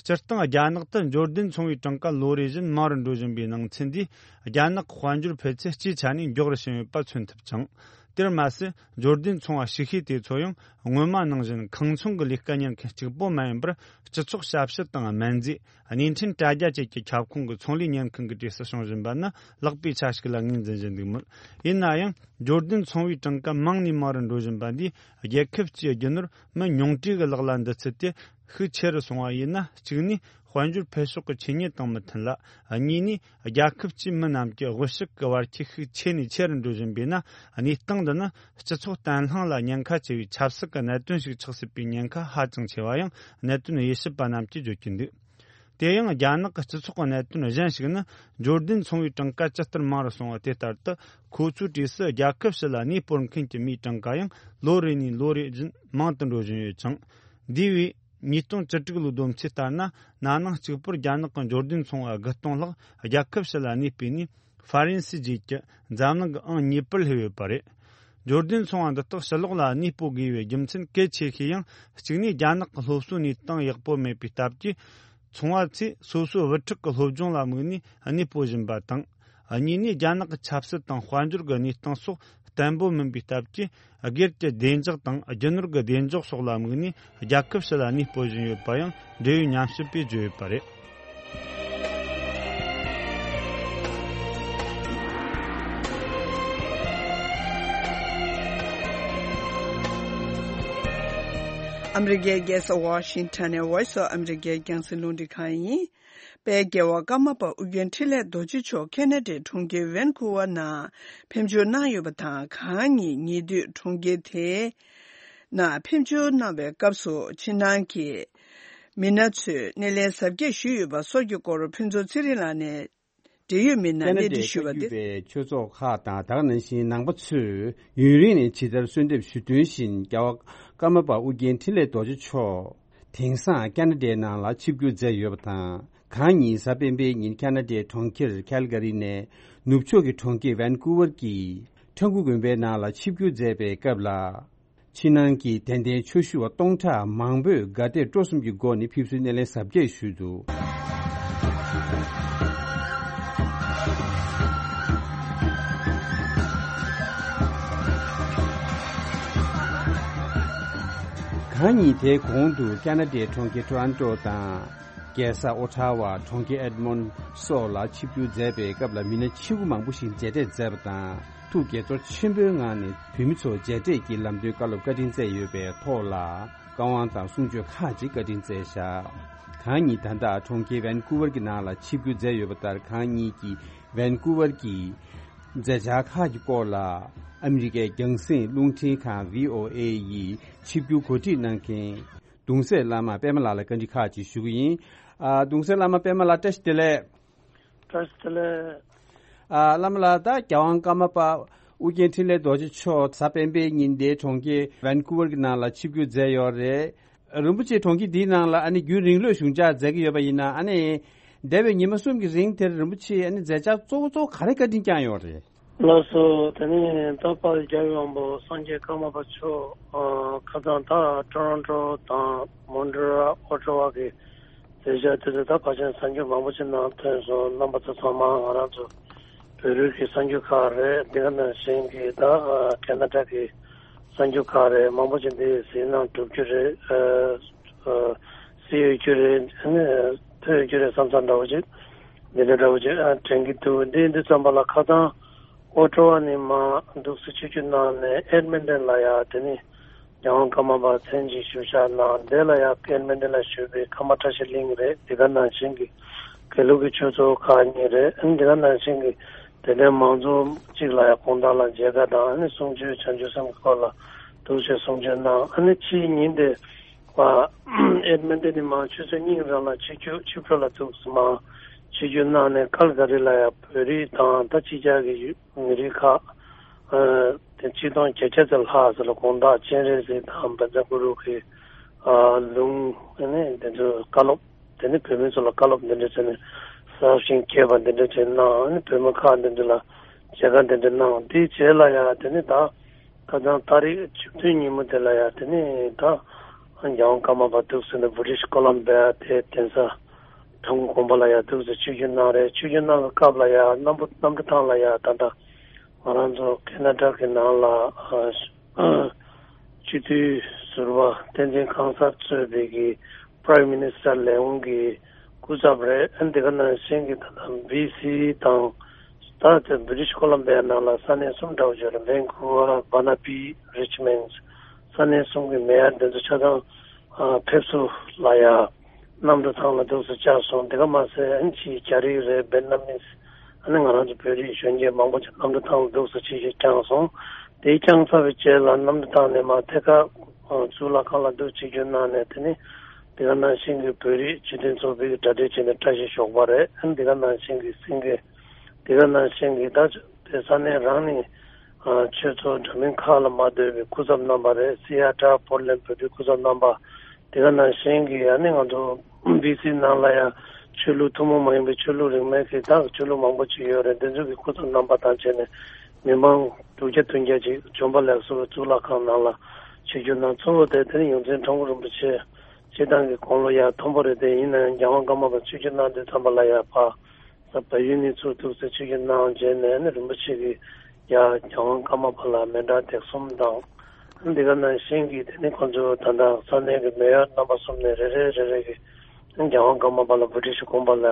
སྤྱིར་བཏང་རྒྱ་ནག་ཏུ་འབྱོར་ལྡན་ཚོང་བའི་གྲངས་ཀ་ལོ་རེ་བཞིན་མང་རུ་འགྲོ་བཞིན་པའི་ནང་ཚན་འདིས། རྒྱ་ནག་གི་དཔལ་འབྱོར་འཕེལ་ཚད་སྤྱིའི་ཆ་ནས་མགྱོགས་རུ་ཕྱིན་ཡོད་པ་མཚོན་ཐུབ་ཅིང་། དེར་མ་ཟད། འབྱོར་ལྡན་ཚོང་བ་ཞིག་ཤོས་དེ་ཚོ་ཡང་སྔོན་མ་ནང་བཞིན་ཁང་ཚོང་གི་ལས་ཀ་གཉེར་མཁན་གཅིག་པོ་མ་ཡིན་པར། སྤྱི་ཚོགས་ཞབས་ཞུ་དང་སྨན་རྫས། བརྙན་འཕྲིན་དྲ་རྒྱ་བཅས་ཀྱི་ཁྱབ་ཁོངས་ཀྱི་ཚོང་ལས་གཉེར་མཁན་གྱི་གྲས་སུ་བྱུང་བཞིན་པ་ནི་ལེགས་པའི་ཆ་ཞིག་ལ་ངོས་འཛིན་བཞིན་འདུག་མོད། ཡིན་ན་ཡང་། འབྱོར་ལྡན་ཚོང་བའི་གྲངས་ཀ་མང་ནས་མང་རུ་འགྲོ་བཞིན་པ་འདིས། རྒྱལ་ཁབ་སྤྱིའི་རྒྱུ་ནོར་མི་ཉུང་གྲས་ཀྱི་ལག་ལ་འདུ་ཚུལ་དེ་ཤུགས་ཆེ་རུ་སོང་བ་ཡིན་ན། གཅིག་ནས། དཔལ་འབྱོར་འཕེལ་ཕྱོགས་ཀྱི་ཆོས་ཉིད་དང་མི་མཐུན་ལ། གཉིས་ནས། རྒྱལ་ཁབ་སྤྱིའི་མི་རྣམས་ཀྱི་དབུལ་ཕྱུག་གི་བར་ཁྱད་ཤུགས་ཆེ་ནས་ཆེ་རུ་འགྲོ་བཞིན་པས་ན། གནས་སྟངས་འདི་ནི་སྤྱི་ཚོགས་བརྟན་ལྷིང་ལ་ཉེན་ཁ་ཆེ་བའི་ཆབ་སྲིད་ཀྱི་གནད་དོན་ཞིག་ཆགས་སྲིད་པའི་ཉེན་ཁ་ཧ་ཅང་ཆེ་བ་ཡང་གནད་དོན་དབྱེ་ཞིབ་པ་རྣམས་ཀྱིས་བརྗོད་ཀྱིན་འདུག་དེ་ཡང་། རྒྱ་ནག་གི་སྤྱི་ཚོགས་ཀྱི་གནད་དོན་གཞན་ཞིག་ནི། འབྱོར་ལྡན་ཚོང་བའི་གྲངས་ཀ་ཇི་ལྟར་མང་རུ་སོང་བ་དེ་ལྟར་དུ། ཁོ་ཚོའི་གྲས་སུ་རྒྱལ་ཁབ་ཕྱི་ལ་གནས་སྤོར་མཁན་གྱི་མིའི་གྲངས་ཀ་ཡང་ལོ་རེ་ནས་ལོ་རེ་བཞིན་མང་དུ་འགྲོ་བཞིན་ཡོད་ཅིང་། འདས་པའི་ཉིས་སྟོང་བཅུ་དྲུག་ལོའི་བསྡོམས་ཚོད་ལྟར་ན། ན་ནིང་གཅིག་པུར་རྒྱ་ནག་གི་འབྱོར་ལྡན་ཚོང་བ་དགུ་སྟོང་ལྷག་རྒྱལ་ཁབ་ཕྱི་ལ་གནས་སྤོས་ནས། ཧྥ་རན་སི་རྗེས་ཀྱི་འཛམ་གླིང་གི་ཨང་གཉིས་པར་སླེབས་ཡོད་པ་རེད། འབྱོར་ལྡན་ཚོང་བ་འདི་དག་ཕྱི་ལོགས་ལ་གནས་སྤོ་དགོས་པའི་རྒྱུ་མཚན་གལ་ཆེ་ཤོས་ཡང་། གཅིག་ནས། རྒྱ་ནག་གི་སློབ་གསོའི་གནས་སྟངས་ཡག་པོ་མེད་པའི་སྟབས་ཀྱིས། ཚོང་བ་ཚོས་སོ་སོའི་བུ་ཕྲུག་གི་སློབ་སྦྱོང་ལ་དམིགས་ནས་གནས་སྤོ་བཞིན་པ་དང་། གཉིས་ནས། རྒྱ་ནག་གི་ཆབ་སྲིད་དང་དཔལ་འབྱོར་གྱི་གནས་སྟངས་སོགས་བརྟན་པོ་མིན་པའི་སྟབས་ཀྱིས། སྒེར་གྱི་བདེ་འཇགས་དང་རྒྱུ་ནོར་གྱི་བདེ་འཇགས་སོགས་ལ་དམིགས་ནས་རྒྱལ་ཁབ་ཕྱི་ལ་གནས་སྤོ་བཞིན་ཡོད་པ་ཡང་འབྲེལ་ཡོད་ཉམས་ཞིབ་པས་བརྗོད་ཡོད་པ་རེད། ཨ་མི་རི་ཀའི་རྒྱལ་ས་ཝ་ཤིང་ཊོན་ནས་Voice of America རྒྱང་སྲིང་རླུང་འཕྲིན་ཁང་ཡིན། དཔལ་རྒྱལ་བ་ཀརྨ་པ་ཨོ་རྒྱན་འཕྲིན་ལས་རྡོ་རྗེ་མཆོག་ཁེ་ན་ཌའི་གྲོང་ཁྱེར་ཝན་ཀུ་ཝར་ནང་ཕེབས་འབྱོར་གནང་ཡོད་པ་དང་། གང་ཉིད་ཉེ་དུས་གྲོང་ཁྱེར་དེའི་ནང་ཕེབས་འབྱོར་གནང་བའི་སྐབས་སུ་ཕྱི་ནང་གི་མི་སྣ་ཚོས་སྣེ་ལེན་གཟབ་རྒྱས་ཞུས་ཡོད་པ་སོགས་ཀྱི་སྐོར་ཕུན་ཚོགས་ཚེ་རིང་ལགས་ནས་འབྲེལ་ཡོད་མི་སྣར་ཁེ་ན་ཌའི་གནས་འདྲི་ཞུས་པ་དེ། བཀའ་བརྒྱུད་པའི་ཆོས་ཚོགས་ཁག་དང་། ད་ག་ནང་བཞིན་ནང་པ་ཚོས་ཡུན་རིང་ནས་ཇི་ལྟར་གསོལ་འདེབས་ཞུས་དོན་བཞིན། རྒྱལ་བ་ཀརྨ་པ་ཨོ་རྒྱན་འཕྲིན་ལས་རྡོ་རྗེ་མཆོག་དེང་སང་ཁེ་ན་ཌའི་ནང་ལ་ཆིབས་བསྒྱུར་མཛད་ཡོད་པ་དང་། གང་ཉིད་གཟའ་སྤེན་པའི་ཉིན་ཁེ་ན་ཌའི་གྲོང་ཁྱེར་ཁལ་ག་རི་ནས་ནུབ་ཕྱོགས་ཀྱི་གྲོང་ཁྱེར་ཝན་ཀུ་ཝར་གྱི་ཁྲ་འགུ་དགོན་པའི་ནང་ལ་ཆིབས་བསྒྱུར་མཛད་པའི་སྐབས་ལ། ཕྱི་ནང་གི་དད་ལྡན་ཆོས་ཞུ་བ་སྟོང་ཕྲག་མང་པོས་དགའ་དད་སྤྲོ་གསུམ་གྱི་སྒོ་ནས་ཕེབས་བསུའི་སྣེ་ལེན་གཟབ་རྒྱས་ཞུས་འདུག་གང་ཉིད་དེའི་གོང་དུ་ཁེ་ན་ཌའི་གྲོང་ཁྱེར་ཊོ་རོན་ཊོ་དང་། རྒྱལ་ས་ཨོ་ཊ་ཝ། གྲོང་ཁྱེར་ཨེཌ་མོན་སོགས་ལ་ཆིབས་བསྒྱུར་མཛད་པའི་སྐབས་ལ། མི་སྣ་ཆེ་བོ་མང་པོ་ཞིག་མཇལ་འཕྲད་མཛད་པ་དང་། ཐུགས་དགྱེས་ཚོར་ཆེན་པོའི་ངང་ནས་བོད་མི་ཚོ་མཇལ་འཕྲད་ཀྱིས་ལམ་སྟོན་བཀའ་སློབ་བཀའ་དྲིན་སྩལ་ཡོད་པའི་ཐོག་ལ། བཀའ་དབང་དང་གསུང་ཆོས་ཁག་ཅིག་བཀའ་དྲིན་སྩལ་བཞག་གང་ཉིད་ད་ལྟ་གྲོང་ཁྱེར་ཝན་ཀུ་ཝར་གྱི་ནང་ལ་ཆིབས་བསྒྱུར་མཛད་ཡོད་པ་ལྟར། གང་ཉིད་ཀྱིས་ཝན་ཀུ་ཝར་གྱི་མཛད་འཆར་ཁག་གི་སྐོར་ལ། ཨ་མི་རི་ཀའི་རྒྱང་སྲིང་རླུང་འཕྲིན་ཁང་བྷི་ཨོ་ཨེ་ཡིས་ཆིབས་བསྒྱུར་གོ་སྒྲིག་གནང་མཁན། གདུང་སྲས་བླ་མ་པད་མ་ལགས་ལ་བཀའ་འདྲི་ཁག་ཅིག་ཞུ་གི་ཡིན། ཨ། གདུང་སྲས་བླ་མ་པད་མ་ལགས། བཀྲ་ཤིས་བདེ་ལེགས། བཀྲ་ཤིས་བདེ་ལེགས། ཨ། བླ་མ་ལགས། ད་རྒྱལ་དབང་ཀརྨ་པ་ཨོ་རྒྱན་འཕྲིན་ལས་རྡོ་རྗེ་མཆོག་གཟའ་སྤེན་པའི་ཉིན་དེ་གྲོང་ཁྱེར་ཝན་ཀུ་ཝར་གྱི་ནང་ལ་ཆིབས་བསྒྱུར་མཛད་ཡོད་རེད། རིན་པོ་ཆེ་གྲོང་ཁྱེར་འདིའི་ནང་ལ་ཨ་ནི་རྒྱུན་རིང་ལོས་བཞུགས་འཇགས་མཛད་ཀྱི་ཡོད་པ་ཡིན་ན། ཨ་ནི་འདས་པའི་ཉི་མ་གསུམ་གྱི་རིང་དེར་རིན་པོ་ཆེས་ཨ་ནི་མཛད་འཆར་གཙོ་བོ་གཙོ་བོ་ག་རེ་བཀའ་དྲིན་བསྐྱངས་ཡོད་རེད། ལགས་སོ། དེ་ནས་ད་དཔལ་རྒྱལ་བའི་དབང་པོ་སངས་རྒྱས་ཀརྨ་པ་མཆོག་ཨ། ཁ་སང་ད་ཊོ་རོན་ཊོ་དང་མོན་ཊི་རི་ཨོ་ཊ་ཝ་གི་མཛད་བྱ་དེ་ཚོ་ད་ཕལ་ཆེར་གསར་འགྱུར་མང་པོ་ཞིག་ནང་ཐོན་སོང་། རྣམ་པ་ཚོ་ཚང་མ་ང་རང་ཚོ་བོད་རིགས་ཀྱི་གསར་འགྱུར་ཁག་རེད། འདི་ག་ནང་བཞིན་གྱི་ད་ཨ། ཁེ་ན་ཌ་གི་གསར་འགྱུར་ཁག་རེད། མང་པོ་ཞིག་འདི་གཟིགས་གནང་གྲུབ་རྒྱུ་རེད། ཨ། ཨ། གཟིགས་ཡོད་རྒྱུ་རེད། ཨ་ནི་ཐོས་ཡོད་རྒྱུ་རེད་བསམ་བསམ་འདྲ་བོ་ཅིག་འདི་འདྲ་འདྲ་བོ་ཅིག་ཨ། དྲན་གྱི་འདུག་འདི་འདི་ཙམ་པ་ལ་ཁ་སང་ཨོ་ཊ་ཝ་ནས་མར་འདུག་སེ་ཆིབས་བསྒྱུར་གནང་ནས་ཨེཌ་མན་ཊོན་ལ་ཡ་དེ་ནི་རྒྱལ་དབང་ཀརྨ་པ་མཚན་ཅིག་ཞུ་བཞག་གནང་། དེ་ལ་ཡ་ཨེཌ་མན་ཊོན་ལ་བཞུགས་པའི་ཀརྨ་བཀྲ་ཤིས་གླིང་རེད། འདི་ག་ནང་བཞིན་གྱི་དགེ་ལུགས་ཀྱི་ཆོས་ཚོགས་ཁག་གཉིས་རེད། ཨ་ནི་འདི་ག་ནང་བཞིན་གྱི་དད་ལྡན་མང་ཚོགས་གཅིག་ལ་ཡ་དགོང་དག་ལ་མཇལ་ཁ་དང་། ཨ་ནི་གསུང་ཆོས་བྱང་ཆུབ་སེམས་ཀྱི་སྐོར་ལ་འདུག་སེ་གསུང་ཆོས་གནང་། ཨ་ནི་ཕྱིའི་ཉིན་དེ་བ་ཨེཌ་མན་ཊོན་ནས་མར་ཆུ་ཚོད་གཉིས་རང་ལ་ཆིབས་བསྒྱུར་ཆིབས་འགྲོ་ལ་འདུག་སེ་མར་ཆིབས་བསྒྱུར་གནང་ནས་ཀལ་ག་རི་ལ་ཡ་བོད་རིགས་དང་ད་ཕྱི་རྒྱལ་གྱི་མི་རིགས་ཁག་ཨ། དེ་ཆིག་སྟོང་བརྒྱད་བརྒྱ་ཙམ་ལྷག་ཙམ་ལ་དགོང་དག་སྤྱན་རས་གཟིགས་དང་བཛྲ་གུ་རུ་གི་ཨ། ལུང་། ཨ་ནི་དེ་ཚོ་བཀའ་སློབ། དེ་ནི་བོད་མི་ཚོ་ལ་བཀའ་སློབ་འདི་འདྲ་བྱས་ནས་གསར་བཞེངས་རྒྱས་པ་འདི་འདྲ་བྱས་གནང་། ཨ་ནི་བོད་མི་ཁག་འདི་འདྲ་ལ་མཇལ་ཁ་འདི་འདྲ་གནང་། དེའི་རྗེས་ལ་ཡ་དེ་ནི་ད་ཁ་སང་ཏ་རིག་བཅུ་བདུན་ཉིན་མོ་དེ་ལ་ཡ་དེ་ནི་ད་རྒྱལ་དབང་ཀརྨ་པ་འདུག་སེ་ནས་བྷི་རི་ཊིཤ་ཀོ་ལམ་བྷི་ཡ་དེ་གདན་ས་དྲུང་དགོན་པ་ལ་ཡ་འདུག་སེ་ཆིབས་བསྒྱུར་གནང་རེད། ཆིབས་བསྒྱུར་གནང་བའི་སྐབས་ལ་ཡ་གནམ་གནམ་གྲུ་ཐང་ལ་ཡ་ད་ལྟ་ང་རང་ཚོ་ཁེ་ན་ཌ་གི་ནང་ལ་ཨ། སྤྱི་འཐུས་ཟུར་པ་བསྟན་འཛིན་ཁང་གསར་གཙོས་པའི་གི་Prime Minister ལས་ཁུངས་ཀྱི་སྐུ་ཚབ་རེད། ཨ་ནི་དེ་ག་ནང་བཞིན་གྱི་ད་ལྟ་བྷི་སི་དང་ད་ལྟ་བྷི་རི་ཊིཤ་ཀོ་ལམ་བྷི་ཡ་ནང་ལ་ས་གནས་གསུམ་འདྲ་བོ་ཅིག་ཡོད་རེད། ཝན་ཀུ་ཝར། བར་ན་བྷི། རིཆ་མོན་ཌི། ས་གནས་གསུམ་གྱི་མེ་ཡར་འདི་ཚོ་ཆ་ཚང་ཨ། ཕེབས་བསུ་ལ་ཡ་གནམ་གྲུ་ཐང་ལ་འདུག་སེ་བཅར་སོང་། དེ་ག་མ་ཟད་ཨ་ནི་ཕྱིའི་རྒྱ་རིགས་རེད། བེད་ནམ་མིས། ཨ་ནི་ང་རང་ཚོ་བོད་རིགས་གཞོན་སྐྱེས་མང་པོ་ཅིག་གནམ་གྲུ་ཐང་ལ་འདུག་སེ་ཆིབས་བསྒྱུར་བསྐྱངས་སོང་། དེ་བསྐྱངས་ཚར་བའི་རྗེས་ལ་གནམ་གྲུ་ཐང་ནས་མར་ཐད་ཀར་གཙུག་ལག་ཁང་ལ་འདུག་ཆིབས་བསྒྱུར་གནང་ནས། དེ་ནི་དེ་ག་ནང་བཞིན་གྱི་བོད་རིགས་སྤྱི་མཐུན་ཚོགས་པའི་གྲ་སྒྲིག་བྱས་ནས་བཀྲ་ཤིས་ཞོགས་པ་རེད། ཨ་ནི་དེ་ག་ནང་བཞིན་གྱི་སེང་གེ། དེ་ག་ནང་བཞིན་གྱི་ད་དེ་ས་གནས་རང་ནས་ཨ། ཆོས་ཚོགས་འདྲ་མིན་ཁག་ལ་མ་ལྟོས་པའི་སྐུ་ཚབ་རྣམ་པ་རེད། སི་ཨ་ཊར། པོར་ལེན་བོད་པའི་སྐུ་ཚབ་རྣམ་པ། དེ་ག་ནང་བཞིན་གྱི་ཨ་ནི་ང་ཚོ་བྷི་སི་ནང་ལ་ཡང་ཆོས་ལུགས་ཐུན་མོང་མ་ཡིན་པའི་ཆོས་ལུགས་རིས་མེད་ཀྱི་ད་ཆོས་ལུགས་མང་པོ་ཅིག་ཡོད་རེད། འདི་ཚོ་གི་སྐུ་ཚབ་རྣམ་པ་དང་བྱས་ནས་མི་མང་དྲུག་བརྒྱ་བདུན་བརྒྱ་ཅིག་བྱོན་པ་ལེགས་སོ་གཙུག་ལག་ཁང་ནང་ལ་ཆིབས་བསྒྱུར་གནང་། གཙོ་བོ་དེ་དེ་ནི་ཡོངས་འཛིན་ཁྲོམ་སྐོར་རིན་པོ་ཆེ་སྤྱིར་བཏང་གི་དགུང་ལོ་ཡར་མཐོན་པོ་རེད་དེ། ཡིན་ན་ཡང་རྒྱལ་དབང་ཀརྨ་པ་ཆིབས་བསྒྱུར་གནང་དུས་ཙམ་པ་ལ་ཡར་ཕར་ས་བལ་ཡུལ་ནས་ཚུར་འདུག་སེ་ཆིབས་བསྒྱུར་གནང་རྗེས་ནས་ནི་རིན་པོ་ཆེ་གིས་ཡར་རྒྱལ་དབང་ཀརྨ་པ་ལ་མཎྜལ་སྟེགས་གསུམ་དང་། འདི་ག་ནང་བཞིན་གྱི་དེ་ནི་ཁོང་ཚོ་ད་ལྟ་ས་གནས་ཀྱི་མེ་ཡར་རྣམ་པ་གསུམ་ནས་རེ་རེ་རེ་རེ་གིས་རྒྱལ་དབང་ཀརྨ་པ་ལ་བྷི་ཊིཤ་དགོན་པ་ལ་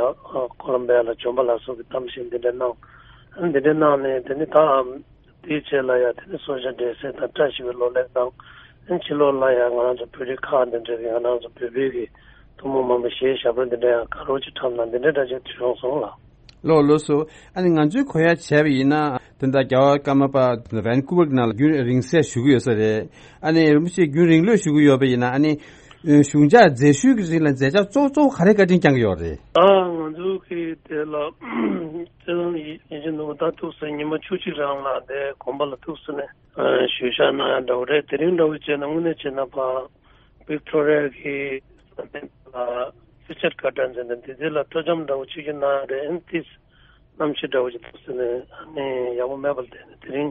ཀོ་ལམ་བྷི་ཡ་ལ་བྱོན་པ་ལ་སོགས་ཀྱི་གཏམ་བཤད་འདི་འདྲ་གནང་། འདི་འདྲ་གནང་ནས་དེ་ནི་ད། དེའི་རྗེས་ལ་ཡང་དེ་ནི་གསོལ་ཇ་འབྲས་སིལ་དང་བཀྲ་ཤིས་པའི་གློག་ཀླད་དང་། ཕྱི་ལོགས་ལ་ཡང་ང་རང་ཚོ་བོད་རིགས་ཁག་འདི་འདྲ་གི་ང་རང་ཚོ་བོད་པའི་གི་ཐུན་མོང་མ་ཡིན་པའི་གཞས་ཞབས་བྲོ་འདི་འདྲ་ཡང་དགའ་རབ་ཅིག་འཁྲབ་གནང་འདི་འདྲ་འདྲ་ཅིག་བྱུང་སོང་ལགས། ལགས་ལགས་སོ། ཨ་ནི་ང་ཚོས་གོ་ཡ་བྱས་པ་ཡིན་ན་དེ་འདྲ་རྒྱལ་བ་ཀརྨ་པ་ཝན་ཀུ་ཝར་གྱི་ནང་ལ་རྒྱུན་རིང་བསྲེལ་བཞུགས་ཀྱི་ཡོད་ས་རེད། ཨ་ནི་རིན་པོ་ཆེ་རྒྱུན་རིང་ལོས་བཞུགས་ཀྱི་ཡོད་པ་ཡིན་ན། ཨ་ནི་བཞུགས་འཇགས་མཛད་ཤུལ་གྱི་རིང་ལ་མཛད་འཆར་གཙོ་གཙོ་བོ་ག་རེ་བཀའ་དྲིན་བསྐྱངས་ཀྱི་ཡོད་རེད། ཨ། ང་ཚོ་གི་དེ་ལ་སྤྱི་བཏང་ཡིན་གྱི་འདུག་ད་ཐུགས་སུ་ཉི་མ་བཅུ་གཅིག་རང་ལ་དེ་དགོན་པ་ལ་ཐུགས་སུ་ནས་ཞུ་བཞག་གནང་ཡ་འདྲ་བོ་རེད། དེ་རིང་འདྲ་བོ་བྱས་ན་དངོས་གནས་བྱས་ན་ཕར་ཝིག་ཊོ་རི་ཡ་གི་ས་གནས་ལ་སི་ཆད་ཀ་ཊན་ཟེར་ནས་འདི་དེ་ལ་སྤྲོ་འཆམ་འདྲ་བོ་བྱེད་ཀྱི་གནང་ཡ་རེད། ཨ་ནི་ཏིས་གནམ་གཤིས་འདྲ་བོ་ཅིག་འདུག་ཟེར་ནས་ཨ་ནི་ཡག་པོ་མེད་པ་ལ་བརྟེན་ནས་དེ་རིང་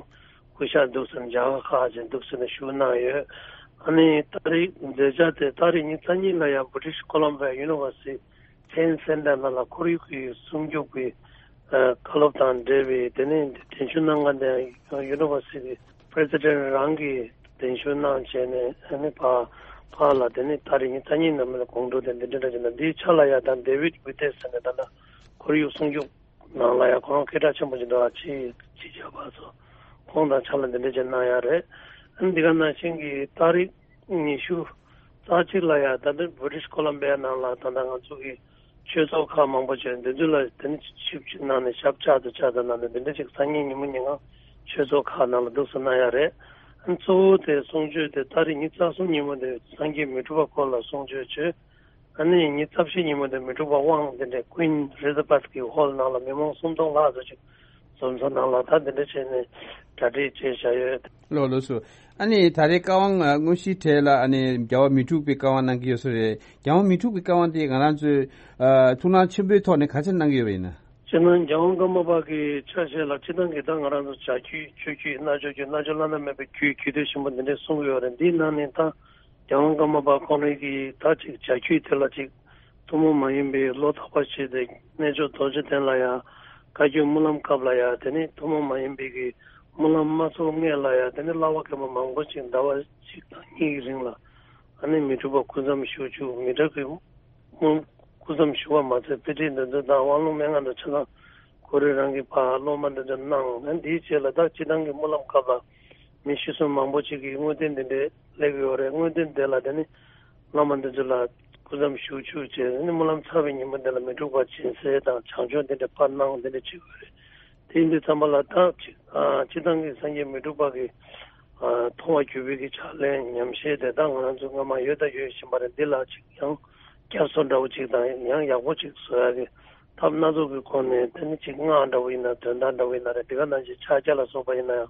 སྐུ་ཞབས་འདུག་ཟེར་ནས་མཇལ་ཁ་ཁག་ཅིག་འདུག་ཟེར་ནས་ཞུ་གནང་ཡོད། ཨ་ནི་ཏ་རིག་མཛད་འཆར་དེ་ཏ་རིག་ཉི་ཤུ་རྩ་གཉིས་ལ་ཡང་British Columbia University Science Center ནང་ལ་ཁོར་ཡུག་གི་སྲུང་སྐྱོབ་ཀྱི་ཨ་བཀའ་སློབ་དང་འབྲེལ་བའི་དེ་ནས་གདན་ཞུ་གནང་མཁན་དེ་University President རང་གིས་གདན་ཞུ་གནང་བྱས་ནས་ཨ་ནི་ཕ་ཕ་ལ་དེ་ནས་ཏ་རིག་ཉི་ཤུ་རྩ་གཉིས་ནང་མི་ལ་དགོང་དྲོ་དེ་འདི་འདྲ་འདྲ་བྱས་ན། འདིའི་ཆ་ལ་ཡ་དང་David Wittes ཟེར་ནས་ད་ལྟ་ཁོར་ཡུག་སྲུང་སྐྱོབ་ནང་ལ་ཡང་ཁོ་རང་སྐད་གྲགས་ཆེན་པོ་ཞིག་འདུག་ཨ་ཕྱི་ཕྱི་རྒྱལ་བ་ཚོ་ཁོང་དང་ཕྱག་ལས་འདི་འདྲ་ཅིག་གནང་ཡ་རེད། ཨ་ནི་འདི་ག་ནང་བཞིན་གྱི་ཏ་རིག་ཉི་ཤུ་རྩ་གཅིག་ལ་ཡ་ད་ལྟ་British Columbia ནང་ལ་ད་ལྟ་ང་ཚོ་གི་ཆོས་ཚོགས་ཁག་མང་པོ་བྱས་འདི་ཚོ་ལ་དེ་ནི་ཆིབས་བསྒྱུར་གནང་ནས་ཞབས་ཕྱག་ཏུ་ཕྱག་ཏུ་གནང་ནས་འདི་འདྲ་ཅིག་སང་ཉིན་ཉིན་མོ་ཉིན་གང་ཆོས་ཚོགས་ཁག་ནང་ལ་འདུག་སེ་གནང་ཡ་རེད། ཨ་ནི་གཙོ་བོ་དེ་གསུང་ཆོས་དེ་ཏ་རིག་ཉི་ཤུ་རྩ་གསུམ་ཉིན་མོ་དེ་སངས་རྒྱས་མི་འཁྲུགས་པ་སྐོར་ལ་གསུང་ཆོས་བྱོས། ཨ་ནི་ཉི་ཤུ་རྩ་བཞི་ཉིན་མོ་དེ་མི་འཁྲུགས་པ་དབང་འདི་འདྲའི་Queen Elizabeth གི་ཧོལ་ནང་ལ་མི་མང་སུམ་སྟོང་ལྷག་ཙམ་ཅིག་འཛོམས་ས་ནང་ལ་ད་འདི་འདྲ་བྱས་ནས་གྲ་སྒྲིག་བྱས་བཞག་ཡོད། ལགས་ལགས་སོ། ཨ་ནི་ད་རེས་བཀའ་དབང་དངོས་གཞིའི་གྲས་ལ་ཨ་ནི་རྒྱལ་བ་མི་འཁྲུགས་པའི་བཀའ་དབང་གནང་གི་ཡོད་ས་རེད། རྒྱལ་བ་མི་འཁྲུགས་པའི་བཀའ་དབང་དེ་ང་རང་ཚོས་ཨ་ཐུགས་སྣང་ཆེན་པོའི་ཐོག་ནས་ག་ཚོད་གནང་གི་ཡོད་པ་ཡིན་ན། སྤྱིར་ན་རྒྱལ་དབང་ཀརྨ་པ་གི་ཆ་ཤས་ལ་སྤྱིར་བཏང་གི་ད་ང་རང་ཚོ་བྱ་རྒྱུད་ཆོས་བརྒྱུད་རྣལ་འབྱོར་རྒྱུད་རྣལ་འབྱོར་བླ་ན་མེད་པའི་རྒྱུད་རྒྱུད་སྡེ་ཆེན་པོ་འདི་འདྲས་གསུང་གི་ཡོད་རེད། འདིའི་ནང་ནས་ད་རྒྱལ་དབང་ཀརྨ་པ་ཁོང་རང་གི་ད་ཅིག་བྱ་རྒྱུད་དེ་ལ་ཅིག་ཐུན་མོང་མ་ཡིན་པའི་བློ་ཐོག་པ་བྱས་ཏེ་རྣལ་འབྱོར་རྡོ་རྗེ་གདན་ལ་ཡང་བཀའ་བརྒྱུད་སྨོན་ལམ་སྐབས་ལ་ཡང་དེ་ནས་ཐུན་མོང་མ་ཡིན་པའི་གི་སྨོན་ལམ་མ་ཚོགས་སྔས་ལ་ཡང་དེ་ནས་བསླབ་པ་མཁན་པོ་མང་པོ་ཅིག་ཟླ་བ་གཅིག་དང་གཉིས་ཀྱི་རིང་ལ་ཨ་ནི་མི་འཁྲུགས་པ་སྐུ་མཚམས་བཞུགས་བཅུག་མི་འཁྲུགས་པའི་སྐུ་མཚམས་བཞུགས་པ་མ་ཚད་དཔེ་ཁྲིད་འདོན་ཚུལ་དང་དབང་ལུང་མན་ངག་དང་ཆ་ཚང་ཁོ་རང་རང་གི་ཕར་སློབ་མ་འདི་ཚོ་གནང་། ཨ་འདིའི་རྗེས་ལ་ད་སྤྱིར་བཏང་གི་སྨོན་ལམ་སྐབས་ལ་མི་ཤི་གསོན་མང་པོ་ཅིག་གིས་དངོས་བསྟན་འདི་འདྲའི་སླེབས་ཡོད་རེད། དངོས་བསྟན་དེ་ལ་དེ་ནི་བླ་མ་འདི་ཚོ་ལ་སྐུ་མཚམས་བཞུགས་བཅུག་བྱས་ཨ་ནི་སྨོན་ལམ་ཚར་བའི་ཉིན་མོ་འདི་ལ་མི་འཁྲུགས་པ་སྦྱིན་སྲེག་དང་བྱང་ཆུབ་འདི་འདྲ་ཕར་གནང་འདི་འདྲ་བྱེད་དགོས་རེད། དེ་ཡིན་དུས་ཙམ་པ་ལ་ད་ཅིག་ཨ་སྤྱིར་བཏང་གི་སངས་རྒྱས་མི་འཁྲུགས་པ་གི་ཨ་མཐོང་བ་བརྒྱུད་པའི་གི་ཕྱག་ལེན་ཉམས་བཞེས་དེ་ད་ང་རང་ཚོ་སྔ་མ་ཡོད་དང་ཡོད་བཞིན་པ་རེད། འདི་ལ་ཅིག་ཡང་བསྐྱར་གསོ་འདྲ་བོ་ཅིག་དང་ཡང་ཡག་པོ་ཅིག་བཟོ་ཡག་གི་ཐབས་སྣ་ཚོགས་ཀྱི་སྒོ་ནས་དེ་ནི་ཅིག་སྔགས་འདྲ་བོ་ཡིན་ན་དོན་དག་འདྲ་བོ་ཡིན་ན་རེད། དེ་ག་ནང་བཞིན་ཕྱག་རྒྱ་ལ་སོགས་པ་ཡིན་ན་ཡང་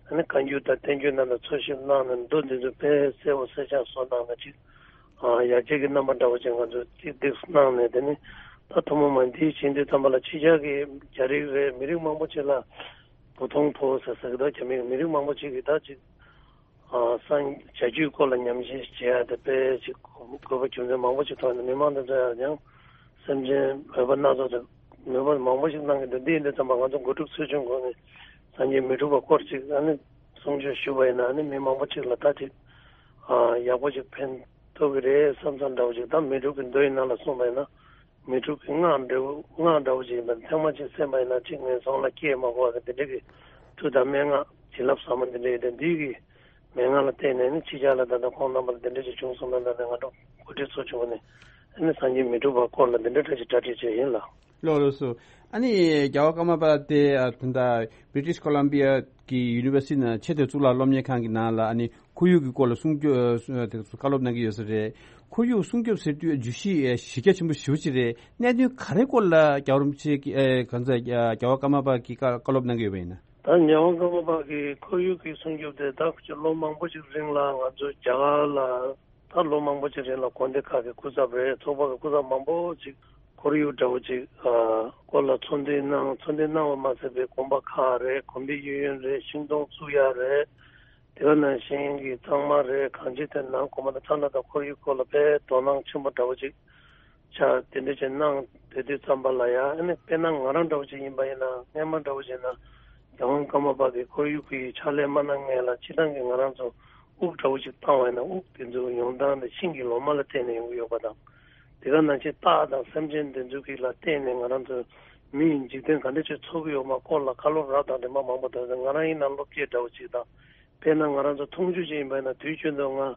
ཨ་ནི་བཀའ་འགྱུར་དང་བསྟན་འགྱུར་རྣམས་ལ་འཚོལ་ཞིབ་གནང་ནས་མདོ་འདི་ཚོ་དཔེ་གསལ་པོ་གསལ་རྐྱང་བཟོ་གནང་ན་ཅིག་ཨ་ཡར་རྒྱས་ཀྱི་རྣམ་པ་འདྲ་བོ་ཅིག་ང་ཚོས་ཏིག་ཏིག་གནང་ནས་དེ་ནི་ད་ཐུན་མོང་མ་འདིའི་བྱེད་འདི་ཙམ་པ་ལ་ཕྱི་རྒྱལ་གྱི་རྒྱ་རིགས་རེད། མི་རིགས་མང་པོ་ཅིག་ལ་བོ་ཐོང་ཕོ་ཟེར་ཟེར་གི་འདུག་རྒྱ་མི་མི་རིགས་མང་པོ་ཅིག་གིས་ད་ཅིག་ཨ་སངས་བྱ་རྒྱུད་སྐོར་ལ་ཉམས་ཞིབ་བྱེད་ཡ་དེ་དཔེ་ཅིག་དགོས་པ་རྒྱུ་མཚན་མང་པོ་ཅིག་མཐོང་ནས་མི་མང་དེ་ཚོ་ཡང་སེམས་ཅན་མོས་པ་སྣ་ཚོགས་དང་མོས་པ་མང་པོ་ཞིག་གནང་གི་འདུག་འདི་ཡིན་དུས་ཙམ་པ་ང་ཚོ་འགོ་ཁྲིད་ཚོགས་ཆུང་ཁོངས་ནས་སངས་རྒྱས་མི་འཁྲུགས་པ་སྐོར་ཅིག་ཨ་ནི་གསུང་ཆོས་ཞུས་པ་ཡིན་ན་ཨ་ནི་མི་མང་པོ་ཅིག་ལ་ད་ཅིག་ཨ་ཡག་པོ་ཅིག་ཕན་ཐོགས་ཀྱི་རེད་བསམ་བསམ་འདྲ་བོ་ཅིག་ད་མི་འཁྲུགས་ཀྱི་མདོ་ཡི་ནང་ལ་གསུངས་པ་ཡིན་ན། མི་འཁྲུགས་ཀྱི་སྔགས་འདྲ་བོ་སྔགས་འདྲ་བོ་ཅིག་ཡིན་པ་ཚང་མ་ཅིག་གསན་པ་ཡིན་ན་ཅིག་ངན་སོང་ལ་སྐྱེ་མ་དགོས་པ་གི་འདི་འདྲ་གི་མཐུ་དང་མན་ངག་བྱིན་རླབས་ཟབ་མོ་འདི་འདྲ་ཡིན་ཏེ་འདི་གི་མན་ངག་ལ་བརྟེན་ནས་ནི་ཕྱི་རྒྱལ་ལ་ད་ལྟ་ཁོང་རྣམ་པ་ལ་འདི་འདྲ་ཅིག་བྱུང་སོང་ན་ད་ནི་ང་ཚོ་འགོ་ཁྲིད་ཚོ་བྱུང་ནས་ཨ་ནི་སངས་རྒྱས་མི་འཁྲུགས་པ་སྐོར་ལ་འདི་འདྲ་འདྲ་ཅིག་གྲ་སྒྲིག་བྱས་ཡིན་ལགས། ལགས་ལགས་སོ། ཨ་ནི་རྒྱལ་བ་ཀརྨ་པ་དེ་ཨ་ད་ལྟ་བྷི་རི་ཊིཤ་ཀོ་ལམ་བི་ཡ་གི་ཡུ་ནི་ཝར་སི་ཊི་ནང་ཆེས་མཐོའི་གཙུག་ལག་སློབ་གཉེར་ཁང་གི་ནང་ལ་ཨ་ནི་ཁོར་ཡུག་གི་སྐོར་ལ་གསུང་རྒྱུ་ཨ་དེ་ཚོ་བཀའ་སློབ་གནང་གི་ཡོད་ས་རེད། ཁོར་ཡུག་སྲུང་སྐྱོབ་ཟེར་དུས་བརྗོད་གཞི་ཨེ་གཞི་རྒྱ་ཆེན་པོ་ཞེ་པོ་ཅིག་རེད། གནད་དོན་ག་རེ་སྐོར་ལ་རྒྱལ་བ་རིན་པོ་ཆེ་གིས་ཨེ་གང་ཟག་རྒྱལ་བ་ཀརྨ་པ་གིས་བཀའ་བཀའ་སློབ་གནང་གི་ཡོད་པ་ཡིན་ན། ད་རྒྱལ་བ་ཀརྨ་པ་གིས་ཁོར་ཡུག་གི་སྲུང་སྐྱོབ་དེ་ད་ལོ་མང་པོ་ཞིག་རིང་ལ་ང་ཚོ་རྒྱ་གར་ལ་ད་ལོ་མང་པོ་ཞིག་རིང་ལ་དགོན་སྡེ་ཁག་གི་སྐུ་ཚབ་རེད། ཚོགས་པ་གི་སྐུ་ཚབ་མང་པོ་ཞིག་ཁོར་ཡུག་འདྲ་བོ་ཅིག་ཨ་སྐོར་ལ་ཚོགས་འདུ་གནང་། ཚོགས་འདུ་གནང་བ་མ་ཟད་པའི་དགོན་པ་ཁག་རེད། དགོན་པའི་གཡས་གཡོན་རེད། ཤིང་སྡོང་བཙུགས་ཡ་རེད། དེ་ག་ནང་བཞིན་གྱི་གཙང་མ་རེད། གངས་ཅན་དེ་ནང་གོ་མ་དང་ཚྭ་ན་དང་ཁོར་ཡུག་སྐོར་ལ་དཔེ་དོ་སྣང་ཆེན་པོ་འདྲ་བོ་ཅིག་ཆགས། དེ་འདྲ་ཅིག་གནང་བསྡད་དུས་ཙམ་པ་ལ་ཡང་ཨ་ནི་དཔེར་ན་ང་རང་འདྲ་བོ་ཅིག་ཡིན་པ་ཡིན་ན་སྔས་མ་འདྲ་བོ་ཅིག་ན་རྒྱལ་དབང་ཀརྨ་པ་གིས་ཁོར་ཡུག་གི་ཕྱག་ལས་མ་གནང་སྔས་ལ་སྤྱིར་བཏང་གི་ང་རང་ཚོ་དབུགས་འདྲ་བོ་ཅིག་བཏང་བ་ཡིན་ན་དབུགས་དེ་ཚོ་ཡོང་སྟངས་དེ་ཤིང་གི་ལོ་མ་ལ་བརྟེན་ནས་ཡོང་གི་ཡོད་པ་དང་། དེ་ག་ནང་བཞིན་སྟག་དང་སེམས་ཅན་དེ་ཚོ་གི་ལ་བརྟེན་ནས་ང་རང་ཚོ་མི་ཡི་འཇིག་རྟེན་ག་འདྲ་ཅིག་འཚོ་གི་ཡོད་མ་སྐོར་ལ་བཀའ་སློབ་རབ་དང་རིམ་པ་མང་པོ་དང་ང་རང་ཡིན་ན་སློབ་དཔྱད་འདྲ་བོ་ཅིག་དང་། དཔེར་ན་ང་རང་ཚོ་འཐུང་ཆུ་ཅིག་ཡིན་པ་ཡིན་ན་དུས་རྒྱུན་དུ་ང་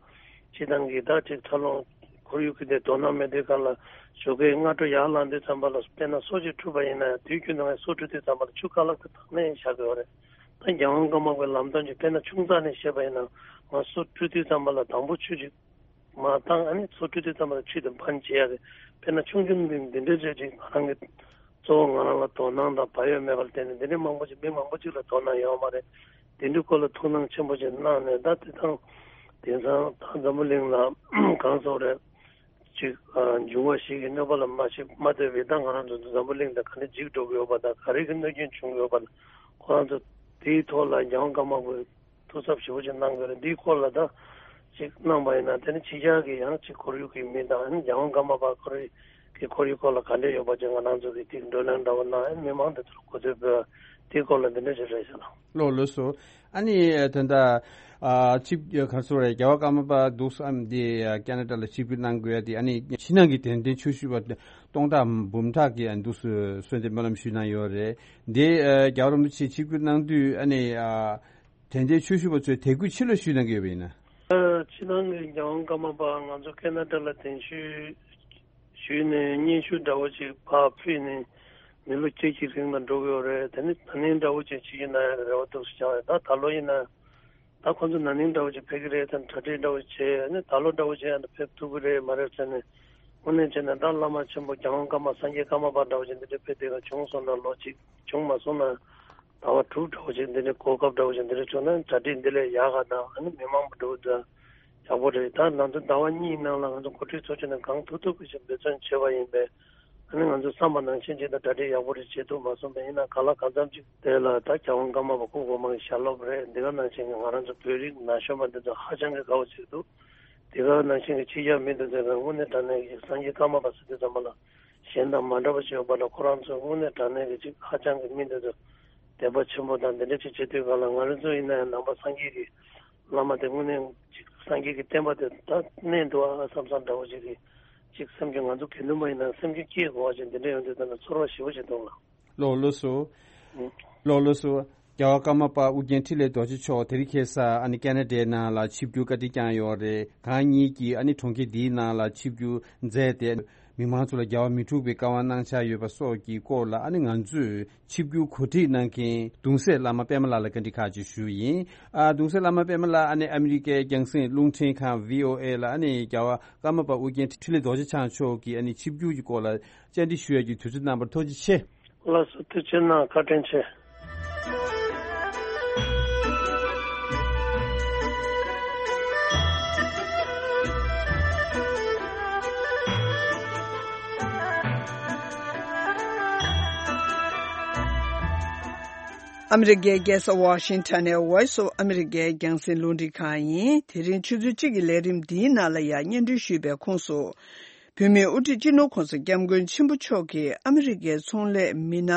སྤྱིར་བཏང་གི་ད་ཅིག་འཚར་ལོངས་ཁོར་ཡུག་གི་དེ་དོ་སྣང་མེད་དུས་སྒང་ལ་ཞོགས་ཀའི་སྔ་དྲོ་ཡར་ལངས་དུས་ཙམ་པ་ལ་དཔེར་ན་སོ་ཅིག་འཁྲུད་པ་ཡིན་ན་དུས་རྒྱུན་དུ་ང་སོ་འཁྲུད་དུས་ཙམ་པ་ལ་ཆུ་རྐང་ལག་ཏུ་བཏང་ནས་བཞག་གི་ཡོད་རེད། ད་རྒྱལ་དབང་ཀརྨ་པའི་ལམ་སྟོན་གྱི་དཔེར་ན་ཆུང་ཙག་ནས་བཤད་པ་ཡིན་ན་ང་སོ་འཁྲུད་དུས་ཙམ་པ་ལ་དང་པོ་ཆུ་ཅིག་མར་བཏང་ཨ་ནི་སོ་འཁྲུད་དུས་ཙམ་པ་ལ་ཆུ་དེ་འབག་བྱེད་ཡ་རེད། དཔེར་ན་ཆུང་ཆུང་འདི་འདི་འདྲའི་རེད་ཅིག་ང་རང་གི་གཙོ་བོ་ང་རང་ལ་དོ་སྣང་དང་བག་ཡོད་མེད་པར་བརྟེན་ནས་འདི་འདྲའི་མང་པོ་ཅིག་མི་མང་པོ་ཅིག་ལ་དོ་སྣང་ཡོད་མ་རེད། དེ་འདྲའི་སྐོར་ལ་ཐུགས་སྣང་ཆེན་པོ་ཅིག་གནང་ནས་ད་དེ་དང་དེང་སང་ད་འཛམ་བུ་གླིང་ལ་གང་སོགས་རེད་ཅིག་འབྱུང་བ་བཞི་གི་གནོད་པ་ལ་མ་ཤི་མ་ལྟོས་པའི་ད་ང་རང་ཚོ་འཛམ་བུ་གླིང་དང་ག་འདྲ་འཇིག་འགྲོ་གི་ཡོད་པ་དང་ག་རེ་གི་གནོད་སྐྱོན་བྱུང་གི་ཡོད་པ་ལ་ཁོ་རང་ཚོ་དེའི་ཐོག་ལ་རྒྱལ་དབང་ཀརྨ་པའི་ཐུགས་གཟབ་ཞེ་པོ་ཅིག་གནང་དགོས་རེད། འདིའི་སྐོར་ལ་ད་ཅིག་གནང་པ་ཡིན་ན་དེ་ནི་ཕྱི་རྒྱལ་གྱི་ཡང་ཅིག་ཁོར་ཡུག་གི་མི་དང་ཨ་ནི་རྒྱལ་དབང་ཀརྨ་པ་ཁོ་རའི་གི་ཁོར་ཡུག་སྐོར་ལ་ག་འདྲས་ཡོད་པ་ཅིག་ང་རང་ཚོ་གི་ཅིག་བགྲོ་གླེང་འདྲ་བོ་གནང་ཨ་ནི་མི་མང་དེ་ཚོར་གོ་ཐོས་ཕུལ་དེའི་སྐོར་ལ་འདི་འདྲས་ཅིག་རེད་ཤག་ལགས། ལགས་ལགས་སོ། ཨ་ནི་དོན་དག་ཨ་ཆིབས་ག་རེ་ཟེར་རེད། རྒྱལ་བ་ཀརྨ་པ་འདུག་སེ་ཨ་ནི་འདི་ཨ་ཁེ་ན་ཌ་ལ་ཆིབས་བསྒྱུར་གནང་དགོས་ཡ་དེ་ཨ་ནི་ཕྱི་ནང་གི་དད་ལྡན་ཆོས་ཞུ་བ་སྟོང་ཕྲག་འབུམ་ཕྲག་གིས་ཨ་ནི་འདུག་སེ་གསོལ་འདེབས་སྨོན་ལམ་ཞུས་གནང་ཡོད་རེད། འདི་ཨ་རྒྱལ་བ་རིན་པོ་ཆེ་ཆིབས་བསྒྱུར་གནང་དུས་ཨ་ནི་ཨ། དད་ལྡན་ཆོས་ཞུ་བ་ཚོས་དད་གུས་ཆི་ལོ་ཞུས་གནང་གི་ཡོད་པ་ཡིན་ན། ཕྱི་ནང་གི་རྒྱལ་དབང་ཀརྨ་པ་ང་ཚོ་ཁེ་ན་ཌ་ལ་གདན་ཞུ་ཞུས་ནས་སྙན་ཞུ་འདྲ་བོ་ཅིག་ཕར་ཕུལ་ནས་མི་ལོ་བཅུ་གཅིག་གི་རིང་ལ་འགྲོ་གི་ཡོད་རེད། དེ་ནི་ན་ནིང་འདྲ་བོ་ཅིག་ཕྱི་རྒྱལ་ནང་ཡང་རེ་བ་འདུག་སེ་བཅངས་ཡོད། ད་ད་ལོ་ཡིན་ན་ད་ཁོང་ཚོ་ན་ནིང་འདྲ་བོ་ཅིག་ཕེབས་ཀྱི་རེད་དང་གྲ་སྒྲིག་འདྲ་བོ་བྱས་ནས་ད་ལོ་འདྲ་བོ་ཅིག་ཡང་ཕེབས་ཐུབ་ཀྱི་རེད་མ་རེད་ཟེར་ནས་དངོས་གནས་བྱས་ན་ད་བླ་མ་ཆེན་པོ་རྒྱལ་དབང་ཀརྨ་སངས་རྒྱས་ཀརྨ་པ་འདྲ་བོ་ཅིག་འདི་འདྲ་ཕེབས་དེ་ག་བྱུང་སོང་ན་ལོ་གཅིག་བྱུང་མ་སོང་ན། ཟླ་བ་དྲུག་འདྲ་བོ་ཅིག་འདི་འདྲའི་གོ་སྐབས་འདྲ་བོ་ཅིག་འདི་འདྲ་བྱུང་ན་གྲ་སྒྲིག་འདི་ལས་ཡག་ག་དང་ཨ་ནི་མི་མང་པོ་འགྲོ་དང་ཡག་པོ་རེད། ད་ང་ཚོ་ཟླ་བ་གཉིས་ནང་ལ་ང་ཚོ་འགོ་ཁྲིད་ཚོ་ཆུང་ནས་གང་ཐུབ་ཐུབ་ཀྱི་ཞིག་འབད་བརྩོན་བྱས་པ་ཡིན་པས་ ཨ་ནི་ང་ཚོས་བསམ་པ་ནང་བཞིན་ཅིག་ད་གྲ་སྒྲིག་ཡག་པོ་རེ་བྱེད་ཐུབ་མ་སོང་པས། ཡིན་ན་ག་ལ་གང་འཚམ་ཅིག་དེ་ལ་ད་རྒྱལ་དབང་ཀརྨ་པ་སྐུ་གོང་མ་གི་ཞལ་སློབ་རེད། འདི་ག་ནང་བཞིན་གྱི་ང་རང་ཚོ་བོད་རིགས་ན་གཞོན་པ་འདི་ཚོ་ཧ་ཅང་གི་དགའ་བོ་བྱེད་འདུག་དེ་ག་ནང་བཞིན་གྱི་ཕྱི་རྒྱལ་མི་འདི་ཚོས་དངོས་གནས་དྲང་གནས་ཀྱི་སངས་རྒྱས་ཀརྨ་པ་ཟེར་དུས་ཙམ་པ་ལ་གཞན་དང་མ་འདྲ་བ་ཞིག་ཡོད་པ་ལ། ཁོ་རང་ཚོས་དངོས་གནས་དྲང་གནས་ཀྱི་ཅིག་ཧ་ཅང་གི་མི་འདི་ཚོ་དད་པ་ཆེན་པོ་དང་འདི་འདྲ་ཅིག་བྱེད་དུས་ག་ལ། ང་རང་ཚོ་ཡིན་ན་ཡང་ནང་པ་སངས་རྒྱས་ཀྱི་བླ་མ་དེ་དངོས་གནས་ཅིག་སངས་རྒྱས་ཀྱི་བསྟན་པ་དེ་ད་གནས་འདུག་ཨ་བསམ་བསམ་འདྲ་བོ་ཅིག་གི་ཅིག་སེམས་ཀྱི། ང་ཚོ་དགེ་འདུན་པ་ཡིན་ན་སེམས་ཀྱི་སྐྱིད་དགོས་པ་ཅིག་འདི་འདྲ་ཡོང་དུས་ད་ནི་ཚོར་བ་ཞེ་པོ་ཅིག་འདུག་ལ། ལགས་ལགས་སོ། ཨང་། ལགས་ལགས་སོ། རྒྱལ་བ་ཀརྨ་པ་ཨོ་རྒྱན་འཕྲིན་ལས་རྡོ་རྗེ་མཆོག་དེ་རིང་ཁ་སང་ཨ་ནི་ཁེ་ན་ཌའི་ནང་ལ་ཆིབས་བསྒྱུར་བཀའ་དྲིན་བསྐྱངས་ཡོད་རེད། གང་ཉིད་ཀྱིས་ཨ་ནི་གྲོང་ཁྱེར་འདིའི་ནང་ལ་ཆིབས་བསྒྱུར་མཛད་དེ། མི་མང་ཚོ་ལ་རྒྱལ་བ་མི་འཁྲུགས་པའི་བཀའ་དབང་གནང་འཆར་ཡོད་པ་སོགས་ཀྱི་སྐོར་ལ་ཨ་ནི་ང་ཚོས་ཆིབས་བསྒྱུར་གོ་སྒྲིག་གནང་མཁན་གདུང་སྲས་བླ་མ་པད་མ་ལགས་ལ་བཀའ་འདྲི་ཁག་ཅིག་ཞུས་ཡིན། ཨ། གདུང་སྲས་བླ་མ་པད་མ་ལགས། ཨ་ནི་ཨ་མི་རི་ཀའི་རྒྱང་སྲིང་རླུང་འཕྲིན་ཁང་བྷི་ཨོ་ཨེ་ལ་ཨ་ནི་རྒྱལ་བ་ཀརྨ་པ་ཨོ་རྒྱན་འཕྲིན་ལས་རྡོ་རྗེ་འཆང་མཆོག་གིས་ཨ་ནི་ཆིབས་བསྒྱུར་གྱི་སྐོར་ལ་བཅར་འདྲི་ཞུ་ཡས་ཀྱི་དུས་ཚོད་གནང་བར་ཐུགས་རྗེ་ཆེ། ལགས་སོ། ཐུགས་རྗེ་གནང་། བཀའ་དྲིན་ཆེ། ཨ་མི་རི་ཀའི་རྒྱལ་ས་ཝ་ཤིང་ཊོན་ནས་Voice of America རྒྱང་སྲིང་རླུང་འཕྲིན་ཁང་ཡིན། དེ་རིང་ཆུ་ཚོད་གཅིག་གི་ལས་རིམ་འདིའི་ནང་ལ་ཡང་སྙན་སྒྲོན་ཞུས་པའི་ཁོངས་སུ། བོད་མིའི་དབུ་ཁྲིད་སྤྱི་ནོར་༸གོང་ས་༸སྐྱབས་མགོན་ཆེན་པོ་མཆོག་གིས་ཨ་མི་རི་ཀའི་ཚོང་ལས་མི་སྣ་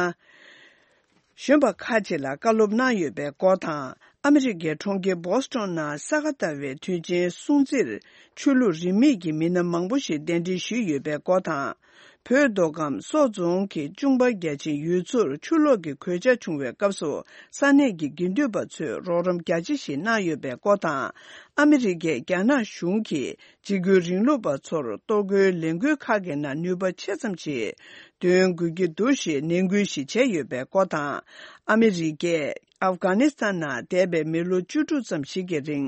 གཞོན་པ་ཁག་ཅིག་ལ་བཀའ་སློབ་གནང་ཡོད་པའི་སྐོར་དང་། ཨ་མི་རི་ཀའི་གྲོང་ཁྱེར་བྷོ་སི་ཊོན་ནང་ས་ག་ཟླ་བའི་དུས་ཆེན་སྲུང་བརྩིར་ཆོས་ལུགས་རིས་མེད་ཀྱི་མི་སྣ་མང་པོ་ཞིག་གདན་འདྲེན་ཞུས་ཡོད་པའི་སྐོར་དང་། བོད་མདོ་ཁམས་སོག་རྫོང་གི་ཅུང་པ་རྒྱ་ཆེན་ཡུལ་ཚོར་ཆུ་ལོག་གི་གོད་ཆག་བྱུང་བའི་སྐབས་སུ་ས་གནས་ཀྱི་དགེ་འདུན་པ་ཚོས་རོགས་རམ་རྒྱ་ཆེ་ཞིག་གནང་ཡོད་པའི་སྐོར་དང་། ཨ་མི་རི་ཀས་རྒྱ་ནག་གཞུང་གིས་འཇིགས་སྐུལ་རིང་ལུགས་པ་ཚོར་གཏོར་རྒོལ་ལས་འགུལ་ཁག་གི་ནང་ནུས་པ་ཆེ་ཙམ་ཞིག་འདོན་དགོས་ཀྱི་འདུག་ཞེས་ནན་སྐུལ་ཞིག་བྱས་ཡོད་པའི་སྐོར་དང་། ཨ་མི་རི་ཀས་ཨབ་གྷ་ནི་སི་ཐན་ནང་འདས་པའི་མི་ལོ་བཅུ་དྲུག་ཙམ་ཞིག་གི་རིང་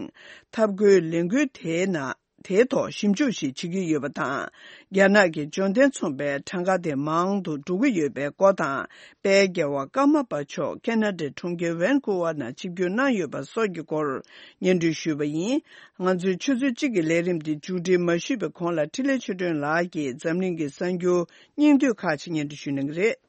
འཐབ་རྒོལ་ལས་འགུལ་དེའི་ནང་དེའི་ཐོག་ཞིབ་འཇུག་ཞིག་བྱེད་ཀྱི་ཡོད་པ་དང་། རྒྱ་ནག་གི་འབྱོར་ལྡན་ཚོང་པའི་གྲངས་ཀ་དེ་མང་དུ་འགྲོ་གི་ཡོད་པའི་སྐོར་དང་། དཔལ་རྒྱལ་བ་ཀརྨ་པ་མཆོག་ཁེ་ན་ཌའི་གྲོང་ཁྱེར་ཝན་ཀུ་ཝར་ནང་ཆིབས་བསྒྱུར་གནང་ཡོད་པ་སོགས་ཀྱི་སྐོར་སྙན་སྒྲོན་ཞུས་པ་ཡིན། ང་ཚོའི་ཆུ་ཚོད་གཅིག་གི་ལས་རིམ་འདི་མཇུག་སྒྲིལ་མ་ཞུས་པའི་གོང་ལ་འཕྲིན་ལས་ཆོས་སྒྲོན་ལགས་ཀྱིས་འཛམ་གླིང་གི་གསར་འགྱུར་སྙིང་བསྡུས་ཁག་ཅིག་སྙན་སྒྲོན་ཞུ་གནང་གི་རེད།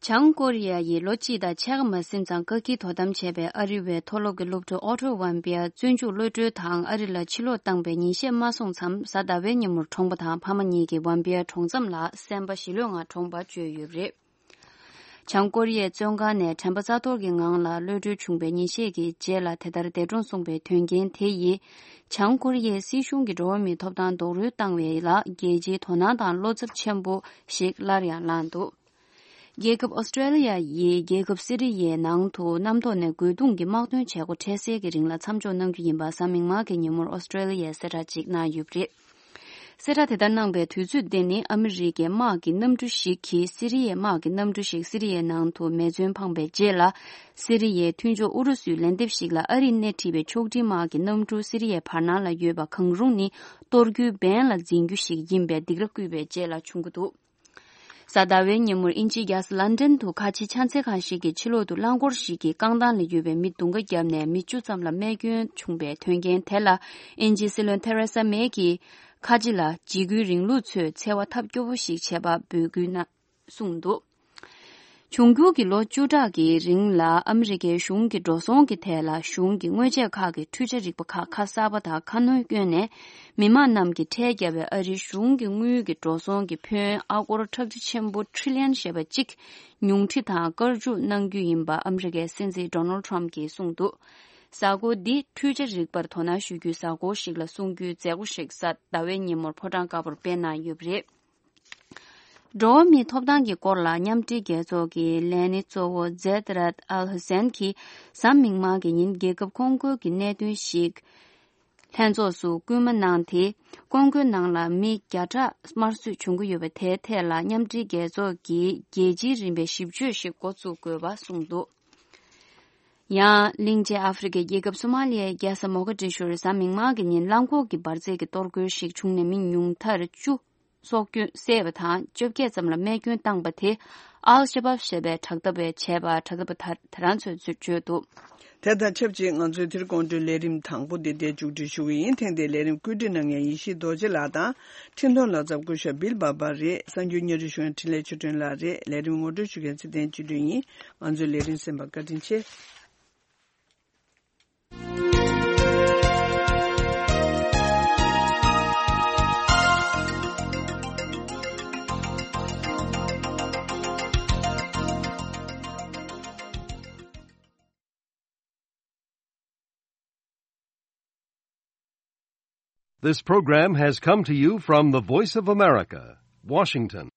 བྱང་ཀོ་རི་ཡ་ཡིས་ལོ་གཅིག་དང་ཕྱེད་ཀ་མ་ཟིན་ཙང་བཀག་སྐྱིལ་དོ་དམ་བྱས་པའི་ཨ་རི་བའི་མཐོ་སློབ་ཀྱི་སློབ་ཕྲུག་ཨོ་ཊོ་ཝན་པི་ཡ་བཙོན་འཇུག་གློད་གྲོལ་དང་ཨ་རི་ལ་ཕྱིར་ལོག་བཏང་པའི་ཉིན་ཤས་མ་སོང་མཚམས། གཟའ་ཟླ་བའི་ཉིན་མོར་གྲོངས་པ་དང་ཕ་མ་གཉིས་ཀྱིས་ཝན་པི་ཡ་གྲོང་མཚམས་ལ་སེམས་པ་ཞི་ལྷོད་ངང་གྲོངས་པ་བརྗོད་ཡོད་པ་རེད། བྱང་ཀོ་རི་ཡའི་བཙོན་ཁང་ནས་དྲན་པ་རྩ་གཏོར་གྱི་ངང་ལ་གློད་གྲོལ་བྱུང་བའི་ཉིན་ཤས་ཀྱི་རྗེས་ལ་དེ་ལྟར་འདས་གྲོངས་སོང་བའི་དོན་རྐྱེན་དེ་ཡིས། བྱང་ཀོ་རི་ཡའི་སྲིད་གཞུང་གིས་འགྲོ་བ་མིའི་ཐོབ་ཐང་རྡོག་རོལ་བཏང་བའི་ལ་རྒྱལ་སྤྱིའི་དོ་སྣང་དང་བློ་འཚབ་ཆེན་པོ་ཞིག་སླར་ཡང་ལངས་འདུག་རྒྱལ་ཁབ་ཨོ་སི་ཀྲེ་ལི་ཡ་ཡིས་རྒྱལ་ཁབ་སི་རི་ཡའི་ནང་དུ་གནམ་ཐོག་ནས་རྒོལ་རྡུང་གི་དམག་དོན་བྱེད་སྒོ་འཕྲལ་སེལ་གྱི་རིང་ལ་མཚམས་འཇོག་གནང་རྒྱུ་ཡིན་པ་གཟའ་མིག་དམར་གྱི་ཉིན་མོར་ཨོ་སི་ཀྲེ་ལི་ཡས་གསལ་བསྒྲགས་ཤིག་གནང་ཡོད་པ་རེད། གསལ་བསྒྲགས་དེ་ལྟར་གནང་བའི་དུས་ཚོད་དེ་ནི་ཨ་མི་རི་ཀའི་དམག་གི་གནམ་གྲུ་ཞིག་གིས་སི་རི་ཡའི་དམག་གི་གནམ་གྲུ་ཞིག་སི་རི་ཡའི་ནང་དུ་མེ་མཚོན་འཕངས་པའི་རྗེས་ལ། སི་རི་ཡའི་མཐུན་ཕྱོགས་ཨུ་རུ་སུའི་ལན་འདེབས་ཤིག་ལ་ཨ་རིས་སྣེ་ཁྲིད་པའི་ཕྱོགས་སྒྲིག་དམག་གི་གནམ་གྲུ་སི་རི་ཡའི་བར་སྣང་ལ་ཡོད་པ་གང་རུང་ནི་གཏོར་རྒྱུའི་འབེན་ལ་འཛིན་རྒྱུ་ཞིག་ཡིན་པའི་སྡིགས་ར་བསྐུལ་བའི་རྗེས་ལ་བྱུང་གི་འདུག་གཟའ་ཟླ་བའི་ཉིན་མོར་དབྱིན་ཇིའི་རྒྱལ་ས་ལན་ཌན་དུ་ཁ་ཆེའི་ཕྱག་འཚལ་ཁང་ཞིག་གི་ཕྱི་ལོགས་དུ་རླངས་འཁོར་ཞིག་གིས་རྐང་ཐང་ལ་ཡོད་པའི་མི་དུང་དཀར་བརྒྱབ་ནས་མི་བཅུ་ཙམ་ལ་རྨས་སྐྱོན་བྱུང་བའི་དོན་རྐྱེན་དེ་ལ་དབྱིན་ཇིའི་སྲིད་བློན་ཐེ་རེ་ས་མེ་གིས་ཁ་ཆེ་ལ་འཇིགས་སྐུལ་རིང་ལུགས་ཚོས་འཚེ་བ་ཐབས་སྐྱོ་པོ་ཞིག་བྱས་པ་འབོད་སྐུལ་གནང་གསུངས་འདུག་འབྱུང་འགྱུར་གྱི་ལོ་བཅུ་ཕྲག་གི་རིང་ལ་ཨ་མི་རི་ཀའི་གཞུང་གི་འགྲོ་སོང་གི་ཐད་ལ་གཞུང་གི་དངོས་ཆས་ཁག་གི་འཕྲུལ་ཆ་རིག་པ་ཁག་ཁ་གསར་པ་དང་ཁ་སྣོན་བསྐྱོན་ནས། མི་མང་རྣམས་ཀྱིས་ཁྲལ་བརྒྱབ་པའི་ཨ་རིའི་གཞུང་གི་དངུལ་གྱི་འགྲོ་སོང་གི་ཕོན་ཨ་སྒོར་ཁྲག་ཁྲིག་ཆེན་པོ་ཁྲི་ལན་ཞེས་པ་གཅིག་ཉུང་འཕྲི་དང་བཀར་འཇུག་གནང་རྒྱུ་ཡིན་པ་ཨ་མི་རི་ཀའི་སྲིད་འཛིན་ཌོ་ནལ་ཊམ་གྱིས་གསུངས་འདུག་གཟའ་འཁོར་འདི་འཕྲུལ་ཆ་རིག་པར་དོ་སྣང་ཞུ་རྒྱུའི་གཟའ་འཁོར་ཞིག་ལ་སྲུང་རྒྱུའི་མཛད་སྒོ་ཞིག་གཟའ་ཟླ་བའི་ཉིན་མོར་ཕོ་བྲང་དཀར་པོར་སྤེལ་གནང་ཡོད་པ་རེད། འགྲོ་བ་མིའི་ཐོབ་ཐང་གི་སྐོར་ལ་མཉམ་འབྲེལ་རྒྱལ་ཚོགས་ཀྱི་ལས་སྣེ་གཙོ་བོ་ཛེད་རད་ཨལ་ཧུ་སན་གྱིས་གཟའ་མིག་དམར་གྱི་ཉིན་རྒྱལ་ཁབ་ཀོང་ཀོའི་གི་གནད་དོན་ཞིག་ལྷན་ཚོགས་སུ་སྐུལ་མ་གནང་སྟེ། ཀོང་ཀོའི་ནང་ལ་མི་བརྒྱ་ཕྲག་དམར་གསོད་བྱུང་གི་ཡོད་པ་དེའི་ཐད་ལ་མཉམ་འབྲེལ་རྒྱལ་ཚོགས་ཀྱིས་རྒྱལ་སྤྱིའི་རིམ་པའི་ཞིབ་དཔྱོད་ཞིག་འགོ་བཙུགས་དགོས་པ་གསུངས་འདུག་ཡང་གླིང་ཆེན་ཨ་ཧྥེ་རི་ཁའི་རྒྱལ་ཁབ་སོ་མ་ལི་ཡའི་རྒྱལ་ས་མོ་ཀ་ཏི་ཤུར་གཟའ་མིག་དམར་གྱི་ཉིན་རླངས་འཁོར་གྱི་འབར་རྫས་ཀྱི་གཏོར་རྒོལ་ཞིག་བྱུང་ནས་མི་ཉུང་མཐར་བཅུ། སྲོག་སྐྱོན་བསད་པ་དང་བཅོ་བརྒྱད་ཙམ་ལ་རྨས་སྐྱོན་བཏང་པ་དེ་ཨལ་ཤ་བབ་ཞེས་པའི་དྲག་འཐབ་པས་བྱས་པ། དྲག་འཐབ་པ་དེ་དེ་རང་ཚོས་བརྗོད་འདུག་དེ་དང་ཆབས་ཅིག་ང་ཚོའི་དེ་རིང་དགོང་དྲོའི་ལས་རིམ་དང་པོ་འདི་འདིར་མཇུག་སྒྲིལ་ཞུ་གི་ཡིན། ཐེངས་འདིའི་ལས་རིམ་བཀོད་སྒྲིག་གནང་མཁན་ཡེ་ཤེས་རྡོ་རྗེ་ལགས་དང་། འཕྲིན་གཏོང་ལག་རྩལ་བ་སྐུ་ཞབས་བིལ་བྷ་བྷ་རེད། གསར་འགྱུར་སྙན་སྒྲོན་ཞུ་མཁན་འཕྲིན་ལས་ཆོས་སྒྲོན་ལགས་རེད། ལས་རིམ་ངོ་སྤྲོད་ཞུ་མཁན་ཚེ་བརྟན་སྤྱི་སྒྲོན་ཡིན། ང་ཚོའི་ལས་རིམ་གསན་པར་བཀའ་དྲིན་ཆེ། This program has come to you from the Voice of America, Washington.